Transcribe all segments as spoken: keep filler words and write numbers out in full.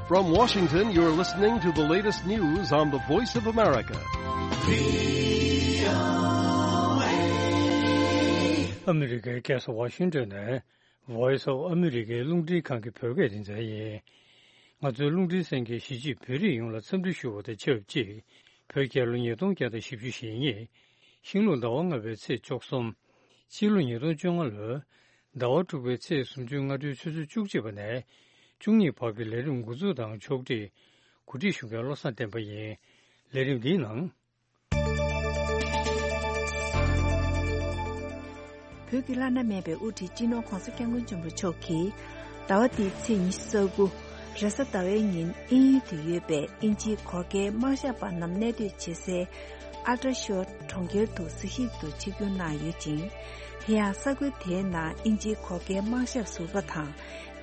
From Washington, you're listening to the latest news on the Voice of America. ཨ་མི་རི་ཀའི་རྒྱལ་ས་ཝ་ཤིང་ཏོན་ནས་Voice of America རླུང་འཕྲིན་ཁང་གི་བོད་སྐད་སྡེ་ཚན་ཡིན། ང་ཚོའི་རླུང་འཕྲིན་གསན་མཁན་གཞིས་བྱེས་བོད་རིགས་ཡོངས་ལ་འཚམས་འདྲི་ཞུ་བ་དང་ཆབས་ཅིག་བོད་རྒྱལ་ལོ་ཉིས་སྟོང་བརྒྱ་དང་བཞི་བཅུ་ཞེ་གཉིས། ཤིང་ལུག་ཟླ་བ་ལྔ་པའི་ཚེས་བཅུ་གསུམ། ཕྱི་ལོ་ཉིས་སྟོང་བཅོ་ལྔ་ལོའི་ཟླ་བ་དྲུག་པའི་ཚེས་སུམ་ཅུ་སྔ་དྲོའི་ཆུ་ཚོད་བཅུ་གཅིག་པ་ནས་བཅུ་གཉིས་བར་གྱི་ལས་རིམ་འགོ་འཛུགས་དང་ཕྱོགས་སྒྲིག་གོ་སྒྲིག་ཞུ་མཁན་བློ་བཟང་བསྟན་པ་ཡིན། ལས་རིམ་འདིའི་ནང་། བོད་ཀྱི་བླ་ན་མེད་པའི་དབུ་ཁྲིད་སྤྱི་ནོར་༧གོང་ས་༧སྐྱབས་མགོན་ཆེན་པོ་མཆོག་གིས་ཟླ་བ་འདིའི་ཚེས་ཉི་ཤུ་རྩ་དགུ་རེས་གཟའ་ཟླ་བའི་ཉིན་དབྱིན་ཡུལ་དུ་ཡོད་པའི་དབྱིན་ཇིའི་གོར་ཁའི་དམག་ཞབས་པ་རྣམས་གནས་སྡོད་བྱེད་སའི་ཨལ་ཏྲ་ཤོར་གྲོང་ཁྱེར་དུ་གཟིགས་ཞིབ་ཏུ་ཆིབས་བསྒྱུར་གནང་ཡོད་ཅིང་། དེ་ཡང་ས་ཁུལ་དེའི་ནང་དབྱིན་ཇིའི་གོར་ཁའི་དམག་ཞབས་ཟུར་པ་དང་།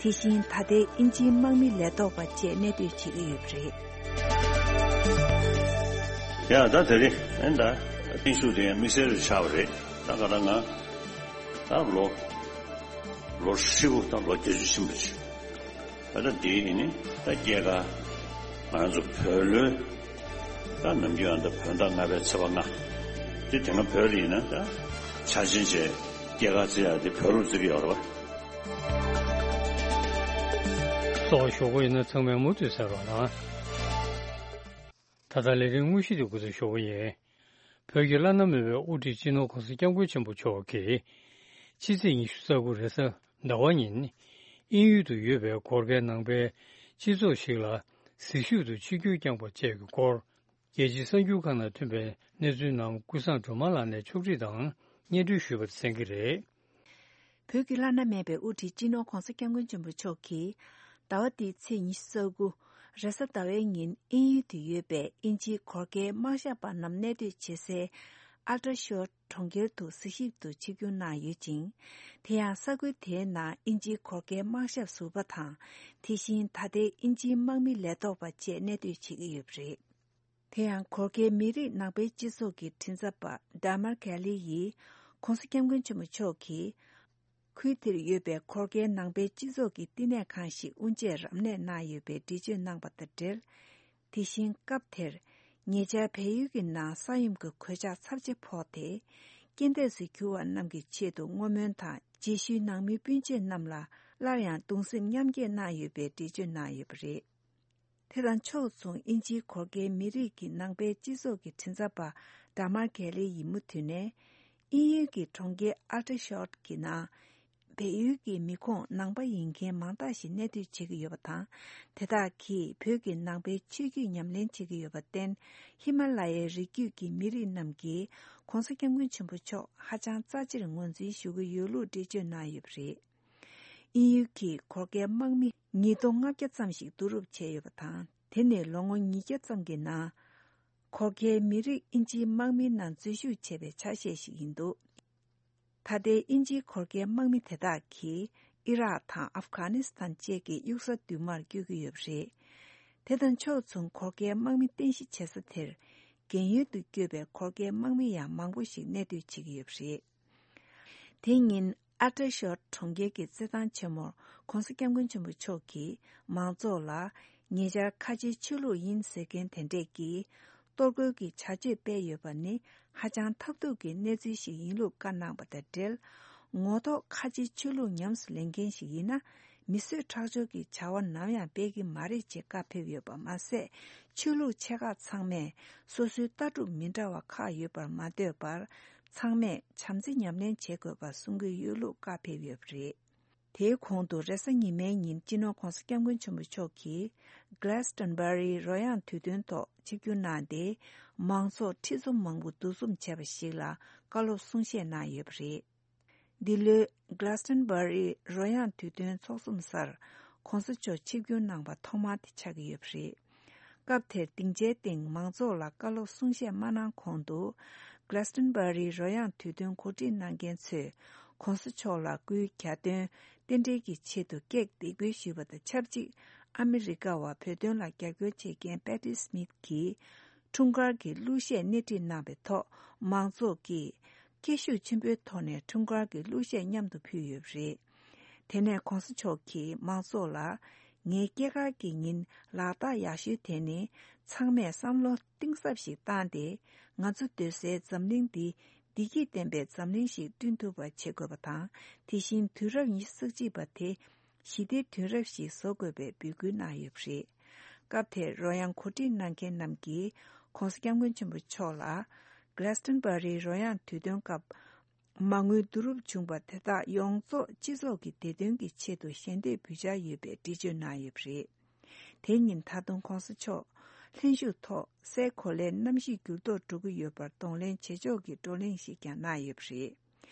དེ་བཞིན་ད་ལྟའི་དབྱིན་ཇིའི་དམག་མི་ལས་ཐོག་པ་བཅས་གནས་སྡོད་བྱེད་ཀྱི་ཡོད་པ་རེད། ཡ་ད་དེ་རེད། ཨེ་ད་བརྟན་བཞུགས་དེ་ཡང་དམིགས་བསལ་རེ་ཆགས་པ་རེད། ད་ག་ད་ང་ད་ལོ་ལོ་ཧྲིལ་པོ་ད་ལོ་བརྒྱད་ཅུ་ཕྱིན་པ་ཅིག་ད་ལྟ་འདི་ཡིན་ནི་ད་སྐྱེས་སྐར་ང་ཚོ་བོད་ལོའི་ད་ནམ་རྒྱུན་ཡང་ད་བོད་ཟླ་ལྔ་པའི་ཚེས་པ་ལྔ། དེ་དེ་སྔ་བོད་ལ་ཡིན་ན་ད་འཆར་ཅན་བྱས་སྐྱེས་སྐར་བརྩི་ཡག་དེ་བོད་ལུགས་བརྩི་གི་ཡོད་རེད་པ། གསོ་བ་ཞོགས་པ་ཡིན་ན་ཚང་མས་མུ་མཐུད་གསན་རོགས་གནང་། ད་ལྟ་ལས་རིམ་དངོས་གཞི་དེ་འགོ་འཛུགས་ཞུ་བ་ཡིན། བོད་ཀྱི་བླ་ན་མེད་པའི་དབུ་ཁྲིད་སྤྱི་ནོར་༧གོང་ས་༧སྐྱབས་མགོན་ཆེན་པོ་མཆོག་གིས་ཕྱི་ཚེས་ཉི་ཤུ་རྩ་དགུ་རེས་གཟའ་ཟླ་བ་ཉིན་དབྱིན་ཡུལ་དུ་ཡོད་པའི་གོར་ཁའི་ནང་པའི་སྤྱི་ཚོགས་ཤིག་ལ་གཟིགས་ཞིབ་ཏུ་ཆིབས་བསྒྱུར་བསྐྱངས་པ་བཅས་ཀྱི་སྐོར། རྒྱལ་སྤྱིའི་གསར་འགྱུར་ཁག་ནང་ཐོན་པའི་གནས་ཚུལ་རྣམས་ཀུན་བཟང་སྒྲོལ་མ་ལགས་ནས་ཕྱོགས་སྒྲིག་དང་སྙན་སྒྲོན་ཞུས་པ་གསན་གྱི་རེད། བོད་ཀྱི་བླ་ན་མེད་པའི་དབུ་ཁྲིད་སྤྱི་ནོར་༧གོང་ས་༧སྐྱབས་མགོན་ཆེན་པོ་མཆོག་གིས་ཟླ་བ་འདིའི་ཚེས་ཉི་ཤུ་རྩ་དགུ་རེས་གཟའ་ཟླ་བའི་ཉིན་དབྱིན་ཡུལ་དུ་ཡོད་པའི་དབྱིན་ཇིའི་གོར་ཁའི་དམག་ཞབས་པ་རྣམས་གནས་སྡོད་བྱེད་སའི་ཨལ་ཏྲ་ཤོར་གྲོང་ཁྱེར་དུ་གཟིགས་ཞིབ་ཏུ་ཆིབས་བསྒྱུར་གནང་ཡོད་ཅིང་། དེ་ཡང་ས་ཁུལ་དེའི་ནང་དབྱིན་ཇིའི་གོར་ཁའི་དམག་ཞབས་ཟུར་པ་དང་། དེ་བཞིན་ད་ལྟའི་དབྱིན་ཇིའི་དམག་མི་ལས་ཐོག་པ་བཅས་གནས་སྡོད་བྱེད་ཀྱི་ཡོད་པ་རེད། དེ་ཡང་གོར་ཁའི་མི་རིགས་ནང་པའི་སྤྱི་ཚོགས་ཀྱི་མགྲིན་ཚབ་པ་ཌ་མར་གྷེ་ལི་ཡིས་༧གོང་ས་༧སྐྱབས་མགོན་ཆེན་པོ་མཆོག་གིས་ཁུལ་དེར་ཡོད་པའི་གོར་ཁའི་ནང་པའི་སྤྱི་ཚོགས་ཀྱི་བསྟི་གནས་ཁང་ཞིག་དབུ་འབྱེད་རབ་གནས་གནང་ཡོད་པའི་འགྲེལ་བརྗོད་གནང་པ་དང་འབྲེལ། དེ་བཞིན་སྐབས་དེར་ཉེ་ཆར་བལ་ཡུལ་གྱི་ནང་ས་ཡོམ་གྱི་གོད་ཆག་ཚབས་ཆེ་ཕོག་སྟེ། རྐྱེན་འདས་སུ་གྱུར་བ་རྣམས་ཀྱི་ཆེད་དུ་བསྔོ་སྨོན་དང་རྗེས་ཤུལ་ནང་མི་སྤུན་མཆེད་རྣམས་ལ་སླར་ཡང་གདུང་སེམས་མཉམ་སྐྱེད་གནང་ཡོད་པའི་འགྲེལ་བརྗོད་གནང་ཡོད་པ་རེད། དེ་དང་ཕྱོགས་མཚུངས་དབྱིན་ཇིའི་གོར་ཁའི་མི་རིགས་ཀྱི་ནང་པའི་སྤྱི་ཚོགས་ཀྱི་མགྲིན་ཚབ་པ་ཌ་མར་གྷེ་ལི་ཡིས་མུ་མཐུད་ནས། དབྱིན་ཡུལ་གྱི་གྲོང་ཁྱེར་ཨལ་ཏྲ་ཤོར་གྱི་ནང་། བལ་ཡུལ་གྱི་མི་ཁོངས་ནང་པ་ཡིན་མཁན་མང་དག་ཞིག་གནས་སྡོད་བྱེད་ཀྱི་ཡོད་པ་དང་། དེ་དག་གིས་བོད་ཀྱི་ནང་པའི་ཆོས་བརྒྱུད་ཉམས་ལེན་བྱེད་ཀྱི་ཡོད་པར་བརྟེན། ཧི་མ་ལ་ཡའི་རི་རྒྱུད་ཀྱི་མི་རིགས་རྣམས་ཀྱིས་༧གོང་ས་༧སྐྱབས་མགོན་ཆེན་པོ་མཆོག་ཧ་ཅང་རྩ་ཆེར་ངོས་འཛིན་ཞུ་གི་ཡོད་ལུགས་འགྲེལ་བརྗོད་གནང་ཡོད་པ་རེད། དབྱིན་ཡུལ་གྱིས་གོར་ཁའི་དམག་མི་ཉིས་སྟོང་ལྔ་བརྒྱ་ཙམ་ཞིག་བསྡུ་རུབ་བྱས་ཡོད་པ་དང་། དེ་ནི་ལོ་ངོ་ཉིས་བརྒྱ་ཙམ་གྱི་ནང་། གོར་ཁའི་མི་རིགས་དབྱིན་ཇིའི་དམག་མི་རྣམས་འཛུལ་ཞུགས་བྱས་པའི་ཆ་ཤས་ཤིག་ཡིན་འདུག་ད་ལྟའི་དབྱིན་ཇིའི་གོར་ཁའི་དམག་མི་དེ་དག་གིས་ཨི་རག་དང་ཨབ་གྷ་ནི་སི་ཐན་བཅས་ཀྱི་གཡུལ་ས་མདུན་མར་བསྐྱོད་ཀྱི་ཡོད་པ་རེད། དེ་དང་ཕྱོགས་མཚུངས་གོར་ཁའི་དམག་མི་རྟེན་གཞི་བྱེད་ས་དེར། རྒན་ཡོལ་དུ་བསྐྱོད་པའི་གོར་ཁའི་དམག་མི་ཡང་མང་པོ་ཞིག་གནས་སྡོད་བྱེད་ཀྱི་ཡོད་པ་རེད། དེ་ཉིན་ཨལ་ཏྲ་ཤོར་གྲོང་ཁྱེར་གྱི་རྩེད་ཐང་ཆེན་མོར་༧གོང་ས་༧སྐྱབས་མགོན་ཆེན་པོ་མཆོག་གིས་མང་ཚོགས་ལ་ཉེ་ཆར་ཁ་ཆེའི་ཆོས་ལུགས་ཡིན་ཟེར་མཁན་དེ་འདྲས་ཀྱིས་གཏོར་རྒོལ་གྱི་བྱ་སྤྱོད་སྤེལ་ཡོད་པ་ནི་ཧ་ཅང་ཐབས་སྡུག་གི་གནས་ཚུལ་ཞིག་ཡིན་ལུགས་བཀའ་གནང་པ་དང་འབྲེལ། ངོ་ཐོག་ཁ་ཆེའི་ཆོས་ལུགས་ཉམས་སུ་ལེན་མཁན་ཞིག་ཡིན་ན། མི་གསོད་ཁྲག་སྦྱོར་གྱི་བྱ་བ་ནམ་ཡང་སྤེལ་གྱི་མ་རེད་ཅེས་བཀའ་ཕེབས་ཡོད་པ་མ་ཟད། ཆོས་ལུགས་ཆེ་ཁག་ཚང་མས་སོ་སོའི་ལྟ་གྲུབ་མི་འདྲ་བ་ཁག་ཡོད་པར་མ་ལྟོས་པར། ཚང་མས་བྱམས་བརྩེ་ཉམས་ལེན་བྱེད་དགོས་པར་གསུང་གི་ཡོད་ལུགས་བཀའ་ཕེབས་ཡོད་པ་རེད། དེའི་གོང་དུ་རེས་གཟའ་ཉི་མའི་ཉིན་སྤྱི་ནོར་༧གོང་ས་༧སྐྱབས་མགོན་ཆེན་པོ་མཆོག་གིས་Glastonbury རོལ་དབྱངས་དུས་སྟོན་ཐོག་ཆིབས་བསྒྱུར་གནང་སྟེ། མང་ཚོགས་ཁྲི་འཛོམས་མང་པོ་འདུ་འཛོམས་བྱས་པ་ཞིག་ལ་བཀའ་སློབ་གསུང་བཤད་གནང་ཡོད་པ་རེད། འདི་ལོའི་Glastonbury རོལ་དབྱངས་དུས་སྟོན་ཚོགས་འཛོམས་སར་༧གོང་ས་མཆོག་ཆིབས་བསྒྱུར་གནང་པ་ཐོག་མ་དེ་ཆགས་ཀྱི་ཡོད་པ་རེད། སྐབས་དེར་སྡིངས་ཆའི་སྟེང་མང་ཚོགས་ལ་བཀའ་སློབ་གསུང་བཤད་མ་གནང་གོང་དུ། Glastonbury རོལ་དབྱངས་དུས་སྟོན་གོ་སྒྲིག་གནང་མཁན་ཚོས་༧གོང་ས་མཆོག་ལ་སྐུའི་གྱ་སྟོན་རྟེན་འབྲེལ་གྱི་ཆེད་དུ་ཀེག་འདེགས་འབུལ་ཞུས་པ་དང་ཆབས་ཅིག་ཨ་མི་རི་ཀ་བ་བོད་དོན་ལ་རྒྱབ་སྐྱོར་བྱེད་མཁན་Patti Smith གྱིས་འཁྲུངས་སྐར་གྱི་གླུ་གཞས་སྣེ་ཁྲིད་གནང་བའི་ཐོག་མང་ཚོགས་ཀྱིས་སྐད་ཤུགས་ཆེན་པོའི་ཐོག་ནས་འཁྲུངས་སྐར་གྱི་གླུ་གཞས་མཉམ་དུ་ཕུལ་ཡོད་པ་རེད། དེ་ནས་༧གོང་ས་མཆོག་གིས་མང་ཚོགས་ལ་ ངའི་སྐྱེས་སྐར་གྱི་ཉིན་ལག་རྟགས་ཡག་ཤོས་དེ་ནི། ཚང་མས་བསམ་བློ་གཏིང་ཟབ་ཞིག་བཏང་སྟེ། ང་ཚོ་སྡོད་སའི་འཛམ་གླིང་འདི་བདེ་སྐྱིད་ལྡན་པའི་འཛམ་གླིང་ཞིག་བསྐྲུན་ཐུབ་པ་བྱེད་དགོས་པ་དང་། དེ་བཞིན་དུས་རབས་ཉི་ཤུ་རྩ་གཅིག་པ་དེ་ཞི་བདེའི་དུས་རབས་ཤིག་བཟོ་དགོས་པའི་འབོད་སྐུལ་གནང་ཡོད་པ་རེད། སྐབས་དེར་རོལ་དབྱངས་གོ་སྒྲིག་གནང་མཁན་རྣམས་ཀྱིས་༸གོང་ས་༸སྐྱབས་མགོན་ཆེན་པོ་མཆོག་ལ། Glastonbury རོལ་དབྱངས་དུས་སྟོན་སྐབས། མ་དངུལ་བསྡུ་རུབ་བྱུང་བ་དེ་དག་ཡོངས་རྫོགས་སྤྱི་ཚོགས་ཀྱི་བདེ་དོན་གྱི་ཆེད་དུ་ཞལ་འདེབས་འབུལ་འཆར་ཡོད་པའི་འགྲེལ་བརྗོད་གནང་ཡོད་པ་རེད། དེ་ཉིན་ད་དུང་༸གོང་ས་མཆོག་ལྷན་བཞུགས་ཐོག་སའི་གོ་ལའི་གནམ་གཤིས་འགྱུར་ལྡོག་འགྲོ་གི་ཡོད་པར་གདོང་ལེན་བྱེད་ཕྱོགས་ཀྱི་བགྲོ་གླེང་ཞིག་ཀྱང་གནང་ཡོད་པ་རེད།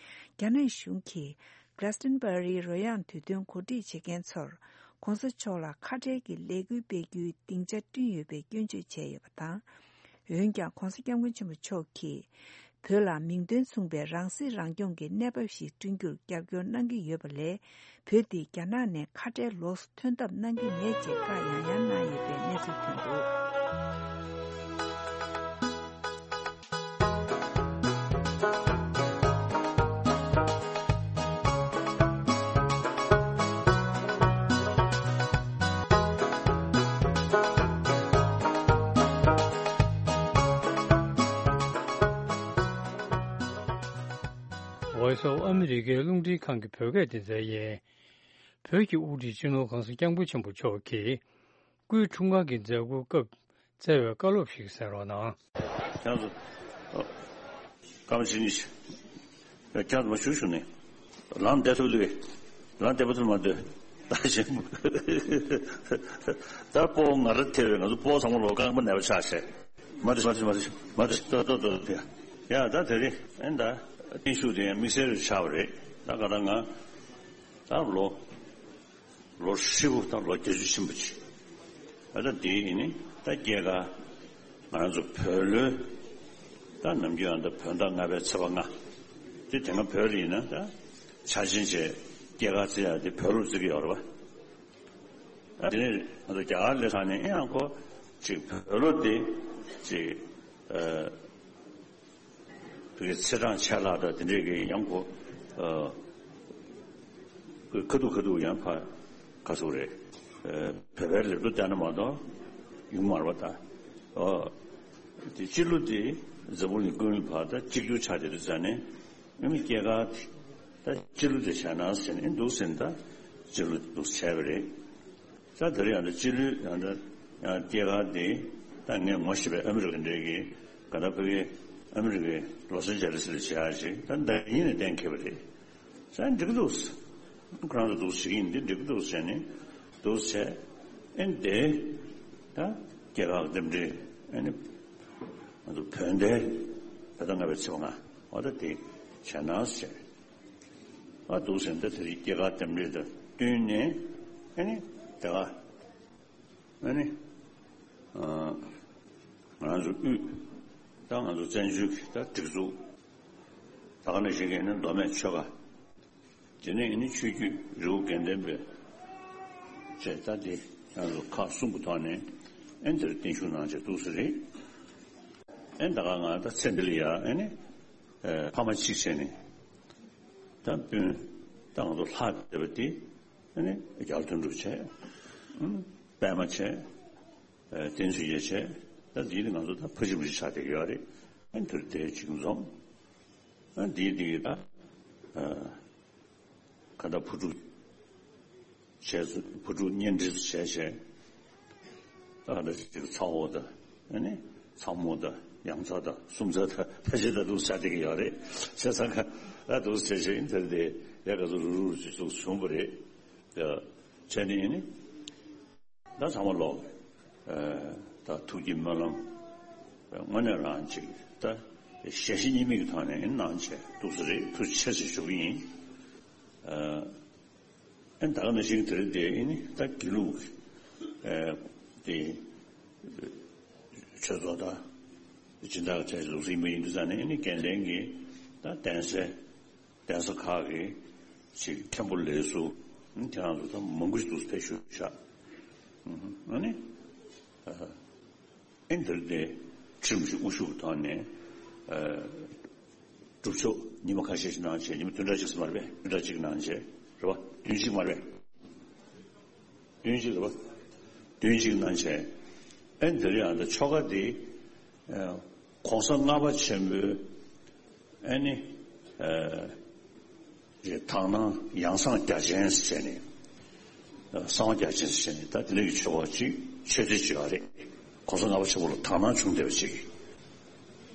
རྒྱ་ནག་གཞུང་གིས་Glastonbury རོལ་དབྱངས་དུས་སྟོན་གོ་སྒྲིག་བྱེད་མཁན་ཚོར་༸གོང་ས་མཆོག་ལ་ཁ་བྲལ་གྱི་ལས་འགུལ་སྤེལ་རྒྱུའི་སྡིངས་ཆ་བསྐྲུན་ཡོད་པའི་སྐྱོན་བརྗོད་བྱས་ཡོད་པ་དང་། འོན་ཀྱང་༸གོང་ས་༸སྐྱབས་མགོན་ཆེན་པོ་མཆོག་གིས། བོད་ལ་མིང་དོན་མཚུངས་པའི་རང་སྲིད་རང་སྐྱོང་གི་གནས་བབ་ཞིག་བསྐྲུན་རྒྱུར་རྒྱབ་སྐྱོར་གནང་གི་ཡོད་པ་ལས། བོད་འདི་རྒྱ་ནག་ནས་ཁ་བྲལ་ལོགས་སུ་ཐོན་ཐབས་གནང་གི་མེད་ཅེས་བཀའ་ཡང་ཡང་གནང་ཡོད་པའི་གནས་ཚུལ་ཐོན་འདུག Voice of America རླུང་འཕྲིན་ཁང་གི་བོད་སྐད་སྡེ་ཚན་ཡིན། བོད་ཀྱི་དབུ་ཁྲིད་སྤྱི་ནོར་༸གོང་ས་༸སྐྱབས་མགོན་ཆེན་པོ་མཆོག་གིས། སྐུའི་འཁྲུངས་སྐར་གྱི་མཛད་སྒོའི་སྐབས་བསྩལ་བའི་བཀའ་སློབ་ཞིག་གསན་རོགས་གནང་། ཁྱེད་ཚོ། ཨ། སྐར་མ་བྱེད་གཉིས་ཤིག་ཁྱེད་ཚོ་མ་བཞུགས་བཞུགས་ནས། ལམ་བདེ་ཐུབ་ལུས། ལམ་བདེ་པོ་ཐུབ་མ་འདོད། ད་ཞེན། ད་སྤོ་ང་ར་ཐེ་བའི་ང་ཚོ་སྤོ་ཚང་མ་ལོ་རྐང་པ་ནས་པ་ཆགས་བྱས། མ་འདྲི་མ་འདྲི་མ་འདྲི་མ་འདྲི་ཏོ་ཏོ་ཏོ་ཏོ། ཡ་ད་དེ་རིང་ཨེ་ད་བརྟན་བཞུགས་དེ་ཡང་དམིགས་བསལ་རེ་ཆགས་པ་རེད། ད་ག་ད་ང་ད་ལོ། ལོ་ཧྲིལ་པོ་དང་ལོ་བརྒྱད་ཅུ་ཕྱིན་པ་ཅིག་ཨ་ད་དེ་ཡིན་ནི་ད་སྐྱེས་སྐར་ང་རང་ཚོ་བོད་ལོའི་ད་ནམ་རྒྱུན་ཡང་ད་བོད་ཟླ་ལྔ་པའི་ཚེས་པ་ལྔ། དེ་དེ་སྔ་བོད་ལ་ཡིན་ན་ད་འཆར་ཅན་བྱས་སྐྱེས་སྐར་བརྩི་ཡག་དེ་བོད་ལོ་བརྩི་གི་ཡོད་རེད་པ། ཨ་དེ་ནས་ང་ཚོ་རྒྱ་གར་སླེབས་ཚར་ནས་ཨེ་ཡང་ཁོ་ཅིག་བོད་ལོ་དེ་ཅིག་ཨ། བོད་ཀྱི་ཚེས་གྲངས་ཆད་ལྷག་དང་དེ་འདྲས་ཀྱི་ཡང་ཁོ། ཨ། ཁ་ཐུག་ཁ་ཐུག་ཡང་ཕ་ག་ཚོད་རེད། ཨ། བོད་པའི་ལེབ་ཏོ་བལྟས་ན་མ་གཏོགས་ཡོང་མ་རེད་པ་ད། ཨོ། དེ་སྤྱི་ལོ་དེ་འཛམ་བུ་གླིང་ཀུན་ལ་ཕར་ད་གཅིག་གྱུར་ཆགས་བསྡད་དུས་ཙ་ནས་ཨ་ནི་སྐྱེས་སྐར་དེ་ད་སྤྱི་ལོ་དེ་བྱས་ན་ཟེར་ནས་འདུག་ཟེར་ནས་ད་སྤྱི་ལོ་འདུག་བྱས་པ་རེད། ད་དེ་རིང་ཡང་ད་སྤྱི་ལོའི་ཡང་ད་ཡང་སྐྱེས་སྐར་འདི་ད་ངས་ངོ་ཤེས་པའི་ཨ་མི་རི་ཀ་འདྲའི་གི་ག་ད་ཕ་གི་ཨ་མི་རི་ཀའི་ལོ་སན་ཇེ་ལི་སི་ལ་བྱེད་ཡག་ཅིག་ད་ཟླ་ཉིན་ནས་གཏན་འཁེལ་བ་རེད། ས་འགྲིག་གི་འདུག་ཁོ་རང་ཚོ་འདུག་བྱེད་ཀྱི་ཡིན་འདི་འགྲིག་གི་འདུག་བྱས་ནས་འདུག་བྱས་ཨེ་འདི་ད་སྐྱེས་སྐར་རྟེན་འབྲེལ་ཨེ་ནི་ང་ཚོ་བོད་ཟླའི་ད་ལྟ་ལྔ་པའི་ཚེས་པ་ལྔ་འོ་ད་དེ་བྱས་ན་བྱས། ཨ་འདུག་ཟེར་ན་ད་དེ་རིང་སྐྱེས་སྐར་རྟེན་འབྲེལ་དང་བསྟུན་ནས་ཨ་ནི་དེ་ག་ཨ་ནི་ཨ་ང་རང་ཚོ་དབུས་ད་ང་ཚོ་བཙན་བྱོལ་གྱི་ད་སྒྲིག་འཛུགས་ད་ག་ནང་བཞིན་གྱི་ཨ་ནི་མདོ་སྨད་ཆོལ་ཁ་དེ་ནས་ཨ་ནི་ཆོས་བརྒྱུད་རི་བོ་དགེ་ལྡན་པའི་བཅས་ད་དེ་ང་ཚོ་ཁག་གསུམ་གྱི་ཐོག་ནས་ཨ་ནི་དེར་བརྟན་བཞུགས་གནང་བྱས་འདུག་ཟེར་རེད། ཨ་ནི་ད་ག་ང་ད་ཚེ་འདི་ལ་ཡ་ཨ་ནི་ཕ་མ་གཅིག་བྱས་ནས། ད་སྤུན་ད་ང་ཚོ་ལྷག་བསྡད་པ་དེ་ཨ་ནི་རྒྱལ་དོན་གྲུབ་བྱས། ཨ་ནི་པད་མ་བྱས། ཨ་བསྟན་ཆོས་རྒྱལ་བྱས། ད་འདི་ནི་ང་ཚོ་ད་ཕ་གཅིག་བུ་གཅིག་ཆགས་བསྡད་ཀྱི་ཡོད་རེད། ཨ་ནི་དེར་དེ་གཅིག་འཛོམས། ཨ་འདིའི་འདི་གི་ད་ཨ་ཁ་ད་བུ་ཕྲུག་བྱས་སུ་བུ་ཕྲུག་གཉེན་སྒྲིག་བྱས་བྱས། ད་ག་འདྲ་ཅིག་ཚ་བོ་དང་ཨ་ནི་ཚ་མོ་དང་ཡང་ཚ་དང་སུམ་ཚ་དང་ཕལ་ཆེར་ད་འདུག་ཆགས་བསྡད་ཀྱི་ཡོད་རེད། བྱས་ཙང་ཁ་ད་འདུག་བྱས་བྱས་ཨིན་དེར་དེ་ཡ་ག་ཚོད་རུག་རུག་ཅིག་འདུག་བྱུང་བ་རེད། ཡ་བྱས་ནས་ཨ་ནི་ད་ཚང་མ་ལོག་ཨ་ད་ཐུགས་ཀྱི་སྨོན་ལམ་དངོས་གནས་རང་ཅིག་ད་ཞལ་བཞེས་གཉིས་མེད་ཀྱི་ཐོག་ནས་ཨ་ནི་གནང་བྱས་འདུག་ས་རེད། ཐུགས་རྗེ་ཆེ་ཞེས་ཞུ་གི་ཡིན། ཨ་ཨ་ནི་ད་ག་ནང་བཞིན་དེ་རིང་འདི་ཨ་ནི་ད་དགེ་ལུགས་ཨ་དེ་ཆོས་ཚོགས་དང་སྦྱིན་བདག་གི་གྲས་ལུགས་ཟིན་པ་ཡིན་དུས་ཙང་ནས་ཨ་ནི་དགེ་ལྡན་གྱི་ད་གདན་སའི་གདན་ས་ཁག་གི་ཅིག་མཁན་པོ་ལས་ཟུར་ཨ་ནི་དེ་རང་ཚོ་ད་མང་པོ་ཞིག་འདུག་ཕེབས་ཞུ་བཞག་ཨ་ནི་ཨ་ཨ་ནི་དེ་རིང་འདི་ཁྲིམས་ཀྱི་དབུ་བཞུགས་ཀྱི་ཐོག་ནས་ཨ་སྒྲུབ་ཆོག་ཉི་མ་ཁ་ཤས་ཤིག་གནང་བྱས། ཉི་མ་བདུན་ཕྲག་གཅིག་ཙམ་མ་རེད་པས། བདུན་ཕྲག་གཅིག་གནང་བྱས་རེད་པ། བདུན་གཅིག་མ་རེད་པས། བདུན་གཅིག་རེད་པ། བདུན་གཅིག་གནང་བྱས། ཨེ་འདི་རེད། ཨ་ད་ཆོ་ག་འདི་ཨ་༸གོང་ས་ལྔ་པ་ཆེན་པོའི་ཨ་ནི་ཨ་རེད། དག་སྣང་ཡང་གསང་རྒྱ་ཆེན་ཟེར་བྱས་ནས། གསང་བ་རྒྱ་ཆེན་ཟེར་བྱས་ནས་ད་དེ་འདྲ་གི་ཆོ་ག་ཅིག་ཆོས་སྡེ་ཅིག་ཡོད་རེད། ༸གོང་ས་ལྔ་པ་ཆེན་པོ་ལ་དག་སྣང་བྱུང་བསྡད་པ་ཅིག།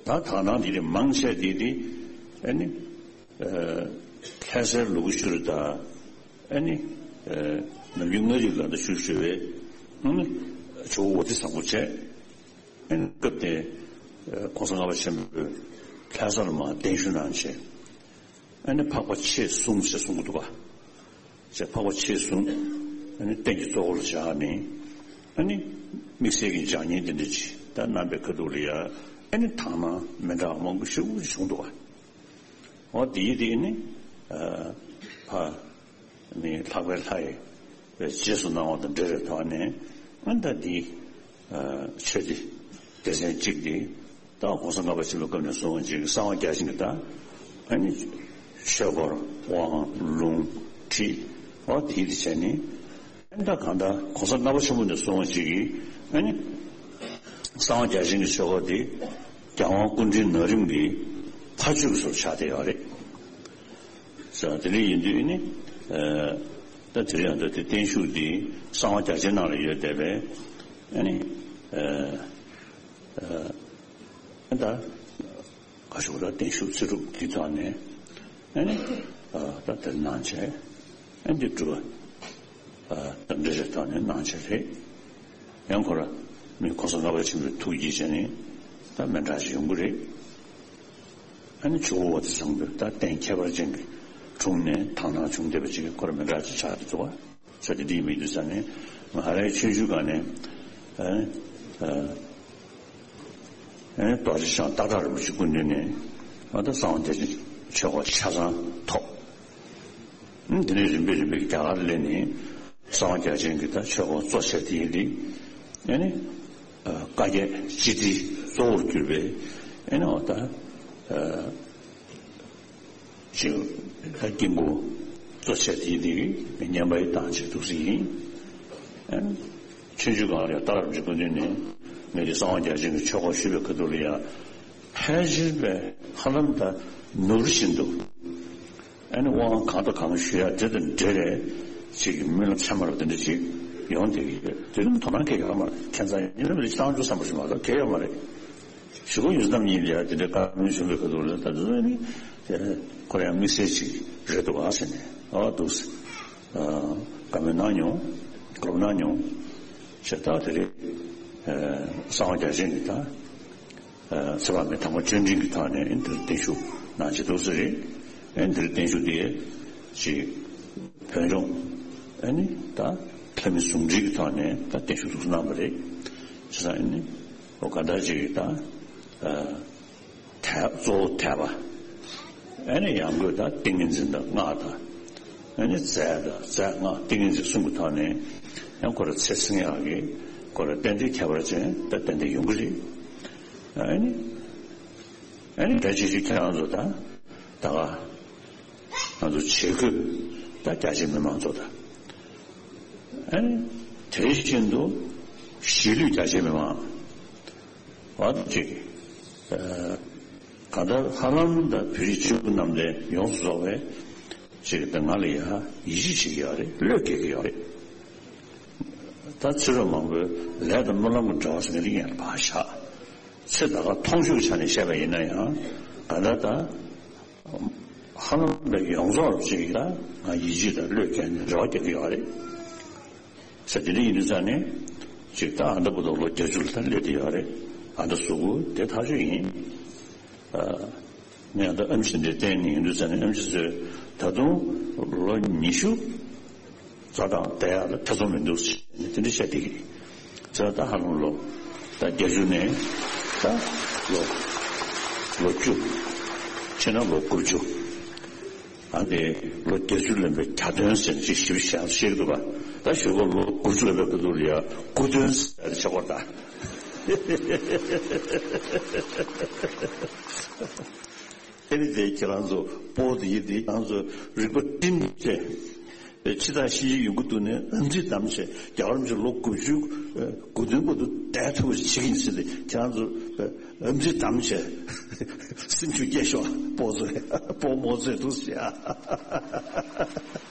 ད་དག་སྣང་འདི་རེད། མང་ཆེ་འདི་དེ་ཨ་ནི་ཨ་ལྷ་སའི་ལུ་གུ་ཤུ་རུ་དང་། ཨ་ནི་ཨ་ནམ་རྒྱུན་མངའ་རིས་ལ་ད་ཞུ་ཞུ་བའི་ཨ་ནི་ཇོ་བོ་ཝ་ཏི་བཟང་པོ་བྱས། ཨ་ནི་སྐབས་དེ་༸གོང་ས་ལྔ་པ་ཆེན་པོས་ལྷ་ས་ལ་མར་གདན་ཞུ་གནང་བྱས། ཨ་ནི་འཕགས་པ་ཆེས་གསུམ་ཞེས་གསུང་གི་འདུག་ག། ཞེས་འཕགས་པ་ཆེས་གསུམ། ཨ་ནི་རྟེན་གྱི་གཙོ་བོ་ལ་བཞག་ནས། ཨ་ནི་དམིགས་བསལ་གྱི་ལྗགས་བསྙེན་དེ་འདྲ་ཅིག་ད་གནང་པའི་ཁ་ཐུག་ལ་ཡ། ཨ་ནི་དག་སྣང་མི་འདྲ་བ་མང་པོ་ཞེ་པོ་ཅིག་བྱུང་འདུག་ག། འོ་དེའི་དེ་ནི་ཨ་ཕ་ནི་ལྷག་པའི་ལྷ་ཡི་རྗེས་སུ་གནང་བ་དང་འབྲེལ་བའི་ཐོག་ནས། ཨ་ནི་ད་འདི་ཨ་ཆོས་སྡེ་སྡེ་ཚན་གཅིག་འདི་ད་༸གོང་ས་ལྔ་པ་ཆེན་པོའི་སྐབས་ནས་བཟུང་ཅིག་གསང་བ་རྒྱ་ཆེན་གྱི་ད་ཨ་ནི་ཆོས་སྐོར་དབང་ལུང་ཁྲིད། འོ་དེ་དེ་བྱས་ནས། ཨ་ནི་ད་གང་ལྟར་༸གོང་ས་ལྔ་པ་ཆེན་པོ་ནས་བཟུང་ཅིག་གིས་ཨ་ནི་གསང་བ་རྒྱ་ཆེན་གྱི་ཆོ་ག་འདི་རྒྱལ་དབང་སྐུ་ཕྲེང་ན་རིམ་གྱི་ཕ་ཇོ་གི་ཟུར་ཆགས་བསྡད་ཡོད་རེད། ས་དེ་འདྲ་ཡིན་དུས་ནི། ཨ་ད་དེ་རིང་ཡང་ད་དེ་བརྟན་བཞུགས་འདི་གསང་བ་རྒྱ་ཆེན་ནང་ལ་ཡོད་བསྡད་པས། ཨ་ནི་ཨ་ཨ་ད་ག་ཞུ་དགོས་རེད། བརྟན་བཞུགས་ཚེ་སྒྲུབ་འདི་ཐོག་ནས། ཨ་ནི་ཨ་ད་དེར་གནང་བྱས། ཨ་འདི་སྒྲུབ་པ་ཨ་ད་འདྲ་རེ་ཐོག་ནས་གནང་བྱས་རེད། ཡང་ཁོ་ར་མི་༸གོང་ས་ལྔ་པ་ཆེན་པོའི་ཐུགས་ཀྱིས་བྱས་ནས་ད་མི་འདྲ་ཞིག་ཡོང་གི་རེད། ཨ་ནི་ཇོ་བོ་ཝ་ཏི་བཟང་པོས་ད་རྟེན་ཁྱད་པར་ཅན་གྱི་དྲུང་ནས་དག་སྣང་བྱུང་བསྡད་པ་ཅིག་ཁོ་ར་མི་འདྲ་ཅིག་ཆགས་ཀྱི་འདུག་བ། ས་དེ་འདི་མི་འདུག་ས་ནས་ང་རའི་ཆུང་ཆུང་སྒང་ནས། ཨ་ཨ་ཨ་རྡོ་རྗེ་འཆང་སྟག་བྲག་རིན་པོ་ཆེ་སྐུ་མདུན་ནས་ཨ་ད་གསང་བ་རྒྱ་ཆེན་ཆོས་སྐོར་ཆ་ཚང་ཐོབ། ཨ་དེ་ནས་རིམ་པས་རིམ་པས་རྒྱ་གར་སླེབས་ནས་གསང་བ་རྒྱ་ཆེན་གྱི་ད་ཆོས་སྐོར་གཙོ་ཆེ་དེ་ཡིན་དེ། ཨ་ནི་ཨ་བཀའ་བརྒྱད་སྤྱི་དྲིལ་གཙོ་བོར་གྱུར་པའི་ཨ་ནི་འོ་ད་ཨ་ཅིག་ད་དཀྱིལ་འཁོར་གཙོ་ཆེ་དེ་ཡིན་དེ་བསྙེན་པ་ཡི་དང་ཆེད་དུ་ཟིན་ཡིན། ཨ་ནི་ཆུང་ཆུང་སྒང་ལ་ཡང་སྟག་བྲག་རིན་པོ་ཆེ་སྐུ་མདུན་ནས་ངས་ཀྱི་གསང་བ་རྒྱ་ཆེན་གྱི་ཆོས་སྐོར་ཞུས་པའི་ཁ་ཐུག་ལ་ཡང་། ཕལ་ཆེར་པས་ཧ་ལམ་ད་ནོར་བཞིན་དུ། ཨ་ནི་དབང་གང་དང་གང་ཞུ་ཡ་དེ་དང་འབྲེལ་བའི་ཅིག་གི་སྨོན་ལམ་ཚད་མ་རུ་དེ་འདྲ་ཅིག་ཡོང་བསྡད་ཀྱི་ཡོད། དེ་རིང་དོ་སྣང་གང་ཡང་ཡོད་མ་རེད། ཁྱད་མཚར་ཉིན་རེ་རེ་བསང་ཆུ་བསམ་པ་ཞིག་མ་གཏོགས་གང་ཡང་ཡོད་མ་རེད། གཞུག་གུ་ཡོངས་འཛིན་རྣམ་གཉིས་ལ་ཡ་དེ་འདྲའི་བཀའ་མོལ་ཞུ་བའི་ཁ་ཐུག་ལ་ད་དུང་ནི་དེ་ཁོ་རང་དམིགས་བསལ་ཅིག་རེད་འདུག་ཨ་ཟེར་ནས། ཨ་འདུག་ཟེར། ཨ་བཀའ་མོལ་གནང་མྱོང་། གོ་སྐབས་གནང་མྱོང་། བྱས་ད་དེ་རེད། ཨ་གསང་བ་རྒྱ་ཆེན་གྱི་ད། ཚེ་དཔག་མེད་དམ་པ་བཅུ་འདྲེན་གྱི་ཐོག་ནས་འདིར་བརྟན་བཞུགས་གནང་བྱས་འདུག་ས་རེད། ཨེ་འདིར་བརྟན་བཞུགས་དེ་ཅིག་བོད་ལྗོངས་ཨེ་ནི་ད་ལྷ་མི་ཟུང་འབྲེལ་གྱི་ཐོག་ནས་ད་བརྟན་བཞུགས་འདུག་གནང་བ་རེད། བྱས་ཙང་ཨེ་ནི་འོ་ག་ད་ཅིག་ད་ཨ་ཐེག་གཙོ་བོ་ཐེག་པ། ཨེ་ནི་ཡང་སྒོས་ད་ཏིང་ངེ་འཛིན་དང་སྔགས་དང་། ཨེ་ནི་རྫས་དང་རྫས་སྔགས་ཏིང་ངེ་འཛིན་གསུམ་གྱི་ཐོག་ནས་ཡང་ཁོ་ར་ཚེ་བསྲིང་ཡག་གི་ཁོ་ར་རྟེན་འབྲེལ་ཁྱད་པར་ཅན་ད་ཏན་ཏན་ཡོང་གི་རེད། ཨ་ནི། ཨ་ནི་འདྲ་ཅིག་ཅིག་ཁྱེད་རང་ཚོ་ད་ད་ག་ང་ཚོ་བྱེད་སྒོ་ད་རྒྱ་ཆེ་མི་མང་ཚོ་ད། ཨ་ནི་དེ་བཞིན་དུ་གཞིས་ལུས་རྒྱ་ཆེ་མི་མང་བར་དུ་ཅིག་ཨ་གང་ལྟར་ཧ་ལམ་ད་བོད་རིགས་སྤྱི་བོ་རྣམས་ལས་ཡོངས་སུ་རྫོགས་པའི་ཅིག་ད་ང་ལ་ཡ་ཡིད་ཆེས་བྱེད་ཀྱི་ཡོད་རེད། བློས་འགེལ་གྱི་ཡོད་རེད། ད་ཕྱི་རོལ་མང་པོའི་ལས་དང་སྨོན་ལམ་གྱི་འབྲེལ་བ་ཟེར་མཁན་དེ་ཡང་ཕར་བཞག་ཚེ་ད་ག་མཐོང་ཆོས་ཀྱི་ཆ་ནས་བཤད་པ་ཡིན་ན་ཡང་ག་ད་ད་ཧ་ལམ་པའི་ཡོངས་རྫོགས་ཅིག་ལ་ང་ཡིད་ཆེས་དང་བློས་འགེལ་ནས་རེ་བ་རྒྱག་གི་ཡོད་རེད། ས་དེ་འདྲ་ཡིན་དུས་ཙང་ནས་ཅིག་ད་ཨ་མདའ་བུ་དང་ལོ་བརྒྱད་ཅུ་ལ་ད་སླེབས་བསྡད་ཡོད་རེད། ཨ་མདའ་གཟུགས་པོ་དེ་ཐག་ཆོད་ཡིན། ཨ། ངས་ད་ཨེམ་ཆི་འདྲ་བསྟན་ནས་ཡིན་དུས་ཙང་ནས་ཨེམ་ཆི་ཚོས་ད་དུང་ལོ་ཉི་ཤུ་རྩ་གྲངས་བསྡད་ཡག་ལ་ཐེ་ཚོམ་མི་འདུག་ཟེར་ནས་དེ་འདྲ་བཤད་བསྡད་ཀྱི་རེད། ཚེ་ད་ཧ་ལམ་ལོ་ད་བརྒྱད་ཅུ་ནས་ད་ལོ་ལོ་བཅུ། ཕྱིན་ན་ལོ་དགུ་བཅུ། ཨ་ནི་ལོ་བརྒྱད་ཅུ་ལོན་པའི་གྱ་སྟོན་ཟེར་ནས་ཅིག་ཞིབ་ཞིབ་བཤད་ཀྱི་འདུག་པ། ད་ཞོགས་པ་ལོ་དགུ་བཅུ་ལོན་པའི་སྐབས་དུ་ལ་ཡ་སྐུ་སྟོན་ཟེར་ནས་ཆགས་པ་རེད་ད། ཨེ་ནི་དེ་ཁྱེད་རང་ཚོ་པོ་དེ་ཡིན་དེ་ཁྱེད་རང་ཚོ་རིག་པ་བསྒྲིམས་ཏེ། ཕྱི་ཐག་ཤི་ཡི་ཡོང་གི་འདུག་ནས་ཨམ་ཚིག་དམ་བྱས། རྒྱལ་བ་རིན་པོ་ཆེ་ལོ་དགུ་བཅུ་དགུ་བདུན་བར་དུ་བསྡད་ཐུབ་པ་ཞིག་བྱེད་ཀྱི་ཡིན་ཟེར་ཏེ། ཁྱེད་རང་ཚོ་ཨམ་ཚིག་དམ་བྱས། སེམས་ཤུགས་སྐྱེད་ཤོག་སྤོ་ཚོས་སྤོ་རྨོ་ཚོས་འདུག་ཟེར་ཡ་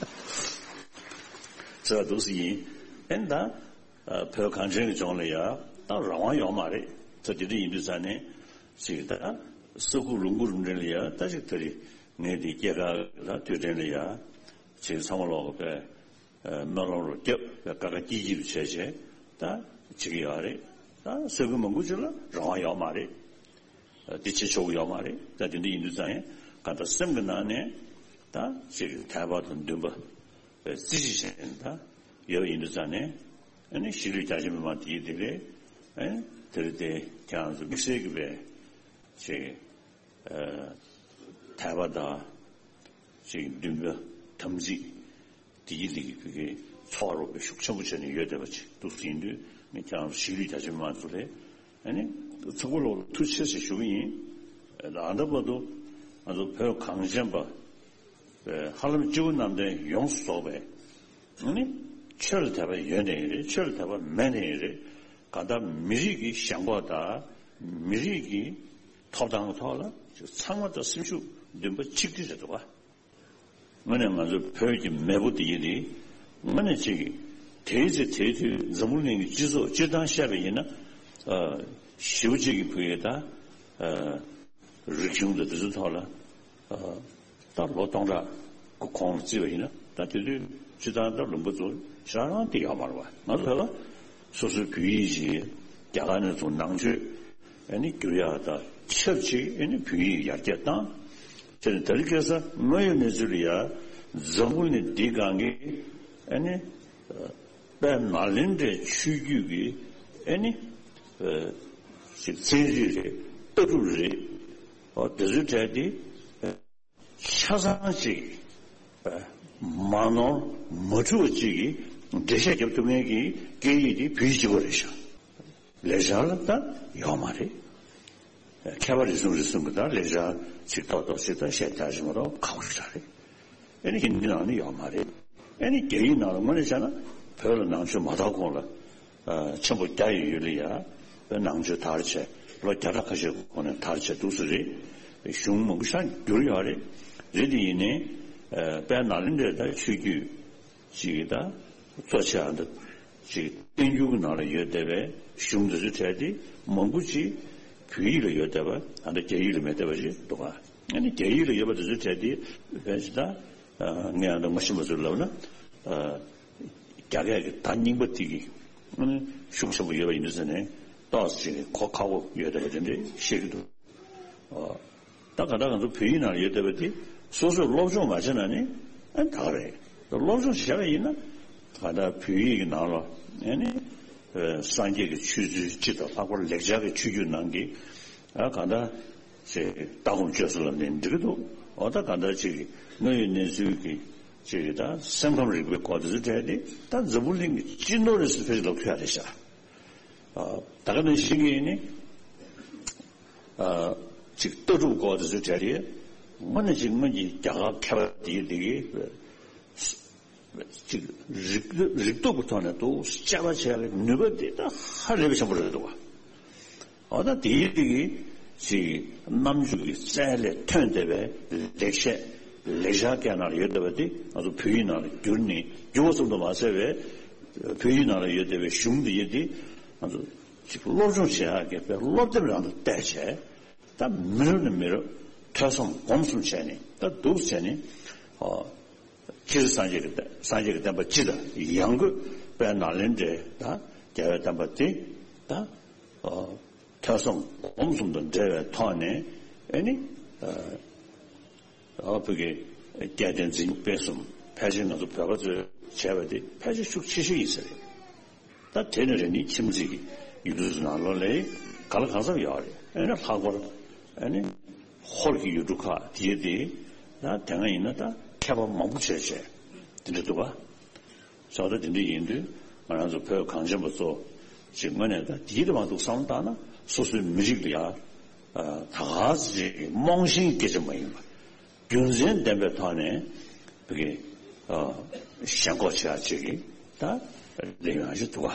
ཟེར་བ་འདུག་ཟེར་ཡིན། ཨེ་ད་བོད་གངས་ཅན་གྱི་ལྗོངས་ལ་ཡ་ད་རང་དབང་ཡོད་མ་རེད། ད་དེ་འདྲ་ཡིན་དུས་ཙང་ནས་ཅིག་ད་ས་ཁུག་ལུང་ཁུག་རུ་འདྲ་ལ་ཡ་ད་ཅིག་ད་རེས་ངས་དེ་སྐྱེས་སྐར་ལ་དུས་དྲན་ལ་ཡ་ཅིག་ཚང་མ་ལོག་གི་པས། སྨོན་ལམ་རུ་བརྒྱབ་པའི་ཀ་ཀ་ཀྱི་ཀྱི་རུ་བྱས་བྱས་ད་བྱེད་ཀྱི་ཡོད་རེད། ད་ས་ཁུལ་མང་པོ་ཅིག་ལ་རང་དབང་ཡོད་མ་རེད། འདི་བྱེད་ཆོག་གི་ཡོད་མ་རེད། ད་དེ་འདྲ་ཡིན་དུས་ཙང་ཡང་གང་ལྟར་སེམས་ཀྱི་ནང་ནས་ད་ཅིག་དད་པ་དང་འདུན་པ་རྩེ་གཅིག་བྱས་ནས་ད་ཡོད་པ་ཡིན་དུས་ཙང་ནས། ཨ་ནི་གཞིས་ལུས་རྒྱ་ཆེ་མི་མང་དེ་ཡིན་དེ་རེད། ཨ་ནི་དེ་རེད་དེ་ཁྱེད་རང་ཚོ་དམིགས་བསལ་གྱི་པའི་ཅིག་དད་པ་དང་ཅིག་འདུན་པ་དམ་ཚིག་དེ་ཡི་དེ་གི་བུ་གའི་ཚོགས་རོགས་པའི་ཤུགས་ཆེན་པོ་བྱས་ནས་ཡོད་བསྡད་པ་ཅིག་འདུག་ཟིན་དུས། ངས་ཁྱེད་རང་གཞིས་ལུས་རྒྱ་ཆེ་མི་མང་ཚོ་ལས་ཨ་ནི་ཚོགས་པ་ལོག་ཐུགས་རྗེ་ཆེ་ཞུ་གི་ཡིན། ཨ་ད་བར་དུ་ང་ཚོ་བོད་གངས་ཅན་པ་ཧ་ལམ་སྤྱི་བོ་གནམ་བསྟན་ཡོངས་སུ་རྫོགས་པའི་ཨ་ནི་ཆོས་ལ་དད་པ་ཡོད་ནའི་རེད། ཆོས་ལ་དད་པ་མེད་ནའི་རེད། གང་ལྟར་མི་རིགས་ཀྱི་ཞེན་ཁོག་དང་མི་རིགས་ཀྱི་ཐོབ་ཐང་གི་ཐོག་ལ་ཚང་མ་དང་སེམས་ཤུགས་འདུན་པ་གཅིག་སྒྲིལ་རེད་འདུག་བ། དངོས་གནས་ང་ཚོའི་བོད་ཀྱི་མེས་པོ་དེ་ཡིན་དེ་དངོས་གནས་གཅིག་གིས་དེའི་ཚེ་དེའི་དུས་འཛམ་བུ་གླིང་གི་སྤྱི་ཚོགས་སྤྱིར་བཏང་བཤད་པ་ཡིན་ན། ཞེ་པོ་གཅིག་གི་བུ་ཡིན་ད། རིག་གཞུང་དང་དེ་ཚོའི་ཐོག་ལ། ད་ལོ་སྟོང་ཕྲག་གི་གོང་ལ་བརྩིས་པ་ཡིན་ན་ད་དེ་དུས་སྤྱིར་བཏང་ད་ལུང་པ་ཚོ་ཞེ་དྲག་རང་དེ་ཡོད་མ་རེད་བ། ང་ཚོ་བོད་པ་སོ་སོའི་བོད་ཡིག་ཅིག་རྒྱ་གར་ནས་ཚུར་ནང་ཆོས་ཨ་ནི་བསྒྱུར་ཡག་དང་ཆབས་ཅིག་ཨ་ནི་བོད་ཡིག་ཡར་རྒྱས་བཏང་། དེ་ནས་དེ་རིང་ཁ་སང་དངོས་ཡོད་གནས་ཚུལ་ལ་ཡ་འཛམ་བུ་གླིང་འདིའི་སྒང་གི་ཨ་ནི་དཔལ་ནཱ་ལེནྡྲའི་ཆོས་བརྒྱུད་ཀྱི་ཨ་ནི་ཅིག་ཚན་རིག་རེད། ལྟ་གྲུབ་རེད། ཨོ་དེ་ཚོའི་གྲས་དེ་ཆ་ཚང་ཅིག་མ་ནོར་མ་འཁྲུལ་བ་ཅིག་གིས་འགྲེལ་བཤད་རྒྱབ་ཐུབ་མཁན་གྱི་སྐད་ཡིག་དེ་བོད་ཡིག་གཅིག་པོ་རེད་ཤག་ལེགས་སྦྱར་ལ་ད་ཡོད་མ་རེད། མཁས་པ་རེ་ཟུང་རེ་ཟུང་གིས་ད་ལེགས་སྦྱར་ཅིག་ཏོག་ཏོག་ཅིག་ད་བཤད་རྒྱག་བཞིན་པ་རོགས་ཁག་པོ་ཞིག་རེད། ཨ་ནི་ཧིན་དི་ནང་ནི་ཡོད་མ་རེད། ཨ་ནི་རྒྱ་ཡིག་ནང་ལ་དངོས་གནས་བྱས་ན་བོད་ལ་ནང་ཆོས་མ་དར་གོང་ལ། ཆེན་པོ་རྒྱ་ཡི་ཡུལ་ལ་ཡ་བོད་ནང་ཆོས་དར་བྱས་ལོ་བརྒྱ་ཕྲག་ཁ་ཤས་གོང་ནས་དར་བྱས་འདུག་སེ་རེད། གཞུང་མང་པོ་ཞིག་བསྒྱུར་ཡོད་རེད། རེད་དེ་ཡིན་ནའི་དཔལ་ནཱ་ལེནྡྲའི་ད་ཆོས་བརྒྱུད་ཅིག་ད་གཙོ་ཆེ་བ་འདི་ཅིག་བསྟན་འགྱུར་གྱི་ནང་ལ་ཡོད་བསྡད་པའི་གཞུང་འདི་ཚོའི་གྲས་དེ་མང་པོ་ཅིག་བོད་ཡིག་ལ་ཡོད་བསྡད་པ་ད་ལྟ་རྒྱ་ཡིག་ལ་མེད་བསྡད་པ་ཞིག་འདུག་ག་ཨ་ནི་རྒྱ་ཡིག་ལ་ཡོད་པ་དེ་ཚོའི་གྲས་དེ་བས་ཅི་ད། ངས་ཨ་ནི་ངོ་ཤེས་པ་ཚོས་ལབ་ན། རྒྱ་སྐད་ཀྱི་ད་རྙིང་པ་དེ་གི་ཤུགས་ཆེན་པོ་ཡོད་པ་ཡིན་དུས་ཟེར་ནས་ཏོག་ཙམ་གོ་ཁག་པོ་ཡོད་བསྡད་པ་དེ་འདྲ་བཤད་ཀྱི་འདུག་ད་ག་ད་ང་ཚོ་བོད་ཡིག་ནང་ཡོད་བསྡད་པ་དེ་སོ་སོས་སློབ་སྦྱོང་མ་བྱས་ན་ནི་ཨ་ད་ག་རེད། སློབ་སྦྱོང་བྱས་པ་ཡིན་ན་ག་ད་བོད་ཡིག་གི་ནང་ལ་ཨ་ནི་སངས་རྒྱས་ཀྱི་ཆོས་ཚུལ་སྤྱི་དང་ལྷག་པར་ལེགས་སྦྱར་གྱི་ཆོས་བརྒྱུད་ནང་གི་ཨ་ག་ད། ཅེས་ལྟ་སྒོམ་སྤྱོད་གསུམ་ལ་ནི་འགྲིག་གི་འདུག་འོ་ད་ག་འདྲ་ཅིག་གི་དངོས་ཡོད་གནས་ཚུལ་གྱི་ཅིག་གི་ད་སེམས་ཁམས་རིག་པའི་སྐོར་དེ་ཚོ་གྲས་དེ་ད་འཛམ་བུ་གླིང་གི་སྤྱི་ནོར་རེད་ཟེར་ཕལ་ཆེར་ལབ་ཐུབ་ཡ་རེད་ཤག་ད་ག་ནང་བཞིན་གྱི་ནི་ཅིག་ལྟ་གྲུབ་སྐོར་དེ་ཚོ་གྲས་དེ་དངོས་གནས་ཅིག་སྔོན་གྱི་རྒྱ་གར་མཁས་པ་དེ་དེ་གི་ཅིག་རིག་རིག་སྟོབས་ཀྱི་ཐོག་ནས་འདུག་དཔྱད་པ་བྱེད་ཡག་གི་ནུས་པ་དེ་ད་ཧ་ལས་པའི་ཆེན་པོ་རེད་འདུག་བ། འོ་ད་དེའི་རིགས་ཀྱི་ཅིག་རྣམ་འགྱུར་གྱི་རྩལ་ལས་ཐོན་བསྡད་པའི་ལེགས་བཤད་ལེགས་སྦྱར་སྐད་ནང་ལ་ཡོད་བསྡད་པ་དེ་ང་ཚོ་བོད་ཡིག་ནང་ལ་བསྒྱུར་ནས་བསྒྱུར་བ་ཙམ་དུ་མ་ཟད་པའི་བོད་ཡིག་ནང་ལ་ཡོད་བསྡད་པའི་གཞུང་འདི་ཡིན་ཏེ་ང་ཚོ་ཅིག་སློབ་སྦྱོང་བྱེད་ཡག་གི་དཔེ་སློབ་དེབ་རང་དང་བལྟས་བྱས། ད་མི་རབས་ནས་མི་རབས་ཐོས་བསམ་སྒོམ་གསུམ་བྱས་ནས་ད་འདུག་བྱས་ནས་ཨོ། སྤྱིར་སངས་རྒྱས་ཀྱི་སངས་རྒྱས་ཀྱི་བསྟན་པ་སྤྱི་དང་ཡང་སྒོས་དཔལ་ནཱ་ལེནྡྲའི་ད་རྒྱལ་བའི་བསྟན་པ་དེ་ད་ཨོ་ཐོས་བསམ་སྒོམ་གསུམ་དང་འབྲེལ་བའི་ཐོག་ནས་ཨེ་ནི་ཨོ་བོད་ཀྱི་སྐལ་ལྡན་འཛིན་སྐྱོང་སྤེལ་གསུམ་ཕལ་ཆེར་ང་ཚོ་བོད་པ་ཚོས་བྱས་པ་དེ་ཕལ་ཆེར་ཤུགས་ཆེ་ཤོས་ཡིན་ས་རེད། ད་དེ་ནས་རེ་ནི་ཁྱིམ་མཚེས་ཀྱི་ཡུལ་གྲུ་ནང་ལོགས་ལ་ག་ལ་གང་འཚམ་ཡོད་རེད། ཨེ་ནི་ལྷག་པར་ཨེ་ནི་ཧོར་གྱི་ཡུལ་གྲུ་ཁག་དེ་དེ་ད་དེ་སྔ་ཡིན་ན་ད་མཁས་པ་མང་པོ་བྱས་བྱས་དེ་འདྲ་འདུག་ག་ས་ད་དེ་འདྲ་ཡིན་དུས་ང་རང་ཚོ་བོད་གངས་ཅན་པ་ཚོ་ཅིག་དངོས་གནས་ད་དེའི་དུ་མ་འདུག་བསམ་བློ་བཏང་ན་སོ་སོའི་མི་རིགས་ལ་ཡ་ད་ག་ཚོད་ཅིག་རྨོངས་ཤིང་སྐད་ཆ་མ་ཡིན་པ། རྒྱུ་མཚན་ལྡན་པའི་ཐོག་ནས་བོད་ཀྱི་ཨ་ ཞེན་ཁོག་བྱེད་ཡག་ཅིག་གི་ད་ལས་ཡོང་ཡག་ཅིག་འདུག་ག་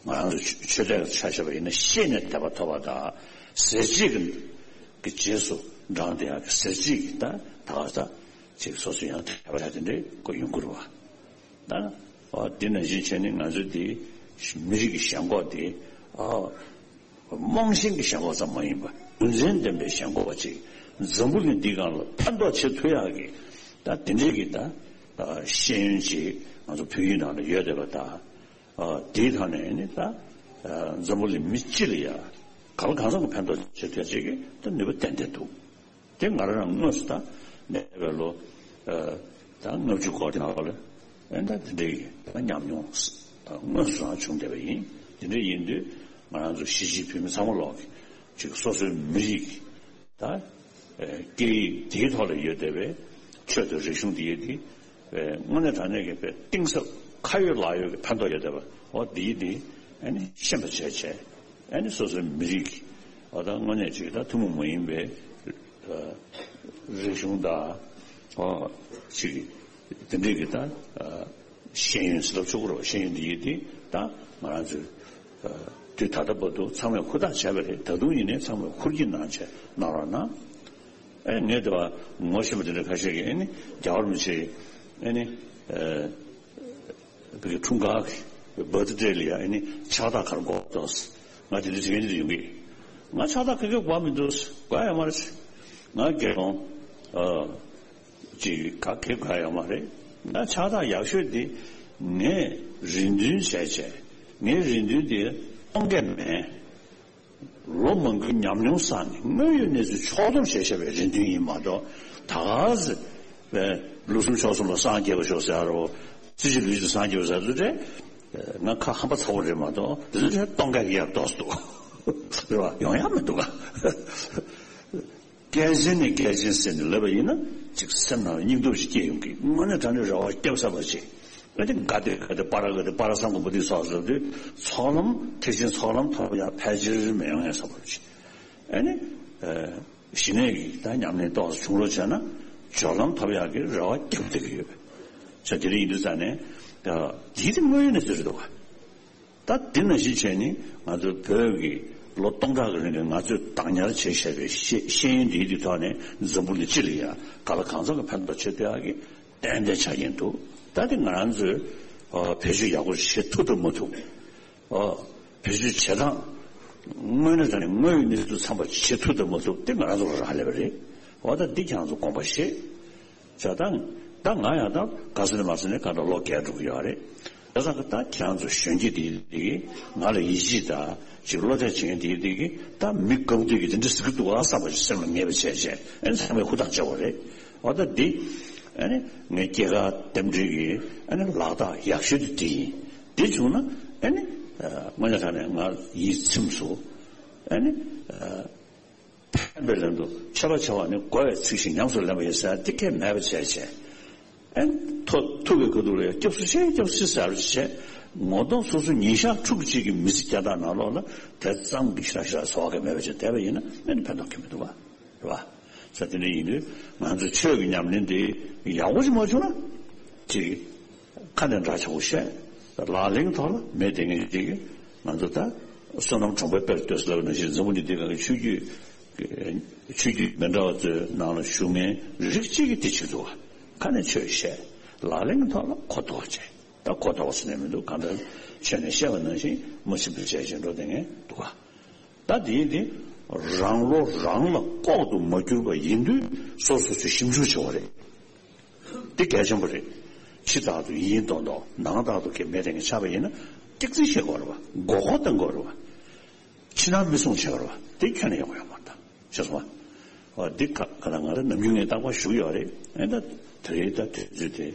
ང་རང་ཚོ་ཆོས་དད་ཆ་བཞག་པ་ཡིན་ན་ཤེས་ནས་དད་པ་ཐོབ་པ་དང་ཟེར་བྱེད་ཀྱི་གི་རྗེས་སུ་འབྲངས་བསྡད་ཡག་གི་ཟེར་བྱེད་ཀྱི་ད་ད་ག་ས་ཅིག་སོ་སོ་ཡང་དད་པ་བྱ་དེ་འདྲའི་སྐོར་ཡོང་གི་རེད་བ། ད་འོ་འདི་ནང་བཞིན་བྱས་ནས་ང་ཚོའི་འདི་མི་རིགས་ཀྱི་ཞེན་ཁོག་དེ་ཨ། རྨོངས་ཞེན་གྱི་ཞེན་ཁོག་ཙམ་མ་ཡིན་པར་རྒྱུ་མཚན་ལྡན་པའི་ཞེན་ཁོག་པ་ཅིག་འཛམ་བུ་གླིང་འདི་སྒང་ལ་ཕན་ཐོགས་བྱེད་ཐུབ་ཡག་གི་ད་དེ་འདྲའི་གི་ད་ཤེས་ཡོན་ཅིག་ང་ཚོ་བོད་ཡིག་ནང་ལ་ཡོད་བསྡད་པ་དང་། དེའི་ཐོག་ནས་ནི་ད་འཛམ་བུ་གླིང་མི་སྤྱི་ལ་ཡ་གང་ལ་གང་འཚམ་གྱི་ཕན་ཐོགས་བྱེད་ཐུབ་ཡག་ཅིག་གི་ད་ནུས་པ་ཏན་ཏན་འདུག་དེ་ང་རང་རང་དངོས་སུ་ད་འདས་པའི་ལོ་ད་ལྔ་བཅུ་སྐོར་གྱི་ནང་ལ་ཨེ་ད་དེ་འདྲའི་ད་ཉམས་མྱོང་ད་དངོས་སུ་རང་བྱུང་བསྡད་པ་ཡིན། དེ་འདྲ་ཡིན་དུས་ང་རང་ཚོ་གཞིས་བྱེས་བོད་མི་ཚང་མ་ལོག་གི་ཅིག་སོ་སོའི་མི་རིགས་ད་སྐད་ཡིག་དེའི་ཐོག་ལ་ཡོད་བསྡད་པའི་ཆོས་དང་རིག་གཞུང་དེ་ཡོད་དེ། དངོས་གནས་དྲང་གནས་ཀྱི་དཔེ་གཏིང་ཟབ་ཁ་ཡོད་ལག་ཡོད་ཀྱི་ཕན་ཐོགས་ཡོད་བསྡད་པ་འོ་འདིའི་འདི་ཨ་ནི་ཤེས་པ་བྱས་བྱས་ཨ་ནི་སོ་སོའི་མི་རིགས་ཀྱི་འོ་ད་དངོས་གནས་ཅིག་ད་ཐུན་མོང་མ་ཡིན་པའི་རིག་གཞུང་དང་འོ་ཅིག་དེ་འདྲའི་གི་ད་ཤེས་ཡོན་ཟེར་ལབ་ཆོག་གི་རེད་བ། ཤེས་ཡོན་འདི་ཡིན་དེ་ད་ང་རང་ཚོའི་དུས་ད་ལྟ་བར་དུ་ཚང་མས་ཧུར་ཐག་བྱས་པ་རེད། ད་དུང་ཡིན་ནའི་ཚང་མས་ཧུར་གྱིས་གནང་བྱས་གནང་རོགས་གནང་། ཨེ་ངས་དེ་བ་ངོ་ཤེས་པ་དེ་འདྲ་ཁ་ཤས་ཀྱིས་ཨེ་ནི་རྒྱལ་བ་རིན་པོ་ཆེ་ཨེ་ནི་ཨེ་བི་གི་འཁྲུངས་སྐར་གྱི་བར་ཐི་ཌེ་ལ་ཡ་ཨེ་ནི་ཕྱག་རྟགས་ག་རེ་དགོས་འདུག་ང་དེ་འདྲ་དྲི་མཁན་དེ་འདྲ་ཡོང་གི་ང་ཕྱག་རྟགས་ག་གེ་དགོས་མི་འདུག་དགོས་ཡོད་མ་རེད། ང་དགེ་སློང་ཨ་ཅིག་ག་གེ་དགོས་ཡོད་མ་རེད། ང་ཕྱག་རྟགས་ཡག་ཤོས་དེ་ངས་རེ་འདུན་བྱས་བྱས་ངའི་རེ་འདུན་དེ་སྟོང་གས་མེད། ལོ་མང་པོའི་ཉམས་མྱོང་བསགས་ནས་དངོས་ཡོད་གནས་ཚུལ་ཕྱོགས་བསྡོམས་བྱས་བཞག་པའི་རེ་འདུན་ཡིན་མ་གཏོགས་ད་ག་ཟེ་བའི་ལོ་གསུམ་ཕྱོགས་གསུམ་ལ་སངས་རྒྱས་པ་ཤོག་ཟེར་རོ། རྩིས་ཀྱི་ལུས་ཀྱི་སངས་རྒྱས་པ་ཟེར་ཚུལ་རེད། ང་ཁ་ཧམ་པ་ཚ་བོ་རེད་མ་གཏོགས་དེ་ཚོ་རེད་སྟོང་ག་གི་ཡར་ལྡོག་སུ་འདུག་རེད་བ། ཡོང་ཡག་མི་འདུག་ག་སྐད་ཆེན་ནས་སྐད་ཆེན་ཟེར་ནས་ལབ་པ་ཡིན་ན་ཅིག་སེམས་ནང་ལ་སྙིང་སྟོབས་ཤིག་སྐྱེ་ཡོང་གི་དངོས་གནས་དྲང་གནས་རེ་བ་སྐྱབས་ས་པ་ཅིག་ཨ་ནི་དགའ་བདེ་དགའ་བདེ་པ་ར་དགའ་བདེ་པ་ར་སང་དགོན་པོ་འདི་སོགས་ཟེར་དུས་ཚོགས་ལམ་ཐེག་ཆེན་ཚོགས་ལམ་ཐོབ་ཡག་ཕལ་ཆེར་མི་ཡོང་ཡག་ས་བབ་ཅིག་ཨ་ནི་ཞི་གནས་ཀྱི་ད་ཉམས་ལེན་ཏོག་ཙམ་བྱུང་རོགས་བྱས་ན་སྦྱོར་ལམ་ཐོབ་ཡག་གི་རེ་བ་རྒྱབ་བསྡད་ཀྱི་ཡོད། ས་དེ་རིང་ཡིན་དུས་ཙང་ནས་འདི་དེ་དངོས་ཡོད་གནས་ཚུལ་རེད་འདུག་ག་ད་དེ་ནང་བཞིན་བྱས་ནས་ང་ཚོ་བོད་ཀྱི་ལོ་སྟོང་ཕྲག་གི་རིང་ལ་ང་ཚོས་བདག་ཉར་བྱས་བཞག་པའི་ཤེས་ཤེས་ཡོན་འདིའི་དེ་ཐོག་ནས་འཛམ་བུ་གླིང་སྤྱི་ལ་ཡང་ག་ལ་གང་འཚམ་གྱི་ཕན་ཐོགས་བྱེད་ཐུབ་ཡག་གི་ཏན་ཏན་ཆགས་ཀྱིན་འདུག་ད་དེ་ང་རང་ཚོས་ཨ་བེད་སྤྱོད་ཡག་པོ་བྱེད་ཐུབ་དང་མ་ཐུབ། ཨ་བེད་སྤྱོད་བྱེད་སྟངས་དངོས་གནས་དྲང་གནས་དངོས་ཡོད་གནས་ཚུལ་ཚང་པ་བྱེད་ཐུབ་དང་མ་ཐུབ་དེ་ང་རང་ཚོ་ལ་རག་ལས་པ་རེད། འོ་ད་འདི་ཁྱེད་རང་ཚོ་དགོངས་པ་བཞེས། བྱ་དང་། ད་ང་ཡང་ད་ག་ས་ནས་མ་ས་ནས་ག་འདྲ་ལོ་རྒས་འགྲོ་གི་ཡོད་རེད། དེ་ཙང་གི་ད་ཁྱེད་རང་ཚོ་གཞོན་སྐྱེས་དེ་དེ་གི་ང་ལ་ཡིད་ཆེས་དང་ཅིག་བློ་གཏད་བྱེད་མཁན་དེ་དེ་གི་ད་མི་དགའ་པོ་དེ་གི་དེ་འདྲ་ཟེར་གི་འདུག་ཨ་བསམ་པ་ཞིག་སེམས་ལ་ངེས་པ་བྱས་བྱས་ཨ་ནི་ཚང་མས་ཧུར་ཐག་བྱ་བ་རེད། འོ་ད་འདི་ཨ་ནི་ངའི་སྐྱེས་སྐར་རྟེན་འབྲེལ་གི་ཨ་ནི་ལག་རྟགས་ཡག་ཤོས་དེ་དེ་ཡིན། དེ་བྱུང་ན་ཨ་ནི་དངོས་གནས་དྲང་གནས་ང་ཡིད་ཚིམས་སོང་། ཨ་ནི། ཕན་པའི་ལན་དུ་ཆད་པ་བྱ་བ་ནི་རྒོལ་བའི་ཚིག་བཞིན་ཉམས་སུ་ལེན་པ་ཡིན་ཟེར་འདི་སྐད་མེད་པ་བྱས་བྱས། ཨེ་ཐོ་ཐུག་གི་ག་དུ་ལ་སྐྱབས་སུ་མཆི་སྐྱབས་སུ་མཆི་ཟེར་བྱས། ངོ་གདོང་སོ་སོ་ཉིན་ཞག་ཕྲུགས་གཅིག་གི་མི་ཚེ་བསྐྱལ་སྟངས་ནང་ལོགས་ལ་དེ་ཙམ་གྱི་ཞེ་དྲག་ཞེ་དྲག་བཟོ་བ་གི་མེད་པ་བྱས་བསྡད་པ་ཡིན་ན་ཨེ་ནི་ཕན་ཐོགས་ཀྱི་མི་འདུག་བ། རེད་བ། ས་དེ་འདྲ་ཡིན་དུས་ང་ཚོ་ཆོས་ཀྱི་ཉམས་ལེན་དེ་ཡག་པོ་ཞིག་མ་བྱུང་ན་ཅིག་ཁ་ནས་འདྲ་ཆགས་པོ་བཤད། ལག་ལེན་ཐོག་ལ་མེད་དེ་ངེས་ཅིག་ང་ཚོ་ད་བསོད་ནམས་གྲོང་པའི་དཔལ་ལྟོས་ཟེར་ལབ་ནང་བཞིན་འཛམ་བུ་གླིང་འདི་སྒང་གི་ཆོས་བརྒྱུད་ཆོས་བརྒྱུད་མི་འདྲ་བ་ཚོའི་ནང་ལ་བཞུགས་མཁན་རིགས་གཅིག་གིས་དེ་བྱེད་ཐུབ་པ། ཁ་ནས་ཆོས་བཤད། ལག་ལེན་ཐོག་ལ་གོ་རྟོགས་བྱས། ད་གོ་རྟོགས་ཟེར་ནས་མི་འདུག་གང་ལྟར་ཆོས་ནས་བཤད་པ་ནང་བཞིན་མ་ཤེས་པ་བྱས་བྱས་འགྲོ་བསྡད་མཁན་འདུག་ག་ད་དེ་དེ་རང་བློ་རང་ལ་ལྐོག་ཏུ་མ་གྱུར་པ་ཡིན་དུས་སོ་སོ་སོས་ཞིབ་འཇུག་བྱེད་དགོས་རེད། དེ་གལ་ཆེན་པོ་རེད། ཕྱི་ལྟར་དུ་ཡིན་མདོག་མདོག་ནང་ལྟར་དུ་གལ་མེད་དེ་ངས་ཆགས་པ་ཡིན་ན་སྐྱག་རྫུན་བཤད་དགོས་རེད་བ། མགོ་སྐོར་གཏོང་དགོས་རེད་བ། ཕྱི་ནང་མི་སྲུང་བྱེད་དགོས་རེད་བ། དེ་ཁྱོན་ནས་ཡག་པོ་ཡོད་མ་རེད་ད། ཤེས་སོང་བ། འོ་འདི་ཁ་ཁ་ལ་ང་རང་ནམ་རྒྱུན་ངས་རྟག་པར་ཞུ་གི་ཡོད་རེད། ཨེ་ད་དེ་རེད་ད་དུས་ཚོད་དེ་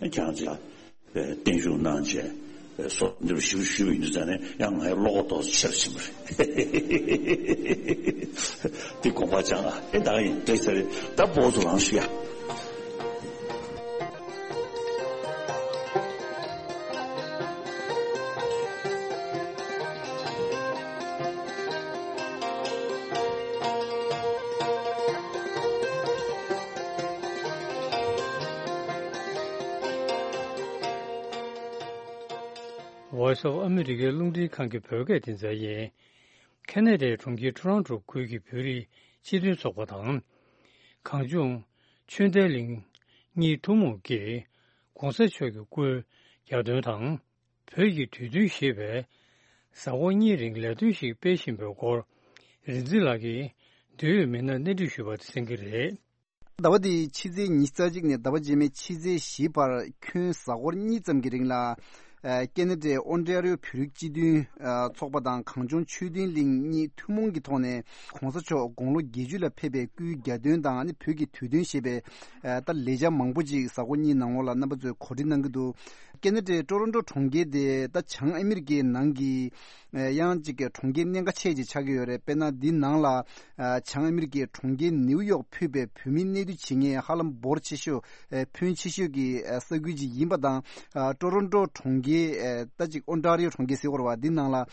ཨེ་ཁྱེད་རང་ཚོ་ལ་བརྟན་བཞུགས་གནང་བྱས་སོ་འདི་རུ་ཞུ་ཞུ་བའི་ཡིན་དུས་ཙང་ནས་ཡང་ངའི་བློ་ཁོག་ཏོག་ཙམ་ཆེར་ཕྱིན་པ་རེད། འདི་དགོངས་པ་བཅངས་ཨ་ཨེ་ད་ཡིན་འདྲ་ས་རེད་ད་བོ་ཚོ་རང་ཞུ་ཡ། Voice of America རླུང་འཕྲིན་ཁང་གི་བོད་སྐད་སྡེ་ཚན་ཡིན། ཁེ་ན་ཌའི་གྲོང་ཁྱེར་ཊོ་རོན་ཊོ་ཁུལ་གྱི་བོད་རིགས་སྤྱི་མཐུན་ཚོགས་པ་དང་། གངས་ལྗོངས་ཆོས་ལྡན་གླིང་གཉིས་ཐུན་མོང་གིས་༸གོང་ས་མཆོག་གི་སྐུའི་གྱ་སྟོན་དང་། བོད་ཀྱི་དུས་སྟོན་ཞེས་པའི་གཟའ་འཁོར་གཉིས་རིང་ལས་དོན་ཞིག་སྤེལ་བཞིན་པའི་སྐོར། རིག་འཛིན་ལགས་ཀྱིས་འབྲེལ་ཡོད་མི་སྣར་གནས་འདྲི་ཞུས་པ་དེ་གསན་གྱི་རེད། ཟླ་བ་འདིའི་ཕྱི་ཚེས་ཉི་ཤུ་རྩ་གཅིག་ནས་ཟླ་བ་རྗེས་མའི་ཕྱི་ཚེས་བཞི་བར་ཁྱོན་གཟའ་འཁོར་གཉིས་ཙམ་གྱི་རིང་ལ། ཨ། ཁེ་ན་ཌའི་ཨོན་ཊ་རི་ཡོ་བོད་རིགས་སྤྱི་མཐུན་ཨ་ཚོགས་པ་དང་གངས་ལྗོངས་ཆོས་ལྡན་གླིང་གཉིས་ཐུན་མོང་གི་ཐོག་ནས་༸གོང་ས་མཆོག་དགུང་ལོ་བརྒྱད་ཅུ་ལ་ཕེབས་པའི་སྐུའི་གྱ་སྟོན་དང་ནི་བོད་ཀྱི་དུས་སྟོན་ཞེས་པའི་ཨ་ད་ལས་འཆར་མང་པོ་ཅིག་གཟའ་འཁོར་གཉིས་ནང་ལོགས་ལ་རྣམ་པ་ཚོས་གོ་སྒྲིག་གནང་གི་འདུག་ཁེ་ན་ཌའི་ཊོ་རོན་ཊོ་གྲོང་ཁྱེར་དེ་ད་བྱང་ཨ་མི་རི་ཀའི་ནང་གི་ཨ་ཡང་ཅིག་གྲོང་ཁྱེར་གནད་འགག་ཆེ་ཅིག་ཆགས་ཀྱི་ཡོད་རེད། དཔེར་ན་འདི་ནང་ལ་ཨ་བྱང་ཨ་མི་རི་ཀའི་གྲོང་ཁྱེར་ནེའུ་ཡོག་ཕུད་པའི་བོད་མི་གནས་སྡོད་བྱེད་མཁན་ཧ་ལམ་འབོར་ཆེ་ཤོས་ཨ་ཕོན་ཆེ་ཤོས་ཀྱི་ཨ་ས་ཁུལ་ཅིག་ཡིན་པ་དང་། ཨ་ཊོ་རོན་ཊོ་གྲོང་ཁྱེར་ཨ་ད་ཅིག་ཨོན་ཊ་རི་ཡོ་གྲོང་ཁྱེར་ཟེར་དགོས་རེད་བ། འདི་ནང་ལ་ཨ་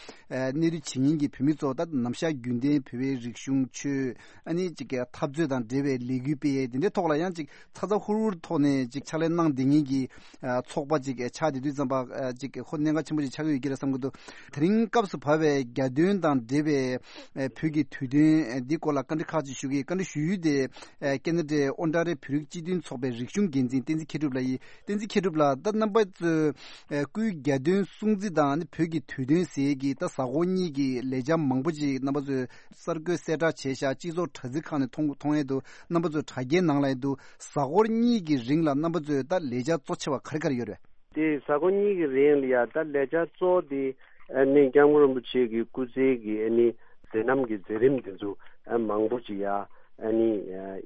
གནས་སྡོད་བྱེད་མཁན་གྱི་བོད་མི་ཚོ་ད་ནམ་ཞག་རྒྱུན་ལྡན་བོད་པའི་རིག་གཞུང་ཆོས། ཨ་ནི་ཅིག་གི་འཐབ་རྩོད་དང་འབྲེལ་བའི་ལས་འགུལ་སྤེལ་ཡས་དེ་འདྲའི་ཐོག་ལ་ཡང་ཅིག་ཚ་ཚ་ཧུར་ཧུར་ཐོག་ནས་ཅིག་ཕྱག་ལས་གནང་བསྡད་མཁན་གྱི་ཨ་ཚོགས་པ་ཅིག་ཆགས་བསྡད་དུས་ཙམ་པ་ཨ་ཅིག་ཁོ་གནད་འགག་ཆེན་པོ་ཅིག་ཆགས་ཀྱི་ཡོད་ཀྱི་རེད་བསམ་གྱི་འདུག་དེ་རིང་སྐབས་སུ་བབས་པའི་གྱ་སྟོན་དང་འབྲེལ་བའི་ཨ་བོད་ཀྱི་དུས་སྟོན་ཨ་འདི་སྐོར་ལ་བཀའ་འདྲི་ཁག་ཅིག་ཞུ་གི་ཡིན། བཀའ་འདྲི་ཞུ་ཡུལ་དེ་ཨ་ཁེ་ན་ཌའི་ཨོན་ཊ་རི་ཡོ་བོད་རིགས་སྤྱི་མཐུན་ཚོགས་པའི་རིག་གཞུང་འགན་འཛིན་བསྟན་འཛིན་མཁས་གྲུབ་ལགས་ཡིན། བསྟན་འཛིན་མཁས་གྲུབ་ལགས། ད་རྣམ་པ་ཚོས་ཨ་སྐུའི་གྱ་སྟོན་སྲུང་བརྩི་དང་ནི་བོད་ཀྱི་དུས་སྟོན་ཟེར་གྱི་ད་གཟའ་འཁོར་གཉིས་ཀྱི་ལས་འཆར་མང་པོ་ཅིག་རྣམ་པ་ཚོས་གསར་འགོད་གསལ་བསྒྲགས་བྱས་ཤག་སྤྱི་ཚོགས་དྲ་ཚིགས་ཁག་ནས་མཐོང་མཐོང་ཡས་འདུག་རྣམ་པ་ཚོས་དྲ་རྒྱའི་ནང་ལ་ཡས་འདུག་གཟའ་འཁོར་གཉིས་ཀྱི་རིང་ལ་རྣམ་པ་ཚོས་ད་ལས་འཆར་གཙོ་ཆེ་བ་ག་རེ་ག་རེ་ཡོད་རེད། དེ་གཟའ་འཁོར་གཉིས་ཀྱི་རིང་ལ་ཡ་ད་ལས་འཆར་གཙོ་བོ་དེ་ཨ་ནི་སྐྱབས་མགོན་རིན་པོ་ཆེ་གི་སྐུ་ཚེ་གི་ཨ་ནི་མཛད་རྣམ་གྱི་མཛད་རིམ་དེ་ཚོ་ཨ་མང་པོ་ཅིག་ཡ་ཨ་ནི་ཨ་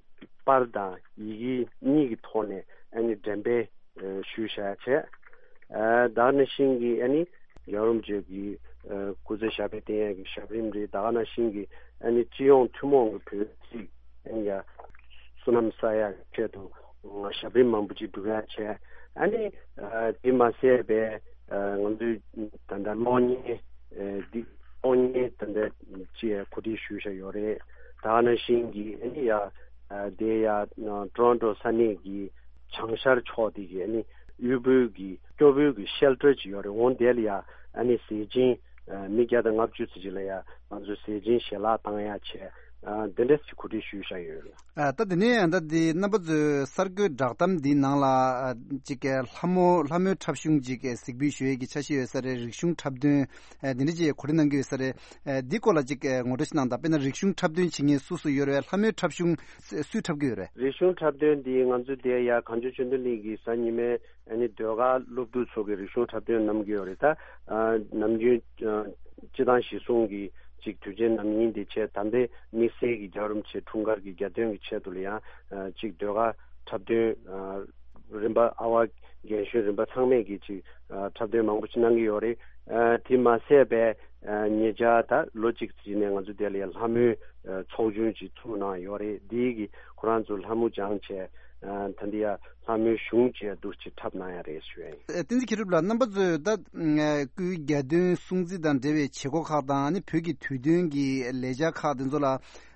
པར་དང་ཡི་གེ་གཉིས་ཀྱི་ཐོག་ནས་ཨ་ནི་འགྲེམས་སྤེལ་ཨ་ཞུས་བཞག་བྱས། ཨ་ད་ག་ནང་བཞིན་གྱི་ཨ་ནི་རྒྱལ་བ་རིན་པོ་ཆེ་གི་ཨ་སྐུ་ཚེ་ཞབས་པད་བརྟན་ཡག་གི་ཞབས་རིམ་རེད། ད་ག་ནང་བཞིན་གྱི་ཨ་ནི་སྤྱི་ཡོངས་ཐུན་མོང་གི་བོད་རིགས་ཨ་ནི་ཡ་བསོད་ནམས་བསགས་ཡག་གི་ཆེད་དུ་ང་ཞབས་རིམ་མང་པོ་ཅིག་སྒྲུབ་ཡག་བྱས། ཨ་ནི་ཨ་དེ་མ་ཟད་པའི་ཨ་ང་ཚོའི་ད་ལྟ་གློག་བརྙན་ཨ་འདི་གློག་བརྙན་ད་ལྟ་ཅིག་གོ་སྒྲིག་ཞུས་བཞག་ཡོད་རེད། ད་ག་ནང་བཞིན་གྱི་ཨ་ནི་ཡ་ཨ་དེ་ཡ་ཊོ་རོན་ཊོ་ས་གནས་ཀྱི་བྱང་ཤར་ཕྱོགས་དེ་གི་ཨ་ནི་གཡུ་བོའི་གི་སྐྱོ་བོའི་གི་ཤེལ་ཊར་ཅིག་ཡོད་རེད། འོང་དེ་ལ་ཡ་ཨ་ནི་ཟས་སྦྱིན་ཨ་མི་བརྒྱ་དང་ལྔ་བཅུ་ཙམ་ཅིག་ལ་ཡ་ང་ཚོས་ཟས་སྦྱིན་ཞལ་ལག་བཏང་ཡག་བྱས། ཨ་དེ་འདྲ་ཅིག་གོ་སྒྲིག་ཞུས་བཞག་ཡོད་རེད། ཨ་ད་དེ་ནས་ད་དེ་རྣམ་པ་ཚོས་གསར་འགོད་བསྒྲགས་གཏམ་འདིའི་ནང་ལ་ཨ་ཅིག་གི་ལྷ་མོ་ལྷ་མོའི་འཁྲབ་གཞུང་ཅིག་གི་གཟིགས་འབུལ་ཞུ་ཡས་ཀྱི་འཆར་གཞི་ཡོད་ས་རེད། རིག་གཞུང་འཁྲབ་སྟོན་ཨ་འདི་འདྲ་ཅིག་གོ་སྒྲིག་གནང་གི་ཡོད་ས་རེད། ཨ་འདི་སྐོར་ལ་ཅིག་ཨ་ངོ་སྤྲོད་ཅིག་གནང་དང་། དཔེར་ན་རིག་གཞུང་འཁྲབ་སྟོན་བྱེད་མཁན་སུ་སུ་ཡོད་རེད། ལྷ་མོའི་འཁྲབ་གཞུང་སུ་སུས་འཁྲབ་ཀྱི་ཡོད་རེད། རིག་གཞུང་འཁྲབ་སྟོན་འདི་ང་ཚོ་དེ་ཡ་གངས་ལྗོངས་ཆོས་ལྡན་གླིང་གི་གཟའ་ཉི་མའི་ཨ་ནི་ཟློས་གར་སློབ་ཕྲུག་ཚོ་གི་རིག་གཞུང་འཁྲབ་སྟོན་གནང་གི་ཡོད་རེད། ད་ཨ་ནམ་རྒྱུན་ཨ་སྤྱི་བཏང་གཞིས་སྲུང་གི་ཅིག་དུས་ཆེན་ནམ་ཡིན་དེ་བྱས། ད་ལྟའི་དམིགས་བསལ་གྱི་རྒྱལ་བ་རིན་པོ་ཆེ་འཁྲུངས་སྐར་གྱི་གྱ་སྟོན་གྱི་ཆེད་དུ་ལ་ཡང་ཨ་ཅིག་ཟློས་གར་འཁྲབ་སྟོན་ཨ་རིམ་པ་ཨ་བ་རྒན་གཞོན་རིམ་པ་ཚང་མས་ཀྱི་ཅིག་ཨ་འཁྲབ་སྟོན་མང་པོ་ཅིག་གནང་གི་ཡོད་རེད། ཨ་དེ་མ་ཟད་པའི་ཨ་ཉེ་ཆར་ད་ལོ་གཅིག་ཙམ་ནས་ང་ཚོ་དེ་ལ་ཡང་ལྷ་མོའི་ཨ་ཚོགས་ཆུང་ཅིག་བཙུགས་གནང་ཡོད་རེད། འདིའི་གི་ཁོ་རང་ཚོ་ལྷ་མོ་སྦྱངས་བྱས། ཨ་ད་འདི་ཡ་ལྷ་མོའི་གཞུང་བཅས་འདུག་ཅིག་འཁྲབ་གནང་ཡ་རེད་ཞུ་ཡ་ཡིན། ཨ་བསྟན་འཛིན་མཁས་གྲུབ་ལགས། རྣམ་པ་ཚོས་ད་ཨ་སྐུའི་གྱ་སྟོན་སྲུང་བརྩི་དང་འབྲེལ་བའི་བྱེད་སྒོ་ཁག་དང་། ཨ་ནི་བོད་ཀྱི་དུས་སྟོན་གྱི་ལས་འཆར་ཁག་དེ་ཚོ་ལ་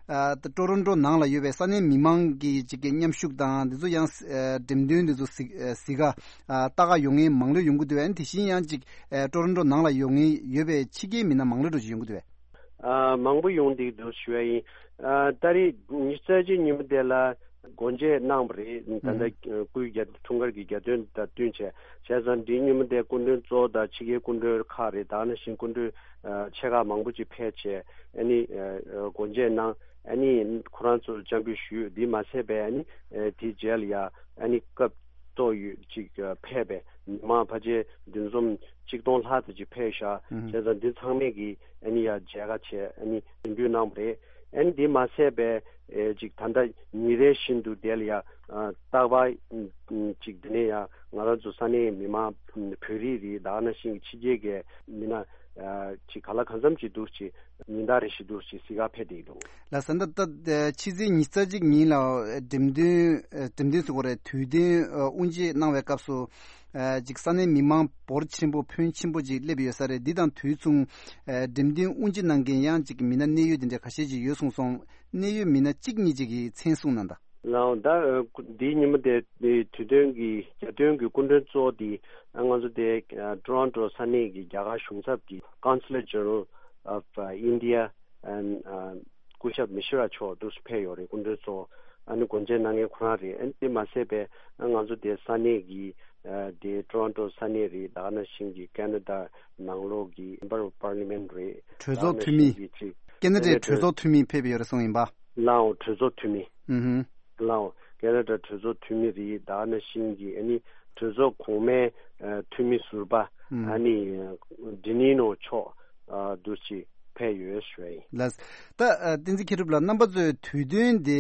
ཨ་ད་ཊོ་རོན་ཊོ་ནང་ལ་ཡོད་པའི་ས་གནས་མི་མང་གི་ཅིག་གི་མཉམ་ཞུགས་དང་། དེ་ཚོ་ཡང་ཨ་འགྲེམས་སྟོན་དེ་ཚོ་གཟིགས་ཨ་གཟིགས་ག་ཨ་ལྟ་ག་ཡོང་མཁན་མང་ལོས་ཡོང་གི་འདུག་པས། ཨ་ནི་དེ་བཞིན་ཡང་ཅིག་ཨ་ཊོ་རོན་ཊོ་ནང་ལ་ཡོང་མཁན་ཡོད་པའི་ཕྱི་རྒྱལ་མི་སྣ་མང་ལོས་འགྲོ་ཅིག་ཡོང་གི་འདུག་པས། ཨ་མང་པོ་ཡོང་བསྡད་འདུག་ཞུ་ཡ་ཡིན། ཨ་ཏ་རིག་ཉི་ཤུ་རྩ་གཅིག་ཉིན་མོ་དེ་ལ་སྒོ་འབྱེད་གནང་བ་རེད། ད་ལྟ་སྐུའི་རྒྱ་འཁྲུངས་སྐར་གྱི་གྱ་སྟོན་དང་བསྟུན་བྱས། བྱས་ཙང་འདིའི་ཉིན་མོ་དེ་སྐུ་མགྲོན་གཙོ་བོ་དང་ཕྱི་རྒྱལ་སྐུ་མགྲོན་ཁག་རེད། ད་ནང་བཞིན་སྐུ་མགྲོན་ཨ་ཆེ་ཁག་མང་པོ་ཅིག་ཕེབས་བྱས། ཨ་ནི་ཨ་སྒོ་འབྱེད་གནང་། ཨ་ནི་ཁོ་རང་ཚོར་བཅར་འབུལ་ཞུས། འདི་མ་ཟད་པའི་ཨ་ནི་ཨ་དེའི་རྗེས་ལ་ཡ་ཨ་ནི་སྐབས་ཏོག་ཡོད་ཅིག་ཕེབས་པའི་མི་མང་ཕལ་ཆེར་འདུ་འཛོམས་གཅིག་སྟོང་ལྷག་ཙམ་ཅིག་ཕེབས་ཤག་ཨུ་ཧུ། བྱས་ཙང་འདི་ཚང་མས་ཀྱིས་ཨ་ནི་ཡ་མཇལ་ཁ་བྱས། ཨ་ནི་གཟིགས་འབུལ་གནང་བ་རེད། ཨ་ནི་འདི་མ་ཟད་པའི་ཨེ་ཅིག་ད་ལྟ་ཉིན་རེ་བཞིན་དུ་དེ་ལ་ཡ་ཨ་རྟག་པར་ཅིག་དེ་ནས་ཡ་ང་རང་ཚོ་ས་གནས་མི་མང་བོད་རིགས་རེད། ད་ག་ནང་བཞིན་གྱི་ཕྱི་རྒྱལ་གྱི་མི་སྣ་ཨ་ཅིག་ག་ལ་གང་འཚམ་ཅིག་འདུག་ཅིག་ཉིན་ལྟར་རེ་བཞིན་འདུག་ཅིག་གཟིགས་ག་ཕེབས་བསྡད་འདུག་ལགས་སོ། ད་ལྟ་ཕྱི་ཚེས་ཉི་ཤུ་རྩ་གཅིག་ཉིན་ལ་འགྲེམས་སྟོན་ཨ་འགྲེམས་སྟོན་ཟེར་དགོས་རེད། དུས་སྟོན་ཨ་དབུ་འབྱེད་གནང་བའི་སྐབས་སུ་ཨ་ཅིག་ས་གནས་མི་མང་འབོར་ཆེན་པོ་ཕོན་ཆེན་པོ་ཅིག་སླེབས་ཡོད་ས་རེད། འདི་དང་དུས་མཚུངས་ཨ་འགྲེམས་སྟོན་དབུ་འབྱེད་གནང་མཁན་ཡང་ཅིག་མི་སྣ་གནད་ཡོད་དེ་འདྲ་ཁ་ཤས་ཅིག་ཡོད་གསུངས་སོང་། གནད་ཡོད་མི་སྣ་གཅིག་གཉིས་ཅིག་གི་མཚན་གསུངས་གནང་དང་། ལའོ་ད་འདིའི་ཉིན་མོ་དེ་དུས་སྟོན་གྱི་རྒྱ་སྟོན་གྱི་སྐུ་མགྲོན་གཙོ་བོ་དེ་ང་ཚོ་དེ་ཊོ་རོན་ཊོ་ས་གནས་ཀྱི་རྒྱ་གར་གཞུང་ཚབ་ཀྱི་Consulate General of India and སྐུ་ཞབས་མི་ཤི་ར་མཆོག་འདུག་སེ་ཕེབས་ཡོད་རེད། སྐུ་མགྲོན་གཙོ་བོ་ཨ་ནི་གོ་མཇལ་གནང་མཁན་ཁོ་རང་རེད། ཨ་ནི་དེ་མ་ཟད་པའི་ང་ཚོ་དེ་ས་གནས་ཀྱི་དེ་ཊོ་རོན་ཊོ་ས་གནས་རེད། ད་ག་ནང་བཞིན་གྱི་ཀེ་ན་ཌ་ནང་ལོགས་ཀྱི་Member of Parliament རེད། གྲོས་ཚོགས་འཐུས་མི། ཀེ་ན་ཌའི་གྲོས་ཚོགས་འཐུས་མི་ཕེབས་ཡོད་རེད་གསུངས་ཡིན་པ། ལའོ་གྲོས་ཚོགས་འཐུས་མི། ཨུ་ལའོ་ཀེ་ན་ཌ་གྲོས་ཚོགས་འཐུས་མི་རེད། ད་ག་ནང་བཞིན་གྱི་ཨ་ནི་གྲོས་ཚོགས་གོང་མའི་འཐུས་མི་ཟུར་པ་ཨ་ནི་ཌི་ནི་ནོ་མཆོག་འདུག་སེ་ཕེབས་ཡོད་ཞུ་ཡ་ཡིན། ལགས། ད་བསྟན་འཛིན་མཁས་གྲུབ་ལགས། རྣམ་པ་ཚོས་དུས་སྟོན་དེ་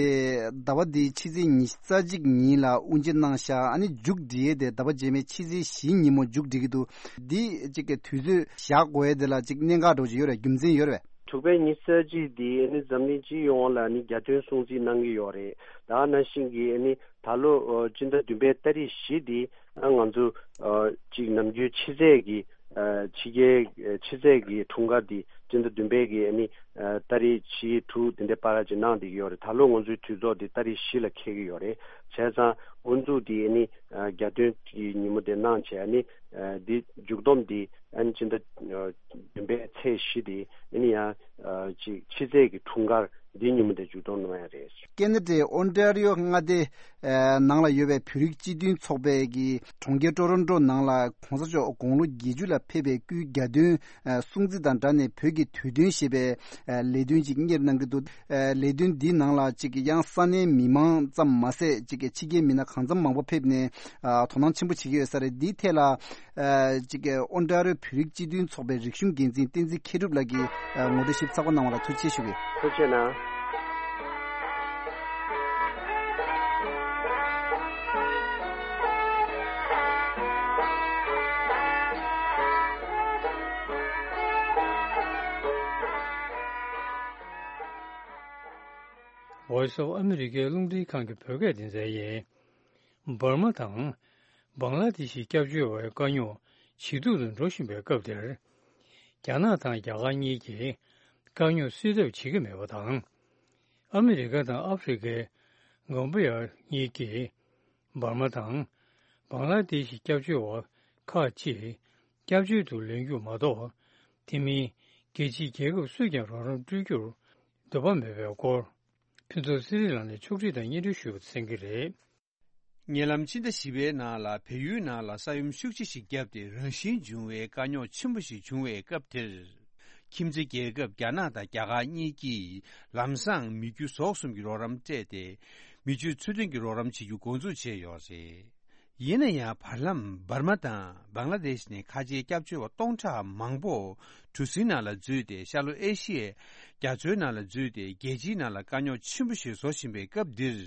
ཟླ་བ་འདིའི་ཕྱི་ཚེས་ཉི་ཤུ་རྩ་གཅིག་ཉིན་ལ་དབུ་འབྱེད་གནང་ཤག་ཨ་ནི་མཇུག་སྒྲིལ་ཡས་དེ་ཟླ་བ་རྗེས་མའི་ཕྱི་ཚེས་བཞི་ཉིན་མོ་མཇུག་སྒྲིལ་གྱི་འདུག་འདི་གཅིག་གི་དུས་ཚོད་བཞག་དགོས་ཡས་དེ་ལ་གཅིག་གནད་འགག་འདྲ་བོ་ཅིག་ཡོད་རེད། རྒྱུ་མཚན་ཡོད་རེད་པས། དྲུག་པའི་ཉི་ཤུ་རྩ་གཅིག་འདི་ནི་འཛམ་གླིང་སྤྱི་ཡོངས་ལ་ནི་རྒྱ་སྟོན་སྲུང་བརྩི་གནང་གི་ཡོད་རེད། ད་ག་ནང་བཞིན་གྱི་ནི་ད་ལོ་སྤྱི་ཟླ་བདུན་པའི་ཏ་རིག་བཞི་འདི་ང་ཚོ་གཅིག་ནམ་རྒྱུན་ཕྱི་ཚེས་ཀྱི་ཕྱི་རྒྱལ་ཕྱི་ཚེས་ཀྱི་འཁྲུངས་སྐར་འདི་སྤྱི་ཟླ་བདུན་པའི་གི་ནི་ཏ་རིག་བཞི་དྲུག་དེ་འདྲའི་བར་ཅིག་གནང་བསྡད་ཀྱི་ཡོད་རེད། ད་ལོ་ང་ཚོའི་དུས་ཚོད་འདི་ཏ་རིག་བཞི་ལ་འཁེལ་གྱི་ཡོད་རེད། བྱས་ཙང་འགོ་འཛུགས་འདི་ནི་རྒྱ་སྟོན་གྱི་ཉིན་མོ་དེ་གནང་བྱས་ནི་འདི་མཇུག་སྡོམ་འདི་ཨ་ནི་སྤྱི་ཟླ་བདུན་པའི་ཚེས་བཞི་དེ་ཨ་ནི་ཡང་ཅིག་ཕྱི་ཚེས་ཀྱི་འཁྲུངས་སྐར་འདི་ཉིན་མོ་དེ་མཇུག་སྡོམ་གནང་ཡ་རེད། ཀེ་ན་ཌའི་ཨོན་ཊ་རི་ཡོ་མངའ་སྡེ་ནང་ལ་ཡོད་པའི་བོད་རིགས་སྤྱི་མཐུན་ཚོགས་པའི་གི་གྲོང་ཁྱེར་ཊོ་རོན་ཊོ་ནང་ལ་གོང་ས་མཆོག་དགུང་ལོ་བརྒྱད་ཅུ་ལ་ཕེབས་པའི་སྐུའི་རྒྱ་སྟོན་སྲུང་བརྩི་དང་སྦྲགས་ནས་བོད་ཀྱི་དུས་སྟོན་ཞེས་པའི་ལས་དོན་ཅིག་གཉེར་གནང་གི་འདུག་ལས་དོན་འདིའི་ནང་ལ་ཅིག་ཡང་ས་གནས་མི་མང་ཙམ་མ་ཟད་ཅིག་ཕྱི་རྒྱལ་མི་སྣ་གང་འཚམ་མང་པོ་ཕེབས་ནས་དོ་སྣང་ཆེན་པོ་བྱེད་ཀྱི་ཡོད་ས་རེད། འདིའི་ཐད་ལ། ཨ་ཅིག་ཨོན་ཊ་རི་ཡོ་བོད་རིགས་སྤྱི་མཐུན་ཚོགས་པའི་རིག་གཞུང་འགན་འཛིན་བསྟན་འཛིན་མཁས་གྲུབ་ལགས་ཀྱིས་ཨ་ངོ་སྤྲོད་ཞིབ་ཚགས་པོ་གནང་བ་ལ་ཐུགས་རྗེ་ཆེ་ཞུ་གི། ཐུགས་རྗེ་གནང་། Voice of America རླུང་འཕྲིན་ཁང་གི་བོད་སྐད་སྡེ་ཚན་ཡིན། འབར་མ་དང་། བང་ལ་དེ་ཤི་སྐྱབས་བཅོལ་བའི་དཀའ་རྙོག་ཇེ་སྡུག་ཏུ་འགྲོ་བཞིན་པའི་སྐབས་དེར། རྒྱ་ནག་དང་རྒྱ་གར་གཉིས་ཀྱིས་དཀའ་རྙོག་སེལ་ཐབས་བྱེད་ཀྱི་མེད་པ་དང་། ཨ་མི་རི་ཀ་དང་ཨ་ཧྥེ་རི་ཁའི་གོམ་པ་ཡ་གཉིས་ཀྱིས་འབར་མ་དང་། བང་ལ་དེ་ཤི་སྐྱབས་བཅོལ་བ་ཁག་ཅིག་སྐྱབས་བཅོལ་དུ་ལེན་རྒྱུ་མ་གཏོགས། དེ་མིན་རྒྱལ་སྤྱིའི་རྒྱལ་ཁབ་སུས་ཀྱང་རོགས་རམ་སྤྲོད་རྒྱུར་འདོད་པ་མེད་པའི་སྐོར། ཕུན་ཚོགས་ཚེ་རིང་ལགས་ནས་ཕྱོགས་སྒྲིག་དང་སྙན་སྒྲོན་ཞུས་པ་གསན་གྱི་རེད། ཉེ་ལམ་ཕྱི་ཟླ་བཞི་པའི་ནང་ལ་བལ་ཡུལ་ནང་ལ་ས་ཡོམ་ཤུགས་ཆེ་ཞིག་བརྒྱབ་སྟེ་རང་བཞིན་བྱུང་བའི་དཀའ་རྙོག་ཆེན་པོ་ཞིག་བྱུང་བའི་སྐབས་དེར། ཁྱིམ་མཚེས་རྒྱལ་ཁབ་རྒྱ་ནག་དང་རྒྱ་གར་གཉིས་ཀྱིས་ལམ་སང་མི་རྒྱུ་ཟོག་གསུམ་གྱི་རོགས་རམ་སྤྲད་དེ། མི་རྒྱུ་ཚུལ་མཐུན་གྱི་རོགས་རམ་བྱེད་རྒྱུ་འགོ་འཛུགས་བྱས་ཡོད་རེད། ཡིན་ན་ཡང་བར་ལམ་འབར་མ་དང་བང་ལ་དེཤ་ནས་ཁ་ཆེའི་སྐྱབས་བཅོལ་བ་སྟོང་ཕྲག་མང་པོ་གྲུ་གཟིངས་ནང་ལ་འཛུལ་ཏེ་ཤར་ལྷོ་ཨེ་ཤི་ཡའི་རྒྱ་མཚོའི་ནང་ལ་འཛུལ་ཏེ་རྒྱལ་སྤྱིའི་ནང་ལ་དཀའ་རྙོག་ཆེན་པོ་ཞིག་བཟོ་བཞིན་པའི་སྐབས་འདིར།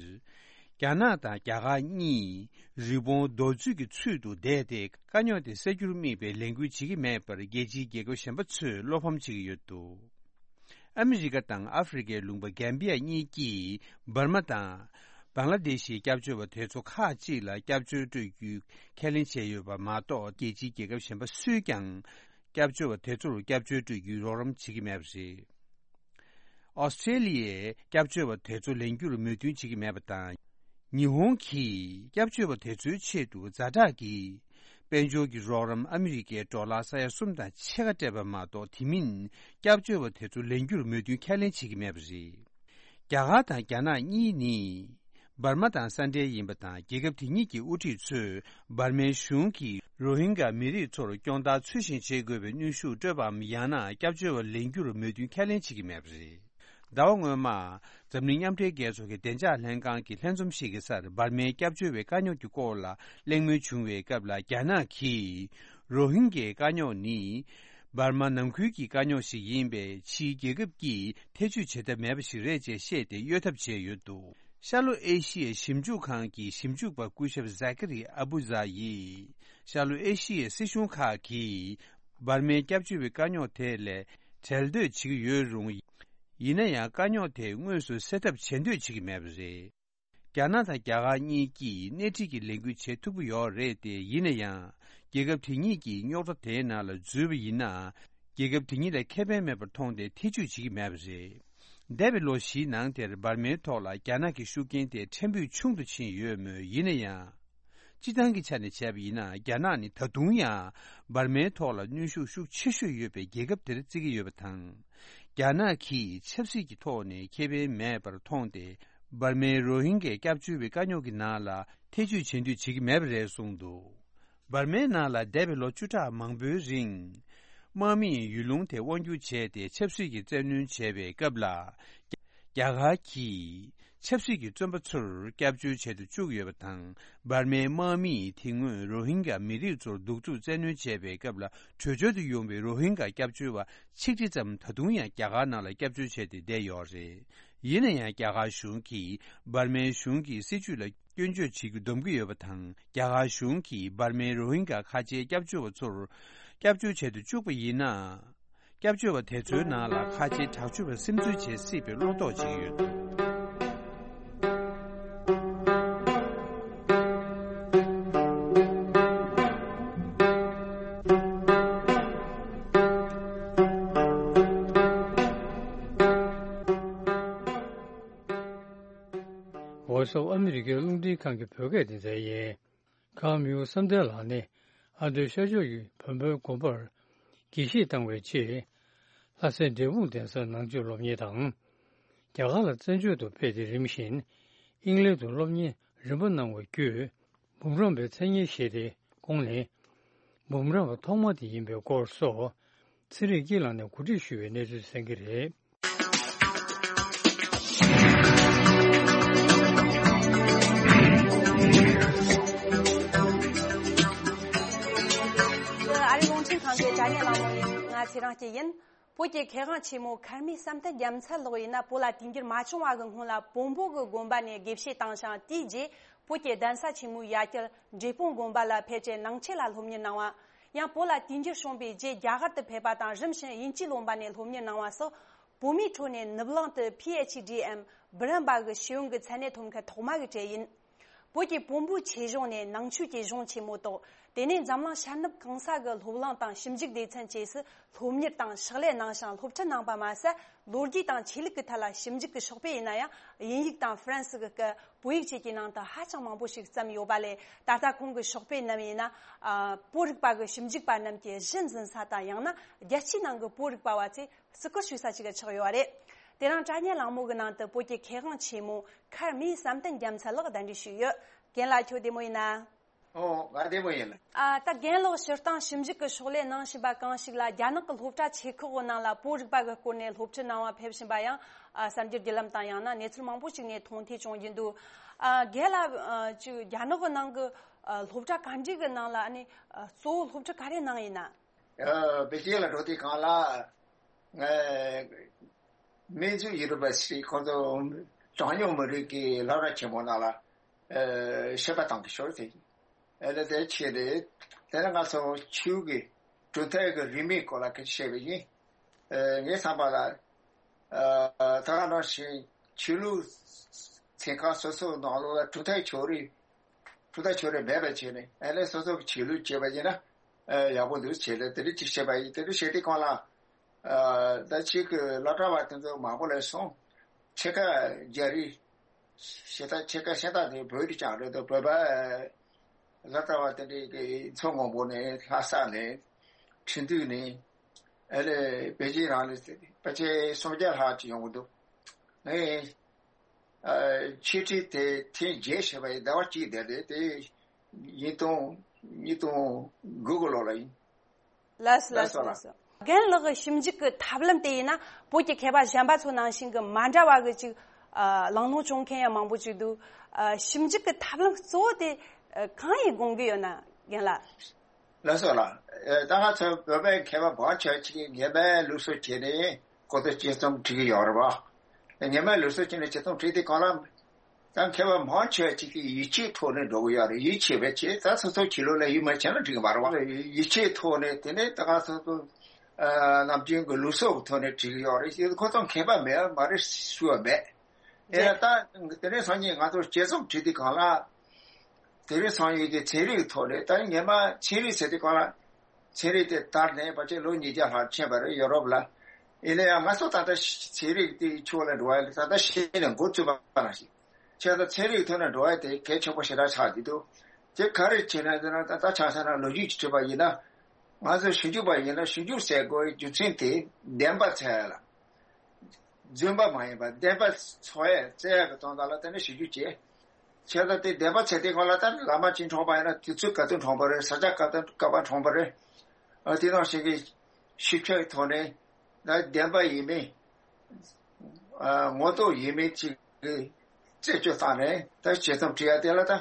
རྒྱ་ནག་དང་རྒྱ་གར་གཉིས་རི་བོང་རྡོ་བརྫུས་ཀྱི་ཚུལ་དུ་བསྡད་དེ་དཀའ་རྙོག་དེ་སེལ་རྒྱུར་དམིགས་པའི་ལས་འགུལ་བྱེད་ཀྱི་མེད་པར་རྒྱལ་སྤྱིའི་རྒྱལ་ཁབ་གཞན་པ་ཚོས་བློ་ཕམ་བྱེད་ཀྱི་ཡོད་འདུག་ཨ་མི་རི་ཀ་དང་ཨ་ཧྥེ་རི་ཁའི་ལུང་པ་གན་བི་ཡ་གཉིས་ཀྱིས་འབར་མ་དང་བང་ལ་དེ་ཤི་སྐྱབས་བཅོལ་བ་དེ་ཚོ་ཁག་ཅིག་ལ་སྐྱབས་བཅོལ་སྤྲོད་རྒྱུའི་ཁས་ལེན་བྱས་ཡོད་པ་མ་གཏོགས། རྒྱལ་སྤྱིའི་རྒྱལ་ཁབ་གཞན་པ་སུས་ཀྱང་སྐྱབས་བཅོལ་བ་དེ་ཚོར་སྐྱབས་བཅོལ་སྤྲོད་རྒྱུའི་རོགས་རམ་བྱེད་ཀྱི་མེད་པ་རེད། ཨོ་སི་ཀྲེ་ལི་ཡས་སྐྱབས་བཅོལ་བ་དེ་ཚོ་ལེན་རྒྱུར་མོས་མཐུན་བྱེད་ཀྱི་མེད་པ་དང་། ཉི་ཧོང་གིས་སྐྱབས་བཅོལ་བ་དེ་ཚོའི་ཆེད་དུ་ཛ་དྲག་གི་དཔལ་འབྱོར་གྱི་རོགས་རམ་ཨ་མི་རི་ཀའི་ཌོ་ལར་ས་ཡ་གསུམ་དང་ཕྱེད་ཀ་སྤྲད་པ་མ་གཏོགས། དེ་མིན་སྐྱབས་བཅོལ་བ་དེ་ཚོ་ལེན་རྒྱུར་མོས་མཐུན་ཁས་ལེན་བྱེད་ཀྱི་མེད་པ་རེད། རྒྱ་གར་དང་རྒྱ་ནག་གཉིས་ནི། འབར་མ་དང་ས་འབྲེལ་ཡིན་པ་དང་། རྒྱལ་ཁབ་དེ་གཉིས་ཀྱི་དབུ་ཁྲིད་ཚོས་འབར་མའི་གཞུང་གིས་རོ་ཧིན་གྷ་མི་རིགས་ཚོར་སྐྱོང་བརྡར་ཚུལ་བཞིན་བྱེད་དགོས་པའི་གནོན་ཤུགས་སྤྲོད་པའམ། ཡང་ན་སྐྱབས་བཅོལ་བ་ལེན་རྒྱུར་མོས་མཐུན་ཁས་ལེན་བྱེད་ཀྱི་མེད་པ་རེད། ཟླ་བ་སྔོན་མ། འཛམ་གླིང་མཉམ་འབྲེལ་རྒྱལ་ཚོགས་ཀྱི་བདེ་འཇགས་ལྷན་ཁང་གི་ལྷན་འཛོམས་ཤིག་གི་སར་འབར་མའི་སྐྱབས་བཅོལ་བའི་དཀའ་རྙོག་གི་སྐོར་ལ་གླེང་མོལ་བྱུང་བའི་སྐབས་ལ། རྒྱ་ནག་གིས་རོ་ཧིན་གྷའི་དཀའ་རྙོག་ནི། འབར་མ་ནང་ཁུལ་གྱི་དཀའ་རྙོག་ཞིག་ཡིན་པས། ཕྱིའི་རྒྱལ་ཁབ་ཀྱིས་ཐེ་བྱུས་བྱེད་ཐབས་མེད་པ་ཞིག་རེད་ཅེས་བཤད་དེ་གཡོལ་ཐབས་བྱས་ཡོད་འདུག་ཤར་ལྷོ་ཨེ་ཤི་ཡའི་ཞིབ་འཇུག་ཁང་གི་ཞིབ་འཇུག་པ་སྐུ་ཞབས་ཟ་ཀ་རི་ཨ་བུ་ཛ་ཡིས། ཤར་ལྷོ་ཨེ་ཤི་ཡའི་སྲིད་གཞུང་ཁག་གིས་འབར་མའི་སྐྱབས་བཅོལ་བའི་དཀའ་རྙོག་དེ་ལས་བྲལ་འདོད་བྱེད་ཀྱི་ཡོད་རུང་། ཡིན་ན་ཡང་དཀའ་རྙོག་དེ་དངོས་སུ་སེལ་ཐབས་བྱེད་འདོད་བྱེད་ཀྱི་མེད་པ་རེད། རྒྱ་ནག་དང་རྒྱ་གར་གཉིས་ཀྱིས་སྣེ་ཁྲིད་ཀྱི་ལས་འགུལ་བྱེད་ཐུབ་ཀྱི་ཡོད་རེད་དེ། ཡིན་ན་ཡང་རྒྱལ་ཁབ་དེ་གཉིས་ཀྱིས་རྙོག་དྲ་དེའི་ནང་ལ་འཛུལ་བ་ཡིན་ན། རྒྱལ་ཁབ་དེ་གཉིས་ལ་ཁེ་ཕན་མེད་པར་མཐོང་སྟེ་ཐེ་བྱུས་བྱེད་ཀྱི་མེད་པ་རེད། འདས་པའི་ལོ་བཞིའི་ནང་དེར་འབར་མའི་ཐོག་ལ་རྒྱ་ནག་གི་ཤུགས་རྐྱེན་དེ་ཕྲན་བུ་ཆུང་དུ་ཕྱིན་ཡོད་མོད། ཡིན་ན་ཡང་། སྤྱི་བཏང་གི་ཆ་ནས་བྱས་པ་ཡིན་ན། རྒྱ་ནག་ནི་ད་དུང་ཡང་འབར་མའི་ཐོག་ལ་གནོན་ཤུགས་ཤུགས་ཆེ་ཤོས་ཡོད་པའི་རྒྱལ་ཁབ་དེར་བརྩི་གི་ཡོད་པ་དང་། རྒྱ་ནག་གིས་ཆབ་སྲིད་ཀྱི་ཐོག་ནས་ཁེ་ཕན་མེད་པར་མཐོང་སྟེ། འབར་མའི་རོ་ཧིན་གྱའི་སྐྱབས་བཅོལ་བའི་དཀའ་རྙོག་གི་ནང་ལ་ཐེ་བྱུས་བྱེད་འདོད་བྱེད་ཀྱི་མེད་པ་རེད་གསུངས་འདུག་འབར་མའི་ནང་ལ་འདས་པའི་ལོ་བཅུ་ཕྲག་མང་པོའི་རིང་། དམག་མིས་ཡུལ་ལུང་དེ་དབང་སྒྱུར་བྱས་ཏེ་ཆབ་སྲིད་ཀྱི་བཙན་གནོན་བྱས་པའི་སྐབས་ལ། རྒྱ་གར་གྱིས་ཆབ་སྲིད་ཀྱི་བཙོན་པ་ཚོར་སྐྱབས་བཅོལ་བྱེད་དུ་བཅུག་ཡོད་པ་དང་། འབར་མའི་དམག་མིས་དེ་སྔོན་རོ་ཧིན་གྱ་མི་རིགས་ཚོར་གདུག་རྩུབ་བཙན་གནོན་བྱས་པའི་སྐབས་ལ། བྲོས་བྱོལ་དུ་ཡོང་བའི་རོ་ཧིན་གྱ་སྐྱབས་བཅོལ་བ་ཆིག་ཁྲི་ཙམ་ད་དུང་ཡང་རྒྱ་གར་ནང་ལ་སྐྱབས་བཅོལ་བྱས་ཏེ་བསྡད་ཡོད་རེད། ཡིན་ན་ཡང་རྒྱ་གར་གཞུང་གིས་འབར་མའི་གཞུང་གི་སྲིད་བྱུས་ལ་སྐྱོན་བརྗོད་བྱེད་རྒྱུ་འདོམས་ཀྱི་ཡོད་པ་དང་། རྒྱ་གར་གཞུང་གིས་འབར་མའི་རོ་ཧིན་གྱ་ཁ་ཆེའི་སྐྱབས་བཅོལ་བ་ཚོར་སྐྱབས་བཅོལ་བྱེད་དུ་བཅུག་པ་ཡིན་ན། སྐྱབས་བཅོལ་བ་དེ་ཚོའི་ནང་ལ་ཁ་ཆེའི་དྲག་སྤྱོད་པ་སིམ་འཛུལ་བྱེད་སྲིད་པའི་བློ་དོགས་བྱེད་ཀྱི་ཡོད་འདུག Voice of America རླུང་འཕྲིན་ཁང་གི་བོད་སྐད་སྡེ་ཚན་ཡིན། ཀརྨ་ཡུལ་བསམ་གཏན་ལགས་ནི་ཨ་མདོའི་ཤར་ཕྱོགས་ཀྱི་བོན་པོའི་དགོན་པར་དགེ་བཤེས་བཏང་བའི་ཆེད། ལྷ་སའི་འབྲས་སྤུངས་གདན་སར་ནང་ཆོས་སློབ་གཉེར་དང་། རྒྱ་གར་ལ་བཙན་བྱོལ་དུ་ཕེབས་ཏེ་རིམ་བཞིན་དབྱིན་ལན་དུ་སློབ་གཉེར་རིམ་པ་གནང་བ་བརྒྱུད། འབུམ་རམས་པའི་མཚན་སྙན་བཞེས་ཏེ་ཁོང་ནི་འབུམ་རམས་པ་ཐོག་མ་དེ་ཡིན་པའི་སྐོར་སོགས་ཚེ་རིང་སྐྱིད་ལགས་ནས་གོ་སྒྲིག་ཞུས་པའི་གནས་ཚུལ་གསན་གྱི་རེད། ཨ་རིའི་རླུང་འཕྲིན་ཁང་གི་དྲ་བརྙན་གླེང་མོལ་ཡིན། ང་ཚེ་རིང་སྐྱིད་ཡིན། བོད་ཀྱི་མཁས་དབང་ཆེན་མོ་མཁར་རྨེའུ་བསམ་གཏན་རྒྱལ་མཚན་ལགས་ཡིན་ན། བོད་ལ་དུས་འགྱུར་མ་བྱུང་བ་གི་སྔོན་ལ་བོན་པོ་གི་དགོན་པ་ནས་དགེ་བཤེས་བཏང་ཞིང་། དེའི་རྗེས་བོད་ཀྱི་གདན་ས་ཆེན་མོའི་ཡ་གྱལ་འབྲས་སྤུངས་དགོན་པ་ལ་ཕེབས་རྗེས་ནང་ཆོས་ལ་སློབ་གཉེར་གནང་བ། ཡང་བོད་ལ་དུས་འགྱུར་བྱུང་བའི་རྗེས་རྒྱ་གར་དུ་ཕེབས་པ་དང་། རིམ་བཞིན་དབྱིན་ཇིའི་ལོན་ཌོན་ནས་སློབ་གཉེར་གནང་བ་སོགས། བོད་མིའི་ཁྲོད་ནས་ནུབ་གླིང་དུ་ཕི་ཨེཆ་ཌི་འམ་འབུམ་རམས་པ་གི་ཤེས་ཡོན་གྱི་མཚན་གནས་ཐོབ་མཁན་ཐོག་མ་གི་གྲས་ཡིན། བོད་ཀྱི་བོན་པོའི་ཆོས་གཞུང་ནས་ནང་ཆོས་ཀྱི་གཞུང་ཆེན་མོ་ཐོག་དེ་ནས་འཛམ་གླིང་ཤར་ནུབ་གང་ས་གི་སློབ་གླིང་དང་ཞིབ་འཇུག་སྡེ་ཚན་བཅས་སུ་སློབ་གཉེར་དང་ཕྱག་ལས་གནང་ཞིང་། སློབ་ཁྲིད་གནང་བ་མ་ཟད། ལོ་རྒྱུས་དང་ཆོས་ལུགས་ཀྱི་ཐད་ལ་ཞིབ་འཇུག་གི་ཤོག་དཔེ་ཡིན་ན་ཡང་། དབྱིན་ཡིག་དང་ཧྥ་རན་སི་གི་སྐད། བོད་ཡིག་བཅས་ཀྱི་ནང་དུ་ཧ་ཅང་མང་པོ་ཞིག་བརྩམས་ཡོད་པ་ལས། ད་ལྟ་ཁོང་གི་ཤོག་དཔེ་རྣམས་ཡིན་ན། ཨ། བོད་རིག་པ་གི་ཞིབ་འཇུག་པ་རྣམས་ཀྱི་གཞི་འཛིན་ས་དང་། ཡང་ན་རྒྱལ་སྤྱིའི་ནང་གི་བོད་རིག་པ་བ་ཚོས་བརྩི་བཀུར་ཞུ་ས་ཞིག་ཆགས་ཡོད་རེད། དེ་རིང་དྲ་བརྙན་གླེང་མོལ་གྱི་ནང་དུ་བོད་ཀྱི་མཁས་དབང་ཆེན་མོ་མཁར་རྨེའུ་བསམ་གཏན་རྒྱལ་མཚན་ལགས་གདན་འདྲེན་ཞུས་ཡོད། རྒན་ལགས་ཁྱོད་བདེ་མོ་ཡིན་ན། ཨོ། ང་བདེ་མོ་ཡིན། ཨ། ད་རྒན་ལགས་སྤྱིར་བཏང་ཞིབ་འཇུག་གི་ཕྱག་ལས་གནང་བཞིན་པ་གང་ཞིག་ལ། རྒྱ་ནག་གི་སློབ་གྲྭ་ཆེ་ཁག་གི་ནང་ལ་བོད་རིག་པ་གི་སྐོར་ནས་སློབ་ཁྲིད་གནང་བ་ཕེབས་བཞིན་པ་ཡང་། ཨ། གསར་འགྱུར་བརྒྱུད་ལམ་དང་ཡང་ན་གནས་ཚུལ་མང་པོ་ཞིག་ནས་མཐོང་ཐོས་བྱུང་གི་འདུག་ཨ། རྒན་ལགས། ཨ། ཅིག་རྒྱ་ནག་གི་ནང་གི། ཨ། སློབ་གྲྭ་ག་འདྲ་གི་ནང་ལ་ཨ་ནི། ཨ། གཙོ་བོ་སློབ་ཁྲིད་ག་རེ་གནང་ཡིན་ན། ཨ། པེ་ཅིན་ལ་འགྲོ་དུས་སྒང་ལ། ཨ། མིན་ཙུའུ་ཡུ་ནི་ཝར་སི་ཊི་ཁོང་ཚོ་གྲངས་ཉུང་མི་རིགས་ཀྱི་སློབ་གྲྭ་ཆེན་མོ་ནང་ལ། ཨ། བཤད་པ་གཏང་གི་ཤོར་ཟེར་གྱི། ཨ་ནི་དེ་ཆེད་དུ། དེ་ནས་ང་ཚོ་ཆོས་ཀྱི་གྲུབ་མཐའ་གི་རིས་མེད་སྐོར་ལ་སྐད་ཆ་བཤད་པ་ཡིན། ཨ། ངའི་བསམ་པ་ལ། ཨ། ད་ག་ནང་བཞིན་ཆོས་ལུགས་ཚན་ཁག་སོ་སོའི་ནང་ལོགས་ལ་གྲུབ་མཐའ་ཕྱོགས་རིས། གྲུབ་མཐའ་ཕྱོགས་རིས་མེད་པ་བྱས་ནས། ཨ་ནི་སོ་སོ་གི་ཆོས་ལུགས་བྱེད་པ་ཡིན་ན། ཨ། ཡག་པོ་འདུག་བྱས་ནས་དེ་འདྲ་ཅིག་བཤད་པ་ཡིན། དེ་འདྲ་བཤད་དུས་སྒང་ལ། ཨ། ད་ཅིག་གི་སློབ་གྲྭ་བ་དེ་ཚོ་མང་པོ་སླེབས་སོང་། ཕྱེད་ཀ་རྒྱ་རིགས། ཕྱེད་ཀ་ཕྱེད་ཀ་ཤ་སྟག་དེ་བོད་རིགས་རྐྱང་རེད་འདུག་བོད་པ་སློབ་གྲྭ་བ་དེ་འདྲའི་གི་མཚོ་སྔོན་པོ་ནས། ལྷ་ས་ནས། ཁྲིན་ཏུའུ་ནས། ཨ་ནི་པེ་ཅིན་རང་ནས་ཕལ་ཆེར་སུམ་བརྒྱ་ལྷག་ཅིག་ཡོང་གི་འདུག་ངས། ཨ། འཆད་ཁྲིད་དེ་ཐེངས་བརྒྱད་བྱས་པ་ཡིན། ཟླ་བ་གཅིག་བསྡད་དེ། དེ་ཉིས་སྟོང་། ཉིས་སྟོང་དགུ་གི་ལོ་ལ་ཡིན། ལགས་སོ། ལགས་སོ། ལགས་སོ། རྒན་ལགས་ཀྱི་ཞིབ་འཇུག་གི་ཐབས་ལམ་དེ་ཡིན་ན། བོད་ཀྱི་མཁས་པ་གཞན་པ་ཚོ་ནང་བཞིན་གྱི་མ་འདྲ་བ་གི་ཅིག་ཨ། གླེང་སློང་བྱུང་མཁན་ཡང་མང་པོ་ཅིག་འདུག་ཨ། ཞིབ་འཇུག་གི་ཐབས་ལམ་གཙོ་བོ་དེ། ཨ། གང་ཡིན་དགོངས་ཀྱི་ཡོད་ན། རྒན་ལགས། ལགས་སོ་ལགས། ཨ། ད་ང་ཚོ་བོད་པའི་མཁས་པ་མང་ཆེ་བ་ཅིག་གིས་སྔ་མའི་ལུགས་སྲོལ་བྱས་ནས་ཁོ་ཚོ་དཔྱད་རྩོམ་བྲིས་ཀྱི་ཡོད་རེད་པ། སྔ་མའི་ལུགས་སྲོལ་བྱས་ནས་དཔྱད་རྩོམ་བྲིས་དུས་སྒང་ལ། ད་མཁས་པ་མང་ཆེ་བ་ཅིག་གིས་ཡིད་ཆེས་ཐོག་ནས་འགྲོ་གི་ཡོད་རེད། ཡིད་ཆེས་པའི་ཆེད། ད་སོ་སོ་ཆོས་ལུགས་ལ་ཡིད་མ་ཆེས་ན་འགྲིག་གི་མ་རེད་པ། ཡིད་ཆེས་ཐོག་ནས། དེ་ནས་ད་ང་ཚོ་ཚོ། ཨ། ནམ་རྒྱུན་གྱི་ལུགས་སྲོལ་གྱི་ཐོག་ནས་བྲིས་ཀྱི་ཡོད་རེད། ཁོ་ཚོ་མཁས་པ་མེད་པ་མ་རེད་ཞུ་བ་མེད། ཨེ། ད་དེ་རིང་སང་ཉིན་ང་ཚོ་དཔྱད་རྩོམ་བྲིས་དུས་སྒང་ལ། དེ་རིང་སང་ཉིན་གྱི་ཚན་རིག་གི་ཐོག་ནས། ད་སྔ་མ་ཚན་རིག་ཟེར་དུས་སྒང་ལ། ཚན་རིག་དེ་དར་ནས་ཕལ་ཆེར་ལོ་ཉིས་བརྒྱ་ལྷག་ཕྱིན་པ་རེད། ཡོ་རོབ་ལ། ཡིན་ན་ཡང་ང་ཚོ་ད་ལྟ་ཚན་རིག་དེའི་ཕྱོགས་ལ་འགྲོ་བ་ལ་ད་ལྟ་གཞི་ནས་འགོ་བཙུགས་པ་ནང་བཞིན། བྱས་ཙང་ཚན་རིག་ཐོག་ནས་འགྲོ་བ་དེ་གལ་ཆེན་པོ་ཞེ་དྲག་ཆགས་ཀྱི་འདུག་དེ་ག་རེ་བྱས་ན་ཟེར་ན། ད་ལྟ་ཆ་བཞག་ན་ལོ་རྒྱུས་ཀྱི་དྲི་བ་ཡིན་ན། ང་ཚོ་ཞིབ་འཇུག་པ་ཡིན་ན་ཞིབ་འཇུག་བྱེད་དགོས་རྒྱུ་མཚན་དེ་བདེན་པ་འཚོལ་ཡ་ལ། རྫུན་པ་མ་ཡིན་པ་བདེན་པ་འཚོལ་ཡ་འཚོལ་ཡ་གི་དོན་དག་ལ་དེ་ནས་ཞིབ་འཇུག་བྱས། བྱས་ཙང་དེ་བདེན་པ་འཚོལ་དུས་སྒང་ལ་ད་ལམ་ཅིག་འཁྲུངས་པ་ཡིན་ན། དུས་ཚོད་ག་དུས་འཁྲུངས་པ་རེད། ས་ཆ་ག་དུས་ག་པར་འཁྲུངས་པ་རེད། ཨ། དེ་ནང་བཞིན་གྱི་ཞིབ་ཕྲའི་ཐོག་ནས་ད་བདེན་པ་ཡིན་མིན། ཨ། ངོ་ཐོག་ཡིན་མིན་ཅིག་གི་རྩད་གཅོད་བཏང་ནས། ད་དཔྱད་རྩོམ་བྲིས་ཡ་དེ་ལ་ད་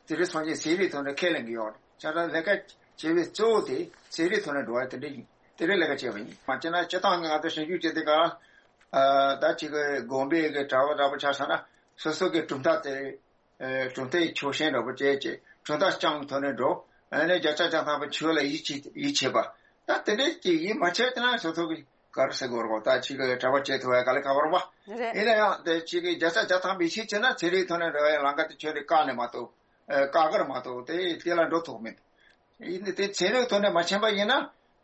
དེ་རིང་སང་ཉིན་ཚན་རིག་ཐོག་ནས་ཁས་ལེན་གྱི་ཡོད་རེད། བྱས་ཙང་ལས་ཀ་བྱེད་པའི་གཙོ་བོ་དེ་ཚན་རིག་ཐོག་ནས་འགྲོ་བ་དེ་འདྲ་ཡིན། དེ་རིང་ལས་ཀ་བྱས་པ་ཡིན། མ་བྱས་ན་སྤྱིར་བཏང་གི་ང་ཚོ་ཞིབ་འཇུག་བྱེད་དུས་སྒང་ལ། ཨ། ད་ཅིག་གི་དགོན་པའི་གི་གྲྭ་པ་འདྲ་པོ་ཆ་བཞག་ན། སོ་སོ་གི་གྲུབ་མཐའ་དེ། ཨ། གྲུབ་མཐའི་ཆོག་ཤེས་འདྲ་པོ་བྱས་བྱས། གྲུབ་མཐའ་རྐྱང་ཐོག་ནས་འགྲོ། ཨ་ནི་བརྒྱ་ཆ་བརྒྱ་ཐམ་པ་ཆོས་ལ་ཡིད་ཆེས་ཡིད་ཆེས་པ། ད་དེ་འདྲས་ཀྱི་ཡིད་མ་ཆེས་དེ་ན་སོ་སོ་གི་ག་རེ་ཟེར་དགོས་རེད། ད་ཅིག་གི་གྲྭ་པ་བྱེད་ཐུབ་པའི་དཀའ་ལས་ཁག་པོ་རེད་པ། རེད། ཡིན་ན་ཡང་དེ་ཅིག་གི་བརྒྱ་ཆ་བརྒྱ་ཐམ་པ་ཡིད་ཆེས་བྱས་ན། ཚན་རིག་ཐོག་ནས་འགྲོ་བའི་ལམ་ཁ་དེ་ཁྱོན་ནས་བཀག་ནས་མ་གཏོགས། ཨ། བཀག་གི་རེད་མ་གཏོགས་དེ་དེ་ལ་འགྲོ་ཐུབ་མེད། ཡིན་ནའི་དེ་ཚན་རིག་ཐོག་ནས་མ་ཕྱིན་པ་ཡིན་ན།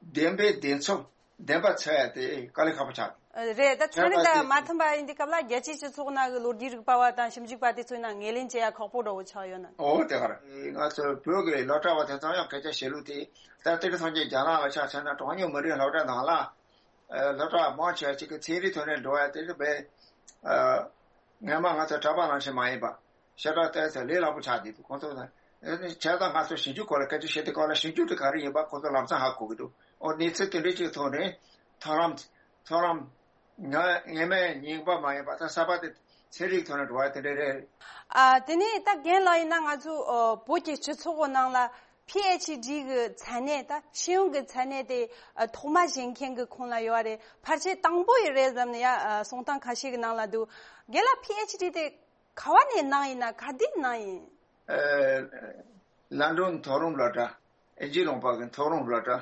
བདེན་པའི་བདེན་འཚོལ། བདེན་པ་འཚོལ་ཡ་དེ་དཀའ་ལས་ཁག་པོ་ཆགས། ཨ། རེད། ད་ཚན་རིག་དང་མ་མཐུན་པ་ཡིན་དུས་སྐབས་ལ། རྒྱལ་སྤྱིའི་སྤྱི་ཚོགས་ནང་གི་ལོ་རྒྱུས་རིག་པ་བ་དང་ཞིབ་འཇུག་པ་དེ་ཚོའི་ནང་ངོས་ལེན་བྱེད་ཡ་ཁག་པོ་འདྲ་བོ་ཆགས་ཡོད་ན། འོ། དེ་ག་རེད། ང་ཚོ་བོད་ཀྱི་སློབ་གྲྭ་བ་དེ་ཚོ་ཡང་སྐད་ཆ་བཤད་ལུགས་དེ། ད་དེ་རིང་སང་ཉིན་རྒྱ་ནག་ལ་ཆ་བཞག་ན། གྲངས་ཉུང་མི་རིགས་སློབ་གྲྭ་ནང་ལ། ཨ། སློབ་གྲྭ་མང་ཆེ་བ་ཅིག་གི་ཚན་རིག་ཐོག་ནས་འགྲོ་བ་དེ་རེད་པས། ཨ། སྔོན་མ་ང་ཚོ་གྲྭ་པ་ནང་བཞིན་མ་ཡིན་པ། ཞེ་དྲག་ཏོག་ཙམ་ལས་སླ་པོ་ཆགས་བསྡད་འདུག་ཁོང་ཚོ་ལ། ཨ་ནི་བྱས་ཙང་ང་ཚོ་ཞིབ་འཇུག་སྐོར་ལ་སྐད་ཆ་བཤད་དུས་སྐབས་ལ། ཞིབ་འཇུག་དེ་ག་རེ་ཡིན་པ་ཁོང་ཚོ་ལམ་སང་ཧ་གོ་གི་འདུག་འོ། གནས་ཚུལ་དེ་འདྲའི་ཅིག་ཐོག་ནས་མཐོང་ལམ། མཐོང་ལམ། ང་སྔོན་མའི་རྙིང་པ་མ་ཡིན་པ། ད་གསར་པ་དེ་ཚན་རིག་ཐོག་ནས་འགྲོ་བ་དེ་འདྲ་རེད། ཨ། དེ་ནས་ད་རྒན་ལགས་ཡིན་ན། ང་ཚོ་ཨ་བོད་ཀྱི་སྤྱི་ཚོགས་ཀྱི་ནང་ལ་ཕི་ཨེཆ་ཌི་གི་མཚན་གནས། ད་ཤེས་ཡོན་གྱི་མཚན་གནས་དེ་ཨ་ཐོག་མ་བཞེས་མཁན་གྱི་ཁོངས་ལ་ཡོད་རེད། ཕལ་ཆེར་དང་པོ་ཡིན་རེད་བསམ་ནས་ཡ། ཨ། གསུང་སྟངས་ཁ་ཤས་ཀྱི་ནང་ལ་འདུག་རྒན་ལགས་ཕི་ཨེཆ་ཌི་དེ་ག་བ་ནས་གནང་ཡིན་ན། ག་དུས་གནང་ཡིན། ཨ། ལན་ཀྲོན་མཐོ་རིམ་སློབ་གྲྭ། དབྱིན་ཇི་ལུང་པ་གི་མཐོ་རིམ་སློབ་གྲྭ།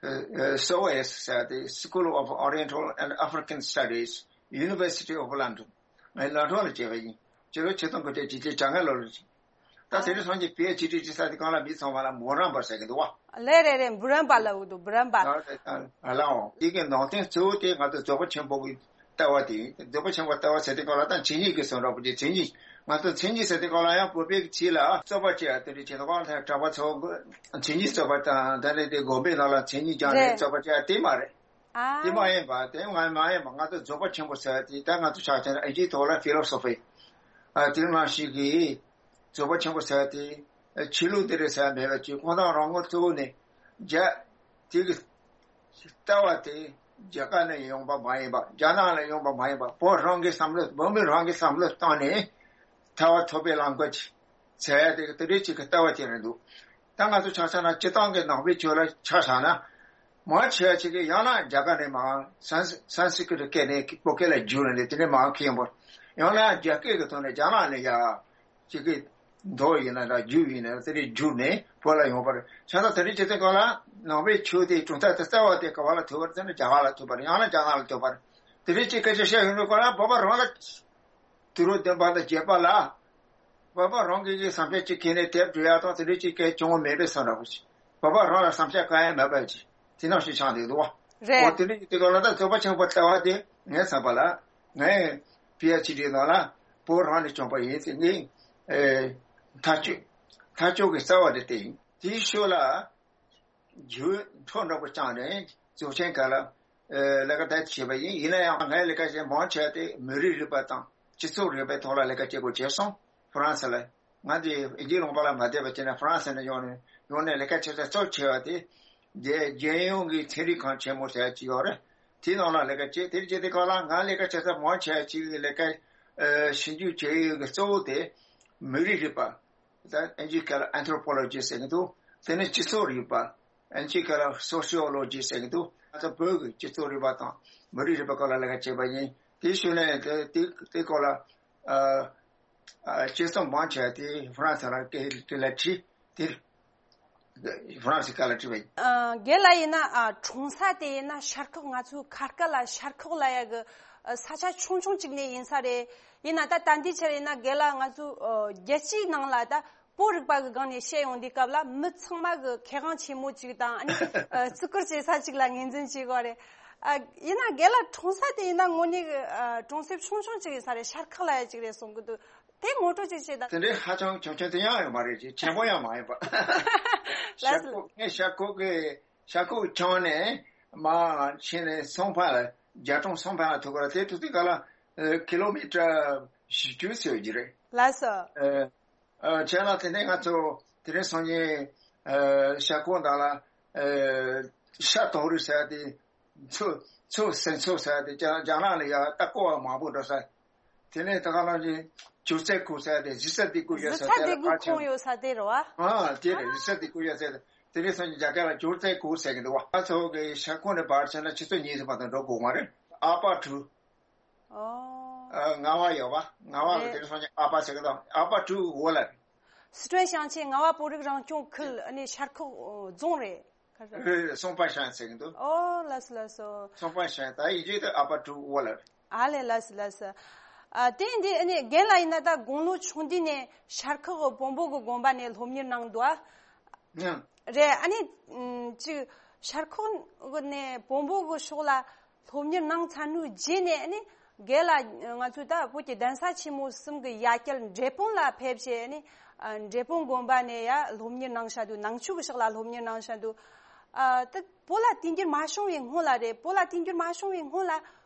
ཨ། ཨ། སི་ཨོ་ཨེ་སི་ཟེར་ཏེ། School of Oriental and African Studies, University of London. ངས་ལོན་ཌོན་ལ་བྱས་པ་ཡིན། ཕྱི་ལོ་ཆིག་སྟོང་དགུ་བརྒྱ་བརྒྱད་ཅུ་གྱ་ལྔ་ལོ་ལ་བྱས། ད་དེ་རིང་སང་ཉིན་པི་ཨེཆ་ཌི་ཟེར་དུས་སྒང་ལ་མི་ཚང་མ་ལ་འབུམ་རམས་པ་ཟེར་གྱི་འདུག་པ། ལགས་རེད་རེད། འབུམ་རམས་པ་ལབ་ཀྱི་འདུག་འབུམ་རམས་པ། ཨ། ལགས་འོང་། དེ་གི་ནང་དོན་གཙོ་བོ་དེ་ང་ཚོ་རྫོགས་པ་ཆེན་པོ་གི་ལྟ་བ་དེ་ཡིན། རྫོགས་པ་ཆེན་པོ་ལྟ་བ་ཟེར་དུས་སྒང་ལ། ད་མཚན་ཉིད་ཀྱི་བཟོ་འདྲ་པོ་ཅིག་མཚན་ཉིད། ང་ཚོ་མཚན་ཉིད་ཟེར་དུས་སྒང་ལ་ཡང་བོད་པའི་ཚིག་ལ་རྩོད་པ་བྱེད་ཡ་དེ་འདྲ་བྱེད་དུས་སྒང་ལ། གྲྭ་པ་ཚོ་མཚན་ཉིད་རྩོད་པ་དང་། ད་རེས་དེ་དགོན་པའི་ནང་ལ་མཚན་ཉིད་སྦྱངས་ནས་རེད། རྩོད་པ་བྱེད་ཡ་དེ་མ་རེད། ཨ། དེ་མ་ཡིན་པ། དེ་ང་མ་ཡིན་པ། ང་ཚོ་རྫོགས་པ་ཆེན་པོ་ཟེར་ཡ་དེ། ད་ང་ཚོ་ཆ་བཞག་ན་དབྱིན་ཇིའི་ཐོག་ལ་ཕི་ལོ་སོ་ཕི། ཨ། དེ་ནང་བཞིན་གྱི་རྫོགས་པ་ཆེན་པོ་ཟེར་ཡ་དེ། ཨ། ཆོས་ལུགས་དེ་རེད་ཟེར་ཡ་མེད་པ་ཅིག་ཁོང་རང་རང་ངོས་གཙོ་བོ་ནས་རྒྱ། དེ་གི་ལྟ་བ་དེ་རྒྱ་གར་ནས་ཡོང་པ་མ་ཡིན་པ། རྒྱ་ནག་ལ་ཡོང་པ་མ་ཡིན་པ། བོད་རང་གི་བསམ་བློ། བོད་མི་རང་གི་བསམ་བློ་བཏང་ནས་ཐར་པ་ཐོབ་པའི་ལམ་ཁ་ཅིག་ཟེར་ཡ་དེ། དེ་འདྲའི་ཅིག་གི་ལྟ་བ་ཅིག་རེད་འདུག་ད་ང་ཚོ་ཆ་བཞག་ན་སྤྱིར་བཏང་གི་ནང་པའི་ཆོས་ལ་ཆ་བཞག་ན། མང་ཆེ་བ་ཅིག་གིས་ཡང་ན་རྒྱ་གར་ནས་མར་སན་སན་སི་ཀྲིཏ་སྐད་ནས་བོད་སྐད་ལ་བསྒྱུར་ནས་དེ་ནས་མར་ཁྱེར་ཡོང་པ། ཡང་ན་རྒྱ་སྐད་ཀྱི་ཐོག་ནས་རྒྱ་ནག་ནས་ཡར་ཅིག་གི་མདོ་ཡིན་ན་འདྲ། རྒྱུད་ཡིན་ན་དེ་འདྲ་བསྒྱུར་ནས་བོད་ལ་ཡོང་པ་རེད། བྱས་ཙང་དེ་འདྲ་བྱེད་དུས་སྒང་ལ་ནང་པའི་ཆོས་དེའི་གྲུབ་མཐའ་དེ་རྩ་བ་དེ་ག་བ་ལ་ཐུག་པ་རེད་ཟེར་ན། རྒྱ་གར་ལ་ཐུག་པ་རེད། ཡང་ན་རྒྱ་ནག་ལ་ཐུག་པ་རེད། དེ་འདྲ་ཅིག་སྐད་ཆ་བཤད་ཡོང་དུས་སྒང་ལ། བོད་པ་རང་ལ། དུས་རབས་བདུན་པ་དང་བརྒྱད་པ་ལ་བོད་པ་རང་གི་གི་བསམ་འཆར་ཅིག་ཁྱེར་ནས་དེབ་འབྲི་ཡ་དང་དེ་འདྲ་ཅིག་གལ་བྱུང་བ་མེད་པའི་བཟོ་འདྲ་པོ་ཅིག་བོད་པ་རང་ལ་བསམ་འཆར་གང་ཡང་མེད་པ་ཅིག་དེ་ནང་བཞིན་ཆགས་འདུག་འདུག་པ། རེད། འོ། དེ་འདྲ་ཅིག་དེ་ག་ལ་ད་རྫོགས་པ་ཆེན་པོ་ལྟ་བ་དེ་ངའི་བསམ་པ་ལ། ངའི་པི་ཨེཆ་ཌི་ནང་ལ་བོད་རང་ནས་བྱུང་པ་ཡིན་ཟེར། ངའི་ཨེ་ཐག་གཅོད། ཐག་གཅོད་ཀྱི་རྩ་བ་དེ་དེ་ཡིན། དེའི་ཤུལ་ལ། རྒྱུན་འཁྱོངས་འདྲ་པོ་བསྐྱངས་ནས་རྫོགས་ཆེན་སྒང་ལ། ཨ། ལས་ཀ་དེ་བྱས་པ་ཡིན། ཡིན་ན་ཡང་ངའི་ལས་ཀ་བྱེད་མང་ཆེ་བ་དེ་མི་རིགས་རིག་པ་དང་སྤྱི་ཚོགས་རིག་པའི་ཐོག་ལ་ལས་ཀ་བྱེད་དགོས་བྱས་སོང་། ཧྥ་རན་སི་ལ། ང་དེ་དབྱིན་ཇིའི་ལུང་པ་ལ་མ་བསྡད་པ་བྱས་ན། ཧྥ་རན་སི་ནས་ཡོང་ནས། ཡོང་ནས་ལས་ཀ་བྱེད་ས་གཙོ་ཆེ་བ་དེ། རྒྱལ་རྒྱལ་ཡོངས་ཀྱི་ཚན་རིག་ཁང་ཆེན་མོ་ཟེར་ཡ་ཅིག་ཡོད་རེད། དེའི་ནང་ལ་ལས་ཀ་བྱས། དེར་བྱེད་དུས་སྒང་ལ་ང་ལས་ཀ་བྱེད་ས་མང་ཆེ་བ་ཅིག་གི་ལས་ཀ། ཨ། ཞིབ་འཇུག་བྱེད་ཡུལ་གྱི་གཙོ་བོ་དེ་མི་རིགས་རིག་པ། ད་དབྱིན་ཇིས་སྐད་ལ་Anthropology ཟེར་གྱི་འདུག་དེ་ནས་སྤྱི་ཚོགས་རིག་པ། དབྱིན་ཇིའི་སྐད་ལ་Sociology ཟེར་གྱི་འདུག་ང་ཚོ་བོད་ཀྱི་སྤྱི་ཚོགས་རིག་པ་དང་མི་རིགས་རིག་པའི་སྐོར་ལ་ལས་ཀ་བྱས་པ་ཡིན། དེའི་ཤུལ་ནས་དེ་དེ་དེའི་སྐོར་ལ། ཨ། ཨ། དཔྱད་རྩོམ་མང་ཆེ་བ་དེ་ཧྥ་རན་སི་ལ་སྐད་དེ་ལ་བྲིས། དེ་ཧྥ་རན་སི་སྐད་ལ་བྲིས་པ་ཡིན། ཨ། རྒན་ལགས་ཡིན་ན། ཨ། གྲོང་གསེབ་དེ་ཡིན་ན་ཤར་ཁོག། ང་ཚོའི་ཁ་སྐད་ལ་ཤར་ཁོག་ལབ་ཡ་གི། ཨ། ས་ཆ་ཆུང་ཆུང་ཅིག་ནས་ཡིན་ས་རེད། ཡིན་ན་ད་ད་ལྟའི་ཆར་ཡིན་ན་རྒན་ལགས་ང་ཚོའི། ཨ། རྒྱལ་སྤྱིའི་ནང་ལ་ད་བོད་རིག་པ་གི་སྒང་ནས་བཤད་ཡོང་དུས་སྐབས་ལ། མི་ཚང་མ་གི་མཁས་དབང་ཆེན་མོ་ཅིག་དང་། ཨ་ནི། ཨ། བརྩི་བཀུར་བྱེད་ས་ཅིག་ལ་ངོས་འཛིན་བྱེད་དགོས་རེད། ཨ། ཡིན་ན་རྒན་ལགས་གྲོང་གསེབ་དེ་ཡིན་ན་དངོས་གནས་ཀྱི་ཨ་གྲོང་གསེབ་ཆུང་ཆུང་ཅིག་ཡིན་ས་རེད། ཤར་ཁག་ལ་ཡ་ཅིག་རེད་གསུང་གི་འདུག་དེ་ངོ་སྤྲོད་ཅིག་བྱེད་དང་། དེ་འདྲའི་ཧ་ཅང་ཆུང་ཆུང་དེ་ཡང་ཡོད་མ་རེད། ཅིག་ཆེན་པོ་ཡང་མ་ཡིན་པ། ལགས་སོ། ཤར་ཁོག་ངས་ཤར་ཁོག་གི་ཤར་ཁོག་གི་ཁྱོན་ནས་མར་ཕྱིན་ནས་སུང་ཕན་ལ། རྒྱ་གྲོང་སུང་ཕན་ལ་ཐུག་གི་རེད། དེ་ཐུག་དུས་ག་ལ་ཨ་ཀི་ལོ་མི་ཊར་བཞི་བཅུ་ཙམ་ཡོད་ཀྱི་རེད། ལགས་སོ། ཨ། ཨ། བྱས་ན་དེ་ནས་ང་ཚོ་དེ་རིང་སང་ཉིན་ཨ་ཤར་ཁོག་ནང་ལ་ཨ་ཤར་དོང་རི་ཟེར་ཡ་དེ། མཚོ་མཚོ་སེང་མཚོ་ཟེར་ཡ་དེ་རྒྱ་རྒྱ་ནག་ལ་ཡ་ལྟ་སྐོར་བ་མང་པོ་འགྲོ་ས། དེ་ནས་ད་ག་ནང་བཞིན་ཇོ་རྩེ་ཁུག་ཟེར་ཡ་དེ། གཞིས་རྩེ་སྡེ་དགུ་ཡོད་ས་དེ་ལ་ཕར་ཕྱིན། གཞིས་རྩེ་སྡེ་དགུ་ཁོངས་ཡོད་ས་དེ་རེད་བ། ཨ། དེ་རེད། གཞིས་རྩེ་སྡེ་དགུ་ཡོད་ས་དེ། དེ་རིང་སང་ཉིན་རྒྱ་སྐད་ལ་ཇོ་རྩེ་ཁུག་ཟེར་གི་འདུག་བ། ང་ཚོ་གི་ཤར་ཁོག་ནས་ཕར་ཕྱིན་ན་ཆུ་ཚོད་གཉིས་ཙམ་མ་གཏོགས་འགྲོ་དགོས་མ་རེད། ཨ་པ་ཊུ། ཨོ། ཨ། རྔ་བ་ཡོད་པ། རྔ་བ་གི། རེད། དེ་རིང་སང་ཉིན་ཨ་པ་ཟེར་གི་འདུག་ཨ་པ་ཊུ་ཝོ་ལ། སི་ཁྲོན་ཞིང་ཆེན་རྔ་བ་བོད་རིགས་རང་སྐྱོང་ཁུལ། ཨ་ནི་ཤར་ཁོག་རྫོང་རེད། ཁ་ཤས། རེད་རེད། སུང་ཕན་ཞིང་ཟེར་གི་འདུག་ཨོ། ལགས་སོ་ལགས་སོ། སུང་ཕན་ཞིང་། ད་ཡིན་གཅིག་ཏུ་ཨ་པ་ཊུ་ཝོ་ལ། ཨ་ལས། ལགས་སོ་ལགས་སོ། ཨ། དེ་འདི་ཨ་ནི་རྒན་ལགས་ཡིན་ན་ད་དགུང་ལོ་ཆུང་དུས་ནས་ཤར་ཁོག་བོན་པོ་གི་དགོན་པ་ནས་སློབ་གཉེར་གནང་འདུག་ཨ། ཨང་། རེད། ཨ་ནི་ཨམ་ཅིག་ཤར་ཁོག་ནས་བོན་པོ་གི་ཕྱོགས་ལ་སློབ་གཉེར་གནང་ཚར་དུས་རྗེས་ནས་ཨ་ནི་རྒན་ལགས་ང་ཚོའི་ད་བོད་ཀྱི་གདན་ས་ཆེན་མོ་གསུམ་གྱི་ཡ་གྱལ་འབྲས་སྤུངས་ལ་ཕེབས་བྱས་ཨ་ནི་ཨ་འབྲས་སྤུངས་དགོན་པ་ནས་ཡ་སློབ་གཉེར་གནང་བཞག་འདུག་ནང་ཆོས་ཀྱི་ཕྱོགས་ལ་སློབ་གཉེར་གནང་བཞག་འདུག་ཨ། ད་བོད་ལ་དུས་འགྱུར་མ་བྱུང་བའི་སྔོན་ལ་རེད། བོད་ལ་དུས་འགྱུར་མ་བྱུང་བའི་སྔོན་ལ་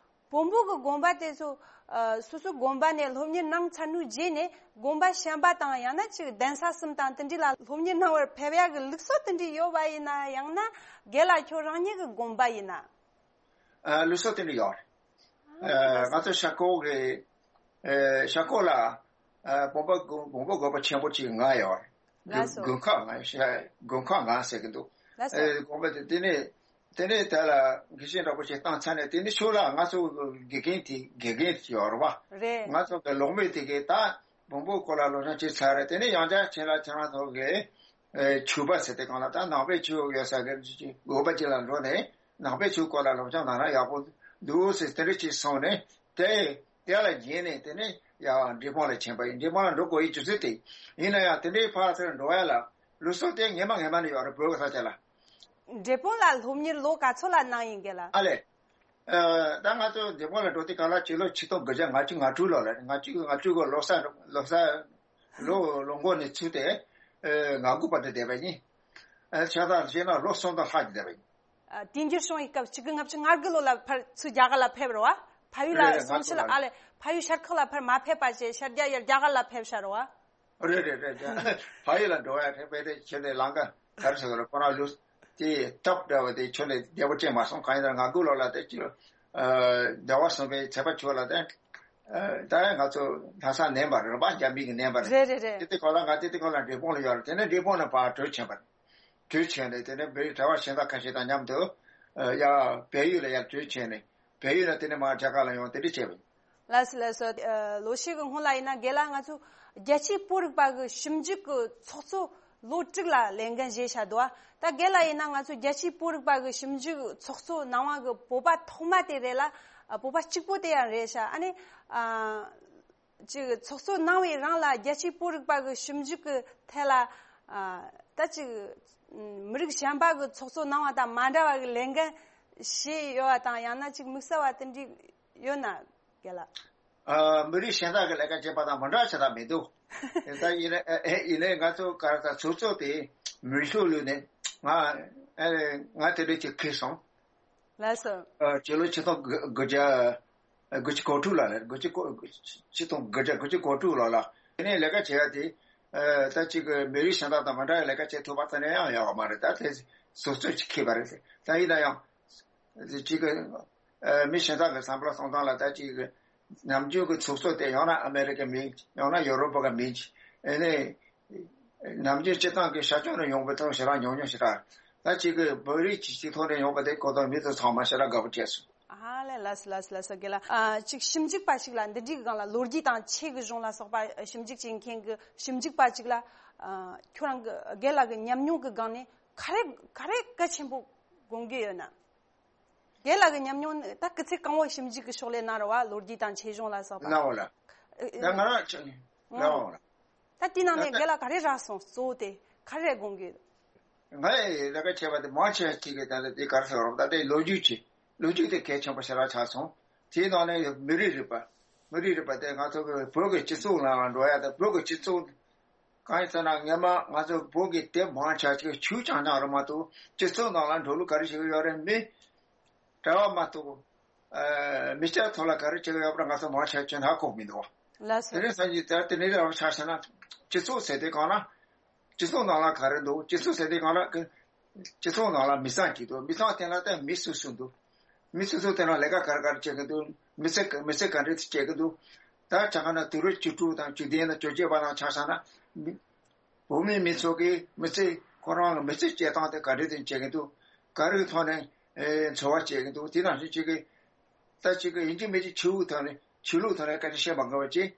བོན་པོ་གི་དགོན་པ་དེ་ཚོ་ཨ་སོ་སོའི་དགོན་པ་ནས་སློབ་གཉེར་གནང་ཚར་དུས་རྗེས་ནས་དགོན་པ་གཞན་པ་དང་ཡང་ན་ཅིག་གདན་ས་གསུམ་དང་དེ་འདྲ་ལ་སློབ་གཉེར་གནང་བར་ཕེབས་ཡག་གི་ལུགས་སྲོལ་དེ་འདྲ་ཡོད་པ་ཡིན་ན། ཡང་ན་རྒན་ལགས་ཁྱོད་རང་ཉིད་ཀྱི་དགོངས་པ་ཡིན་ན། ཨ། ལུགས་སྲོལ་དེ་འདྲ་ཡོད་རེད། ཨ། ང་ཚོ་ཤར་ཁོག་གི་ཨ་ཤར་ཁོག་ལ་ཨ་བོན་པོ་དགོན་བོན་པོ་དགོན་པ་ཆེན་པོ་གཅིག་ལྔ་ཡོད་རེད། ལགས་སོ། དགོན་ཁག་ལྔ། ཤར་དགོན་ཁག་ལྔ་ཟེར་གི་འདུག་ལགས་སོ། ཨ། དགོན་པ་དེ་དེ་ནས་དེ་ནས་དེ་ལ་དགེ་བཤེས་འདྲ་པོ་ཞིག་བཏང་ཚར་ནས། དེ་ནས་ཕྱོགས་ལ་ང་ཚོ་དགེ་རྒན་དེ་དགེ་རྒན་ཡོད་རེད་བ། རེད། ང་ཚོ་གི་སློབ་མས་དེ་གའི་ད་བོན་པོའི་སྐོར་ལ་སློབ་སྦྱོང་བྱས་ཚར་རེད། དེ་ནས་ཡང་བསྐྱར་ཁྱེད་ལ་ཁྱེད་རང་ཚོ་གི་ཨེ་ཆོས་པ་ཟེར་དེ་གང་ལ་ད་ནང་པའི་ཆོས་ཡོད་ས་གི་དགོན་པ་ཅིག་ལ་འགྲོ་ནས་ནང་པའི་ཆོས་སྐོར་ལ་སློབ་སྦྱོང་གནང་ན་ཡག་པོ་འདུག་ཟེར་དེ་འདྲ་ཅིག་གསུངས་ནས། དེ་དེ་ལ་བརྒྱུད་ནས་དེ་ནས་ཡང་འབྲས་སྤུངས་ལ་ཕྱིན་པ་ཡིན། འབྲས་སྤུངས་ལ་འགྲོ་དགོས་ཡི་རྒྱུ་མཚན་དེ་ཡིན་ན་ཡང་། དེ་འདྲའི་ཕར་ཚུར་འགྲོ་ཡ་ལ་ལུགས་སྲོལ་དེ་སྔས་མ་སྔས་མ་ནས་ཡོད་རེད། བོད་ཀྱི་ས་ཆ་ལ། འབྲས་སྤུངས་ལ་སློབ་གཉེར་ལོ་ག་ཚོད་ལ་གནང་ཡིན་ག་ལ། ཨ་ལས། ཨ། ད་ང་ཚོ་འབྲས་སྤུངས་ལ་འགྲོ་དུས་ག་ལ་ཕྱི་ལོ་ཆིག་སྟོང་དགུ་བརྒྱ་ལྔ་བཅུ་ང་དྲུག་ལོ་ལ། ལྔ་བཅུ་ང་དྲུག་གི་ལོ་གསར་ལོ་གསར་ལོ་ལོ་འགོ་ནས་ཚུགས་ཏེ་ཨ་ང་དགུ་བར་དུ་བསྡད་པ་ཡིན། ཨ། ཆ་ཚང་བྱས་ན་ལོ་གསུམ་དང་ལྷག་ཅིག་བསྡད་པ་ཡིན། ཨ། དུས་འགྱུར་བྱུང་བའི་སྐབས་ཆིག་སྟོང་དགུ་བརྒྱ་ལྔ་བཅུ་ང་དགུ་ལོ་ལ་ཕར་ཚུར་རྒྱ་གར་ལ་ཕེབས་རེད་བ། ཕ་ཡུལ་ལ་རེད་རེད། སོང་ཕྱིར་ལ། ང་ཚོ་ལ། ཨ་ལས། ཕ་ཡུལ་ཤར་ཁོག་ལ་ཕར་མ་ཕེབས་པ་བྱས་ཤར་རྒྱ་ཡར་རྒྱ་གར་ལ་ཕེབས་ཤག་རེད་བ། རེད་རེད་རེད། ཕ་ཡུལ་ལ་འགྲོ་ཡ་རེད་པས། དེ་ཁྱོད་དེ་ལང་ཀ་ག་རེ་ཟེར་དགོས་རེད། ཁོ་རང་ལུས་དེ་སྟབས་བདེ་བ་དེ་ཁྱོད་ནས་བདེ་པོ་ཅན་མ་སོང་། གང་ཡིན་ན་ང་དགུ་ལོ་ལ་དེ་ཅི་ལོ། ཨ། ཟླ་བ་གསུམ་པའི་ཚེས་པ་བཅུ་ལ་དེ། ཨ། ད་ཡང་ང་ཚོ་ལྷ་ས་ནས་པ་རེད་པ། འཇམ་དཔལ་གྱི་ནས་པ་རེད། རེད་རེད་རེད། དེ་དེ་ཁོ་ལ་ང་དེ་དེ་ཁོ་ལ་འབྲས་སྤུངས་ལ་ཡོད་རེད། དེ་ནས་འབྲས་སྤུངས་ནས་ཕར་བྲོས་ཕྱིན་པ་རེད། བྲོས་ཕྱིན་ནས་དེ་ནས་བོད་རིགས་གྲྭ་པ་གཞན་དག་ཁ་ཤས་དང་མཉམ་དུ་ཨ་ཡར་བལ་ཡུལ་ལ་ཡར་བྲོས་ཕྱིན་ནས། བལ་ཡུལ་ལ་དེ་ནས་མར་རྒྱ་གར་ལ་ཡོང་། དེ་འདྲ་བྱས་པ་ཡིན། ལགས་སོ་ལགས་སོ། ཨ། ལོ་ཤས་ཀྱི་སྔོན་ལ་ཡིན་ན་རྒན་ལགས་ང་ཚོ་རྒྱལ་སྤྱིའི་བོད་རིག་པ་གི་ཞིབ་འཇུག་གི་ཚོགས་གཙོ་ལོ་དྲུག་ལ་ལས་འགན་བཞེས་བཞག་འདུག་ད་རྒན་ལགས་ཡིན་ན་ང་ཚོ་རྒྱལ་སྤྱིའི་བོད་རིག་པ་གི་ཞིབ་འཇུག་ཚོགས་གཙོ་གནང་བ་གི་བོད་པ་ཐོག་མ་དེ་རེད་ལ། ཨ། བོད་པ་གཅིག་པོ་དེ་ཡང་རེད་ཤག་ཨ་ནི། ཨ། ཅིག་ཚོགས་གཙོ་གནང་བའི་རིང་ལ་རྒྱལ་སྤྱིའི་བོད་རིག་པ་གི་ཞིབ་འཇུག་གི་ཐད་ལ། ཨ། ད་ཅིག་མི་རིགས་གཞན་པ་གི་ཚོགས་གཙོ་གནང་བ་དང་མ་འདྲ་བ་གི་ལས་འགན་བཞེས་ཡོད་པ་དང་། ཡང་ན་ཅིག་དམིགས་བསལ་བ་དེ་འདྲ་ཡོད་ན་རྒན་ལགས། ཨ། མི་རིགས་གཞན་དག་གི་ལས་ཀ་བྱེད་པ་དང་མ་འདྲ་བ་བྱེད་ཐབས་མི་འདུག་ད་ཡིན་ནའི་ཡིན་ནའི་ང་ཚོ་ག་རེ་ད་ཚོགས་གཙོ་དེ་མི་ཤུགས་ལུས་ནས་ང་ཨ་ང་དེ་འདྲ་ཅིག་ཁེལ་སོང་། ལགས་སོ། ཨ། སྤྱི་ལོ་ཆིག་སྟོང་དགུ་བརྒྱ་དགུ་བཅུ་གོ་དྲུག་ལ་རེད། དགུ་བཅུ་གོ་ཆིག་སྟོང་དགུ་བརྒྱ་དགུ་བཅུ་གོ་དྲུག་ལོ་ལ། དེ་ནས་ལས་ཀ་བྱེད་ཡ་དེ་ཨ་ད་ཅིག་མི་རིགས་གཞན་དག་དང་མ་འདྲ་བའི་ལས་ཀ་བྱེད་ཐུབ་པ་དེ་ནས་ཡང་ཡོད་མ་རེད། ད་དེ་སོ་སོས་ཅིག་ཁེལ་བ་རེད། ད་ཡིན་ན་ཡང་ཅིག་ཨ་མི་གཞན་དག་གི་བསམ་བློ་གཏོང་སྟངས་ལ་ད་ཅིག་ནམ་རྒྱུན་གྱི་ཚོགས་གཙོ་དེ་ཡང་ན་ཨ་མེ་རི་ཀའི་མི་ཡང་ན་ཡོ་རོབ་པ་གི་མི་ཨ་ནི། ནམ་རྒྱུན་སྤྱི་བཏང་གི་ཤར་ཕྱོགས་ནས་ཡོང་པའི་ཐོག་ཞེ་དྲག་ཉུང་ཉུང་ཞེ་དྲག་ད་ཅིག་གི་བོད་རིགས་ཀྱི་སྤྱི་ཚོགས་ནས་ཡོང་པ་དེ་གོ་ཐོག་མི་དེ་ཚང་མ་ཞེ་དྲག་དགའ་པོ་བྱས་སོང་། ཨ་ལས། ལགས་སོ་ལགས་སོ་ལགས་སོ། རྒན་ལགས། ཨ། ཅིག་ཞིབ་འཇུག་པ་ཞིག་ལ་འདི་འདྲའི་སྒང་ལ་ལོ་རྒྱུས་དང་ཆོས་ཀྱི་གཞུང་ལ་སོགས་པ་ཞིབ་འཇུག་བྱེད་མཁན་གྱི་ཞིབ་འཇུག་པ་ཅིག་ལ། ཨ། ཁྱོད་རང་གི་རྒན་ལགས་ཀྱི་ཉམས་མྱོང་གི་སྒང་ནས་ག་རེ་ག་རེ་གལ་ཆེན་པོ་དགོངས་ཀྱི་ཡོད་ན། རྒན་ལགས་ཀྱི་ཉམས་མྱོང་ནི་ད་སྐུ་ཚེ་གང་བོ་ཞིབ་འཇུག་གི་ཕྱག་ལས་གནང་རེད་བ། ལོ་རྒྱུས་དང་ཆོས་གཞུང་ལ་སོགས་པ། གནང་བ་ལ། ཨ། ད་ང་རང་ཆ་ནས་གནང་བ་ལ། ད་དེ་ནང་ནས་རྒན་ལགས་ག་རེ་རག་སོང་། གཙོ་བོ་དེ་ག་རེ་དགོངས་ཀྱི་ཡོད། ང་ཡི་ལས་ཀ་བྱས་པ་དེ་མང་ཆེ་བ་ཅིག་གི་ད་ལྟ་དེ་ག་རེ་ཟེར་བ་རེད། ད་ལྟའི་ལོ་རྒྱུས་ཀྱི་ ལོ་རྒྱུས་དེ་གལ་ཆེན་པོ་ཞེ་དྲག་ཆགས་སོང་། དེའི་ནང་ནས་མི་རིགས་རིག་པ། མི་རིགས་རིག་པ་དེ་ང་ཚོ་གི་བོད་ཀྱི་སྤྱི་ཚོགས་ནང་ལ་འགྲོ་ཡ་དང་། བོད་ཀྱི་སྤྱི་ཚོགས་གང་ཡིན་ཟེར་ན། སྔོན་མ་ང་ཚོ་བོད་ཀྱི་དེབ་མང་ཆེ་ཅིག་ཆོས་རྐྱང་རྐྱང་རེད་མ་གཏོགས། སྤྱི་ཚོགས་ནང་ལ་འགྲོ་ལུགས་ག་རེ་བྱེད་ཀྱི་ཡོད་རེད། མི་གྲྭ་བ་མ་གཏོགས། ཨ། མི་སྐྱ་ཐོག་ལ་ག་རེ་བྱེད་ཀྱི་ཡོད་པ་ང་ཚོ་མང་ཆེ་ཅིག་ཧ་གོ་མི་འདུག་བ། ལགས་སོ། དེ་རིང་སང་ཉིན་དེ་དེ་འདྲའི་ར་བ་ཆགས་ཤག་ན། སྤྱི་ཚོགས་ཟེར་དེ་གང་ན། སྤྱི་ཚོགས་ནང་ལ་ག་རེ་འདུག་སྤྱི་ཚོགས་ཟེར་དེ་གང་ལ་གི། སྤྱི་ཚོགས་ནང་ལ་མི་ཚང་གཅིག་འདུག་མི་ཚང་དེ་ལ་ད་མི་སུ་སུ་འདུག་མི་སུ་སུ་དེ་ལ་ལས་ཀ་ག་རེ་ག་རེ་བྱེད་ཀྱི་འདུག་མི་ཚེ་ག- མི་ཚེ་ག་འདྲས་བྱེད་ཀྱི་འདུག་ད་ཆ་ག་ན་དུས་རབས་བཅུ་དྲུག་དང་བཅུ་བདུན་དང་བཅོ་བརྒྱད་བར་ལ་ཆགས་ས་ན། མི- བོད་མི་མི་ཚོ་གིས་མི་ཚེ་ཁོ་རང་གི་མི་ཚེ་སྐྱེལ་སྟངས་དེ་ག་འདྲས་དེ་བྱེད་ཀྱི་འདུག་ག་རེའི་ཐོག་ནས་ཨེ་འཚོ་བ་སྐྱེལ་གྱི་འདུག་དེ་ནང་བཞིན་ཅིག་གི། ད་ཅིག་གི་ཡིན་གཅིག་མིན་གཅིག་ཆོས་ལུགས་ཐོག་ནས། ཆོས་ལུགས་ཐོག་ནས་སྐད་ཆ་བཤད་མ་དགོས་པ་ཅིག་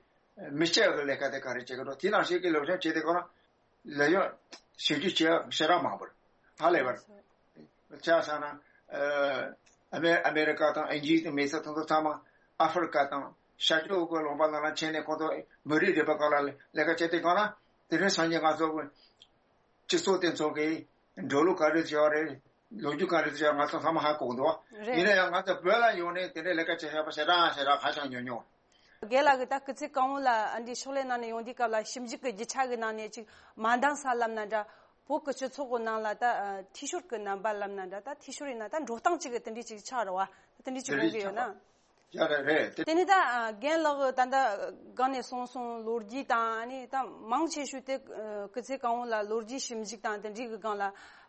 མི་སྐྱ་གི་ལས་ཀ་དེ་ག་རེ་བྱེད་ཀྱི་འདུག་དེ་ནང་བཞིན་གྱི་སློབ་སྦྱོང་བྱེད་དེ་གོ་ན། ལས་ཡོད་ཞིབ་འཇུག་བྱེད་ཡག་ཞེ་དྲག་མང་པོ་རེད། ཧ་ལས་པ་རེད། ཆ་བཞག་ན། ཨ། ཨ་མེ- ཨ་མེ་རི་ཀ་དང་ཨིན་ཇི་དང་མི་སེར་དེ་ཚོ་ཚང་མ་ཨ་ཧྥེ་རི་ཀ་དང་ཤར་ཕྱོགས་ཀྱི་ལུང་པ་ནང་ལ་ཕྱིན་ནས་ཁོང་ཚོ་མི་རིགས་རིག་པའི་སྐོར་ལ་ལས་ཀ་བྱེད་དེ་གོ་ན། དེ་རིང་སང་ཉིན་ང་ཚོ་སྤྱི་ཚོགས་དེ་ཚོ་གི་འགྲོ་ལུགས་ག་རེ་བྱས་པ་རེད། ལོ་རྒྱུས་ག་རེ་བྱས་པ་ང་ཚོ་ཚང་མ་ཧ་གོ་གི་འདུག་རེད། ཡིན་ན་ཡང་ང་ཚོ་བོད་ལ་ཡོང་ནས་དེ་འདྲའི་ལས་ཀ་བྱེད་ཤེས་པ་ཞེ་དྲག་ཞེ་དྲག་ཧ་ཅང་ཉུང་ཉུང་། རྒན་ལགས་ཀྱིས་ད་སྐུ་ཚེ་གང་བོ་ལ་ཨ་འདྲའི་ཕྱག་ལས་གནང་ནས་ཡོང་དུས་སྐབས་ལ། ཞིབ་འཇུག་གི་རྒྱུ་ཆ་གི་ནང་ནས་ཅིག་མ་འདང་ས་ལབ་ན་འདྲ། བོད་ཀྱི་སྤྱི་ཚོགས་ཀྱི་ནང་ལ་ད་ཨ་འཐུས་ཤོར་གྱི་རྣམ་པ་ལབ་ན་འདྲ། ད་འཐུས་ཤོར་ཡིན་ན་ད་འགྲོ་སྟངས་གཅིག་གི་དེ་འདྲའི་ཅིག་ཆགས་རེད་བ། དེ་འདྲའི་ཅིག་དེ་འདྲའི་དགོངས་ཀྱི་ཡོད་ན། ཆགས་པ། ཡ་རེད་རེད་དེ། དེ་ནི་ད་ཨ་རྒན་ལགས་ད་ལྟ་སྒང་ནས་གསུངས་སོང་། ལོ་རྒྱུས་དང་ཨ་ནི་ད་མང་ཆེ་ཤོས་དེ་ཨ་སྐུ་ཚེ་གང་བོ་ལ་ལོ་རྒྱུས་ཞིབ་འཇུག་དང་དེ་འདྲའི་གི་སྒང་ལ་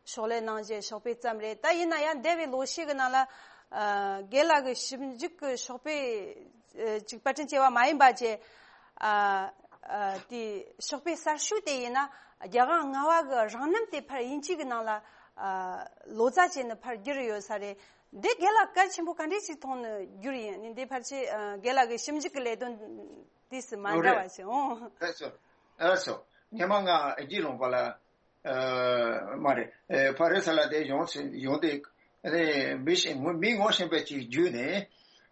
ཕྱག་ལས་གནང་བྱས་ཕྱག་དཔེ་བརྩམས་རེད། ད་ཡིན་ན་ཡང་འདས་པའི་ལོ་ཤས་ཀྱི་ནང་ལ་ཨ་རྒན་ལགས་ཀྱི་ཞིབ་འཇུག་གི་ཕྱག་དཔེ་ཨ་ཅིག་པར་སྐྲུན་བྱས་པ་མ་ཡིན་པ་བྱས། ཨ་ཨ་དེ་ཕྱག་དཔེ་གསར་ཤོས་དེ་ཡིན་ན་རྒྱལ་དབང་ལྔ་པ་གི་རང་རྣམ་དེ་ཕར་དབྱིན་ཇི་གི་ནང་ལ་ཨ་ལོ་ཙཱ་བྱས་ནས་ཕར་བསྒྱུར་ཡོད་ས་རེད། འདི་རྒན་ལགས་གལ་ཆེན་པོ་ག་འདྲས་ཞིག་མཐོང་ནས་བསྒྱུར་ཡིན། ནི་འདི་ཕལ་ཆེར་ཨ་རྒན་ལགས་ཀྱི་ཞིབ་འཇུག་གི་ལས་དོན་དུས་སུ་མ་འདྲ་བ་ཞིག་འོང་། ལགས་སོ། ལགས་སོ། སྔོན་མ་ང་ཨིན་ཇི་ལུང་པ་ལ་ཨ་མ་རེད། ཨེ་ཕ་རི་སི་ལ་དེ་ཡོང་ཡོང་དེ་ཨ་ནི་མི་ཞིག་མི་ངོ་ཤེས་པ་ཅིག་བརྒྱུད་ནས་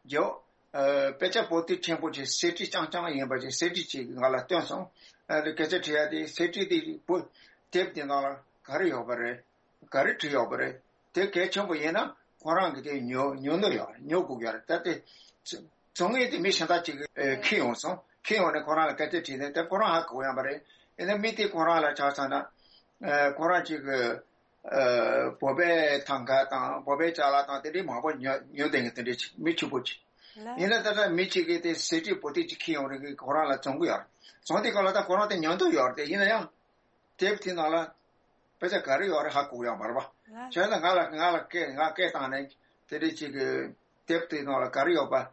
རྒྱོ་ཨ་དཔེ་ཆ་པོ་ཏི་ཆེན་པོ་ཅིག་གསེར་བྲིས་རྐྱང་རྐྱང་ཡིན་པ་ཅིག་གསེར་བྲིས་ཅིག་ང་ལ་སྟོན་སོང་། ཨ་ནི་སྐད་ཆ་དྲི་ཡ་དེ་གསེར་བྲིས་དེ་པོ་དེབ་དེ་ནང་ལ་ག་རེ་ཡོད་པ་རེད། ག་རེ་བྲིས་ཡོད་པ་རེད། དེ་གལ་ཆེན་པོ་ཡིན་ན་ཁོ་རང་གིས་དེ་ཉོ་ཉོ་འདོད་ཡོད་རེད། ཉོ་དགོས་ཡོད་རེད། ད་དེ་བཙོང་མཁན་དེ་མི་གཞན་དག་ཅིག་གིས་ཨེ་འཁྱེར་ཡོང་སོང་། འཁྱེར་ཡོང་ནས་ཁོ་རང་ལ་སྐད་ཆ་དྲིས་ནས་དེ་ཁོ་རང་ཧ་གོ་ཡོང་པ་རེད། ཡིན་ན་མི་དེ་ཁོ་རང་ལ་ཆ་བཞག་ན་ཨེ་ཁོ་རང་ཅིག་གིས་ཨེ་བོད་པའི་ཐང་ག་དང་བོད་པའི་ཅ་ལག་དང་དེ་འདྲའི་མང་པོ་ཉོ་ཉོ་བསྡད་མཁན་དེ་འདྲའི་ཅིག་མི་ཕྱུག་པོ་ཅིག་ལ། ཡིན་ན་ད་ལྟ་མི་གཅིག་གིས་དེ་གསེར་བྲིས་པོ་ཏི་ཅིག་འཁྱེར་ཡོང་རེད། ཁོ་རང་ལ་བཙོང་གི་ཡོད་རེད། བཙོང་དུས་སྐབས་ལ་ད་ཁོ་རང་དེ་ཉོ་འདོད་ཡོད་རེད། དེ་ཡིན་ན་ཡང་དེབ་དེ་ནང་ལ་དཔེ་ཆ་ག་རེ་ཡོད་རེད་ཧ་གོ་ཡོད་མ་རེད་པ། ལ། བྱས་ན་ང་ལ་ང་ལ་སྐད་ང་སྐད་བཏང་ནས་དེ་འདྲའི་ཅིག་གི་དེབ་དེ་ནང་ལ་ག་རེ་ཡོད་པ་ཨེ་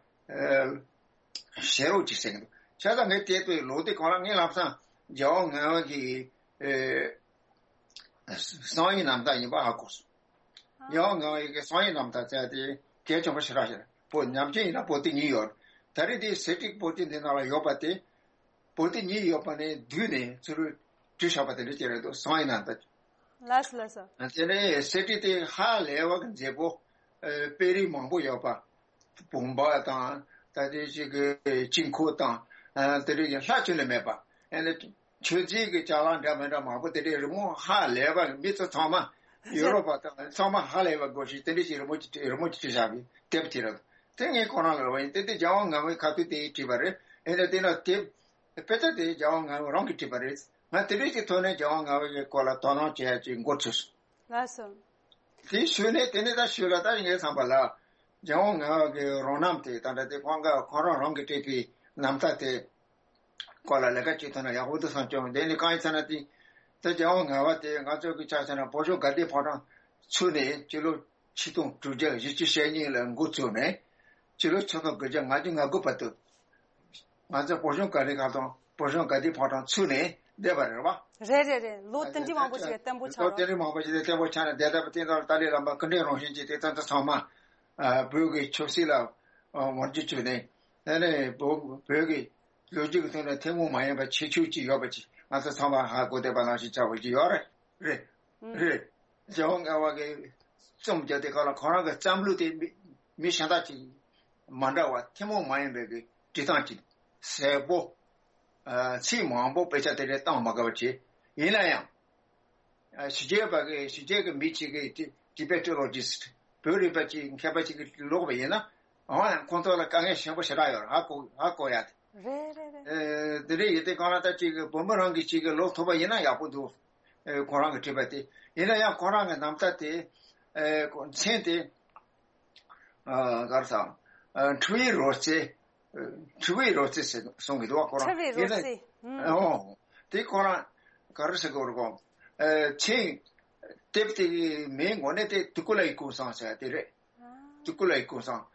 བཤད་རོགས་ཅིག་ཟེར་གི་འདུག་བྱས་ཙང་ངས་དེ་དུས་ལོ་དེ་གང་ལ་ངས་ལམ་སང་རྒྱལ་དབང་ལྔ་པ་གི་ཨེ་གསང་བའི་རྣམ་ཐར་ཡིན་པ་ཧ་གོ་སོང་། ཡང་ངའི་གི་གསང་བའི་རྣམ་ཐར་བཙལ་ཏེ་གལ་ཆེན་པོ་ཞེ་དྲག་ཞིག་རེད། པོ་ཉམས་ཆེན་ཡིན་ན་པོ་ཏི་གཉིས་ཡོད་རེད། ད་རེས་དེ་གསེར་བྲིས་པོ་ཏི་འདི་ནང་ལ་ཡོད་པ་དེ། པོ་ཏི་གཉིས་ཡོད་པ་ནས་བསྡུས་ནས་ཚུར་བྲིས་བཞག་པ་དེ་འདྲ་ཅིག་རེད་འདུག་གསང་བའི་རྣམ་ཐར། ལགས་སོ་ལགས་སོ། དེ་ནས་གསེར་བྲིས་དེ་ཧ་ལས་པ་གི་མཛེས་པོ། ཨ་དཔེ་རིས་མང་པོ་ཡོད་པ། བུམ་པ་དང་ད་ལྟའི་ཅིག་གི་དཀྱིལ་འཁོར་དང་། ཨ་དེ་རིགས་ཀྱི་ལྷག་ཅིག་ལས་མེད་པ། ཨ་ནི་མཆོད་རྫས་ཀྱི་ཅ་ལག་འདྲ་མི་འདྲ་མང་པོ་དེ་འདྲའི་རི་མོ་ཧ་ལས་པ་མི་ཚོ་ཚང་མ་ཡོ་རོབ་པ་དང་ཚང་མ་ཧ་ལས་པ་དགོས་ཤིག་དེ་འདྲ་ཞིག་རི་མོ་ཅིག་རི་མོ་ཅིག་བྲིས་བཞག་པའི་དེབ་ཅིག་རེད། དེ་ངས་ཁོ་རང་ལ་རེ་བ་ཡིན། དེ་དེ་རྒྱལ་དབང་ལྔ་པའི་ཁ་ཐུག་དེ་བྲིས་པ་རེད། ཨེ་ནས་དེ་ན་དེབ་དཔེ་ཆ་དེ་རྒྱལ་དབང་ལྔ་པ་རང་གིས་བྲིས་པ་རེད། ང་དེ་འདྲ་ཞིག་ཐོག་ནས་རྒྱལ་དབང་ལྔ་པའི་སྐོར་ལ་དོ་སྣང་བྱེད་ཡ་ཅིག་འགོ་ཚུགས་སོང་། ལགས་སོ། དེའི་ཤུལ་ནས་དེ་ནས་ད་ཤུལ་ལ་ད་ངའི་བསམ་པ་ལ། རྒྱལ་དབང་ལྔ་པ་གི་རང་རྣམ་དེ་ད་ལྟ་དེ་ཁོང་ག་ཁོང་རང་རང་གིས་བྲིས་པའི་རྣམ་ཐར་དེ་སྐོར་ལ་ལས་ཀ་བྱེད་ཐུབ་ན་ཡག་པོ་འདུག་བསམ་བྱུང་། དེ་ནི་གང་ཡིན་ཟེར་ན་དེ་ད་རྒྱལ་དབང་ལྔ་པ་དེ་ང་ཚོ་གི་ཆ་བཞག་ན་བོད་གཞུང་དགའ་ལྡན་ཕོ་བྲང་ཚུགས་ནས་སྤྱི་ལོ་ཆིག་སྟོང་དྲུག་བརྒྱ་བཞི་བཅུ་ཞེ་གཉིས་ལ་འགོ་ཚུགས་ནས་སྤྱི་ལོ་ཆིག་སྟོང་དགུ་བརྒྱ་ལྔ་བཅུ་ང་དགུ་བར་དུ། ང་ཚོ་བོད་གཞུང་དགའ་ལྡན་ཁང་དང་བོད་གཞུང་དགའ་ལྡན་ཕོ་བྲང་ཚུགས་ནས་བསྡད་པ་རེད་བ། རེད་རེད་རེད། ལོ་དེ་འདྲའི་མང་པོ་ཞིག་བརྟན་པོ་ཆགས་ལོ་དེ་རེད། འདྲའི་མང་པོ་ཞིག་བརྟན་པོ་ཆགས་ནས་བསྡད་པ་དེ་ཚོ་ཏཱ་ལའི་བླ་མ་སྐུ་ཕྲེང་རིམ་བྱོན་གྱིས་དེ་ཚོ་ཚང་མ་ཨ་བོད་ཀྱི་ཆབ་སྲིད་ལ་ཨ་ངོ་རྒོལ་བྱས་ནས། དེ་ནས་བོད་བོད་ཀྱི་ལོ་རྒྱུས་ཀྱི་ཐོག་ནས་ཐུན་མོང་མ་ཡིན་པའི་ཁྱད་ཆོས་ཅིག་ཡོད་པ་ཅིག་ང་ཚོ་ཚང་མ་ཧ་གོ་བསྡད་པ་ནང་བཞིན་ཆགས་པ་ཅིག་ཡོད་རེད། རེད། རེད། རྒྱལ་དབང་ལྔ་པ་གིས་རྩོམ་རྒྱག་དུས་སྐབས་ལ་ཁོ་རང་གི་བརྩམས་ལུགས་དེ་མི་མི་གཞན་དག་ཅིག་མ་འདྲ་བ་ཐུན་མོང་མ་ཡིན་པའི་གི་འབྲི་སྟངས་ཅིག་གསལ་པོ། ཨ་ཚིག་མང་པོ་དཔེ་ཆ་དེ་འདྲ་བཏང་མ་དགོས་པ་བྱས། ཡིན་ན་ཡང་ཨ་ཕྱི་རྒྱལ་བ་གི་ཕྱི་རྒྱལ་གྱི་མི་གཅིག་གིས་ཊི་Tibetologist བོད་རིག་པ་ཅིག་མཁས་པ་ཅིག་གིས་ཀློག་པ་ཡིན་ན། འོ་ཡང་ཁོང་ཚོ་ལ་དཀའ་ངལ་ཆེན་པོ་ཞེ་དྲག་ཡོད་རེད། ཧ་གོ་ཧ་གོ་ཡ་དེ། རེད་རེད་རེད། ཨེ་དེ་འདྲ་ཡིན་དུས་གང་ལ་ད་ཅིག་བུ་མོ་རང་གིས་ཅིག་ཀློག་ཐུབ་པ་ཡིན་ན་ཡག་པོ་འདུག་ཨེ་ཁོ་རང་གིས་བྲིས་པ་དེ་ཡིན་ན་ཡང་ཁོ་རང་གི་རྣམ་ཐར་དེ། ཨེ་མཚན་དེ། ཨ་ག་རེ་ཟེར། ཨ་འཁྲུལ་བའི་རོལ་རྩེད། ཨ་འཁྲུལ་བའི་རོལ་རྩེད་ཟེར་གསུང་གི་འདུག་བ་ཁོ་རང་། འཁྲུལ་བའི་ཡིན་ན། རོལ་རྩེད། ཨུམ། ཨོ། དེ་ཁོ་རང་ག་རེ་ཟེར་དགོས་རེད་གོ། ཨ་མཚན་དེབ་དེ་གི་མིང་དངོས་གནས་དེ་དུ་ཀུ་ལའི་ཀུན་བཟང་ཟེར་དེ་རེད། ཨ། དུ་ཀུ་ལའི་ཀུན་བཟང་།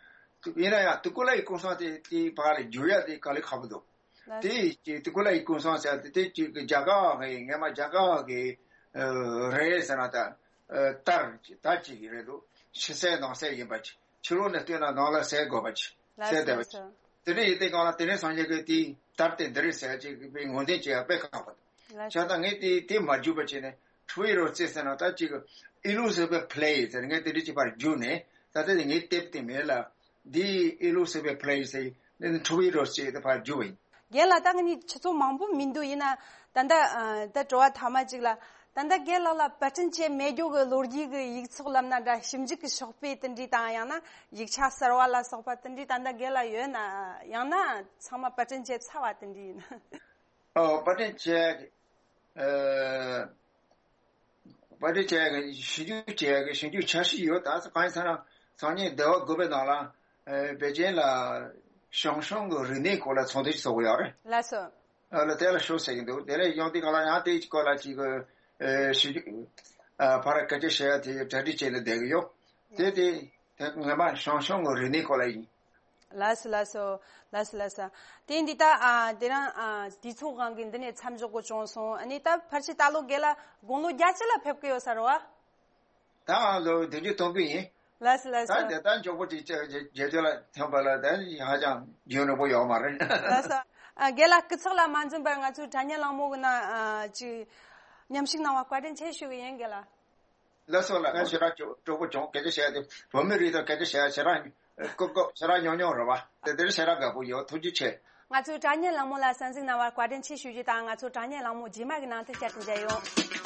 དུ་ཡིན་ན་ཡང་དུ་ཀུ་ལའི་ཀུན་བཟང་དེ་དེ་བར་ལ་བསྒྱུར་ཡ་དེ་དཀའ་ལས་ཁག་པོ་འདུག་ལགས་སོ། དེ་ཅིག་དུ་ཀུ་ལའི་ཀུན་བཟང་ཟེར་དེ་དེ་ཅིག་གི་རྒྱ་གར་གི་ངས་མ་རྒྱ་གར་གི་ཨ་རེད་ཟེར་ན་ད་ཨ་དར་དར་ཅིག་གི་རེད་འདུག་ཕྱི་གསལ་ནང་གསལ་ཡིན་པ་ཅིག་ཕྱི་ལོགས་ནས་བལྟས་ན་ནང་ལ་གསལ་དགོས་པ་ཅིག་ལགས་གསལ་བསྡད་པ་ཅིག་སོ། དེ་འདྲ་ཡིན་དུས་གང་ལ་དེ་རིང་སང་ཉིན་གི་དེའི་དར་དེ་འདི་རེད་ཟེར་ཅིག་གི་དཔེ་ངོས་འཛིན་བྱེད་ཡ་དཔེ་ཁག་པོ་འདུག་ལགས་བྱས་ཙང་ངས་དེ་དེ་མ་བསྒྱུར་བ་བྱས་ནས་འཁྲུལ་བའི་རོལ་རྩེད་ཟེར་ན་ད་ཅིག་ཨི་ལུ་སི་བེ་ཕི་ལེ་ཟེར་ངས་དེ་འདྲ་ཅིག་ཕར་བསྒྱུར་ནས་ད་ལྟ་དེ་ངའི་དེབ་དེ་མེད་ལ། འདི་ཨི་ལུ་སི་བེ་ཕི་ལེ་ཟེར་ནས་འཁྲུལ་བའི་རོལ་རྩེད་དེ་ཕར་བསྒྱུར་བ་ཡིན། རྒན་ལགས་ད་ང་གཉིས་ཆུ་ཚོད་མང་པོ་མི་འདུག་ཡིན་ན་ད་ལྟ་ཨ་ད་དྲི་བ་ཐ་མ་གཅིག་ལ། ད་ལྟ་རྒན་ལགས་ལ་པར་སྐྲུན་བྱས་མེད་རྒྱུ་གི་ལོ་རྒྱུས་ཀྱི་ཡིག་ཚོགས་ལབ་ན་འདྲ་ཞིབ་འཇུག་གི་ཤོག་དཔེ་དེ་འདྲའི་དང་ཡང་ན་ཡིག་ཆ་གསར་བ་ལ་སོགས་པ་དེ་འདྲའི་ད་ལྟ་རྒན་ལགས་ཡོད་ན་ཡང་ན་ཚང་མ་པར་སྐྲུན་བྱས་ཚར་བ་དེ་འདྲའི་ཡིན། ཨོ་པར་སྐྲུན་བྱས། ཨ། པར་སྐྲུན་བྱས་ཞིབ་འཇུག་བྱས་ཞིབ་འཇུག་འཆར་གཞི་ཡོད། ད་གང་ཡིན་ཟེར་ན་སང་ཉིན་ཟླ་བ་དགུ་པའི་ནང་ལ་ཨ་པེ་ཅིན་ལ་ཞང་ཞུང་གི་རིག་གནས་སྐོར་ལ་ཚོགས་འདུ་ཞིག་ཚོགས་ཀྱི་ཡོད་རེད། ལགས་སོ། ཨ་ལ་དེ་ལ་ཤོག་ཟེར་གྱི་འདུག་དེ་ལས་ཡོང་དུས་གང་ལ་ཡང་དེའི་སྐོར་ལ་ཅིག་གི་ཨ་ཞིབ་འཇུག་ཨ་ཕར་སྐད་ཆ་བཤད་ཡ་དེ་གྲ་སྒྲིག་བྱས་ནས་བསྡད་ཀྱི་ཡོད། དེ་དེ་དེ་ངོ་མ་ཞང་ཞུང་གི་རིག་གནས་སྐོར་ལ་ཡིན། ལགས་སོ་ལགས་སོ། ལགས་སོ་ལགས་སོ། དེ་འདི་ད་ཨ་དེ་རང་ཨ་དུས་ཚོད་དབང་གིས་འདི་ནས་མཚམས་འཇོག་དགོས་བྱུང་སོང་། ཨ་ནི་ད་ཕལ་ཆེར་ད་ལོ་རྒན་ལགས་དགུང་ལོ་བརྒྱད་ཅུ་ལ་ཕེབས་ཀྱི་ཡོད་ས་རེད་བ། ད་ལོ་བདུན་ཅུ་དོན་དགུ་ཡིན། ལགས་སོ་ལགས་ད་སོ། དེ་ལྟར་མགྱོགས་པོ་ཅིག་བརྒྱད་ཅུ་ལ་ཐོན་པ་ལ་ད་ཧ་ཅང་རྒྱུན་རིང་པོ་ཡོད་མ་རེད། ལགས་སོ། ཨ་རྒན་ལགས་སྐུ་ཚེགས་ལ་མ་འཛེམས་པར་ང་ཚོའི་དྲ་བརྙན་གླེང་མོལ་གི་ནང་ཨ་ཅིག་མཉམ་ཞུགས་གནང་བ་བཀའ་དྲིན་ཆེ་ཞུ་གི་ཡིན་རྒན་ལགས། ལགས་སོ་ལགས། ང་ཞེ་དྲག་སྤྲོ་སྤྲོ་པོ་བྱུང་། སྐད་ཆ་བཤད་དེ་བོད་མི་རིགས་དང་སྐད་ཆ་བཤད་ཞེ་དྲག་ཀོ་ཀོ་ཞེ་དྲག་ཉོབ་ཉོབ་རེད་བ། དེ་དེར་ཞེ་དྲག་དགའ་པོ་ཡོད། ཐུགས་རྗེ་ཆེ། ང་ཚོའི་དྲ་བརྙན་གླེང་མོལ་ལ་གསན་གཟིགས་གནང་བར་བཀའ་དྲིན་ཆེ་ཞུ་རྒྱུ་དང་། ང་ཚོའི་དྲ་བརྙན་གླེང་མོལ་རྗེས་མ་གི་ནང་དུ་བསྐྱར་དུ་མཇལ་ཡོང་།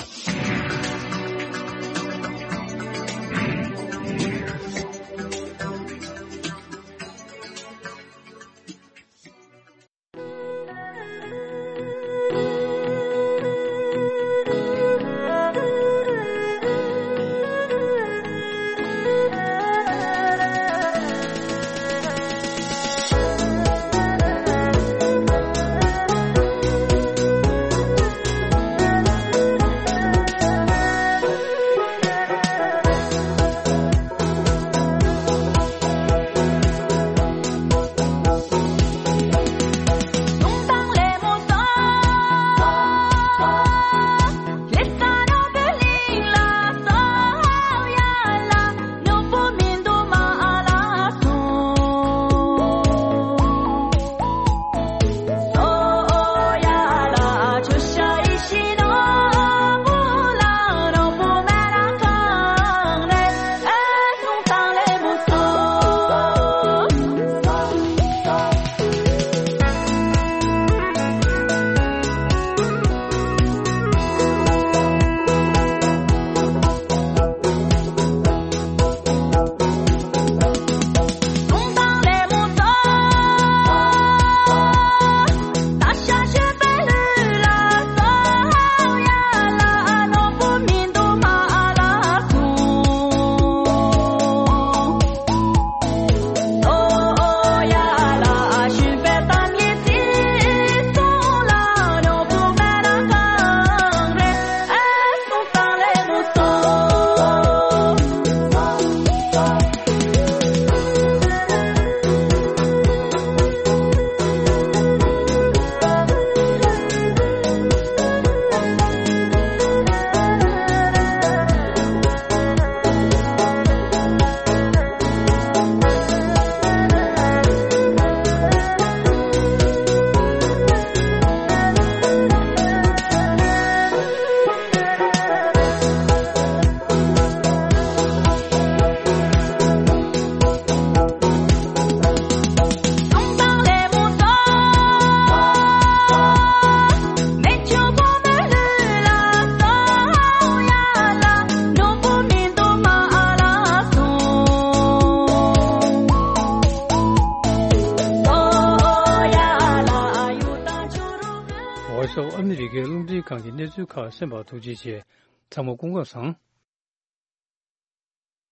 གནས་ཚུལ་ཁག་གསན་པར་ཐུགས་རྗེ་ཆེ། ཚང་མ་སྐུ་ཁམས་བཟང་།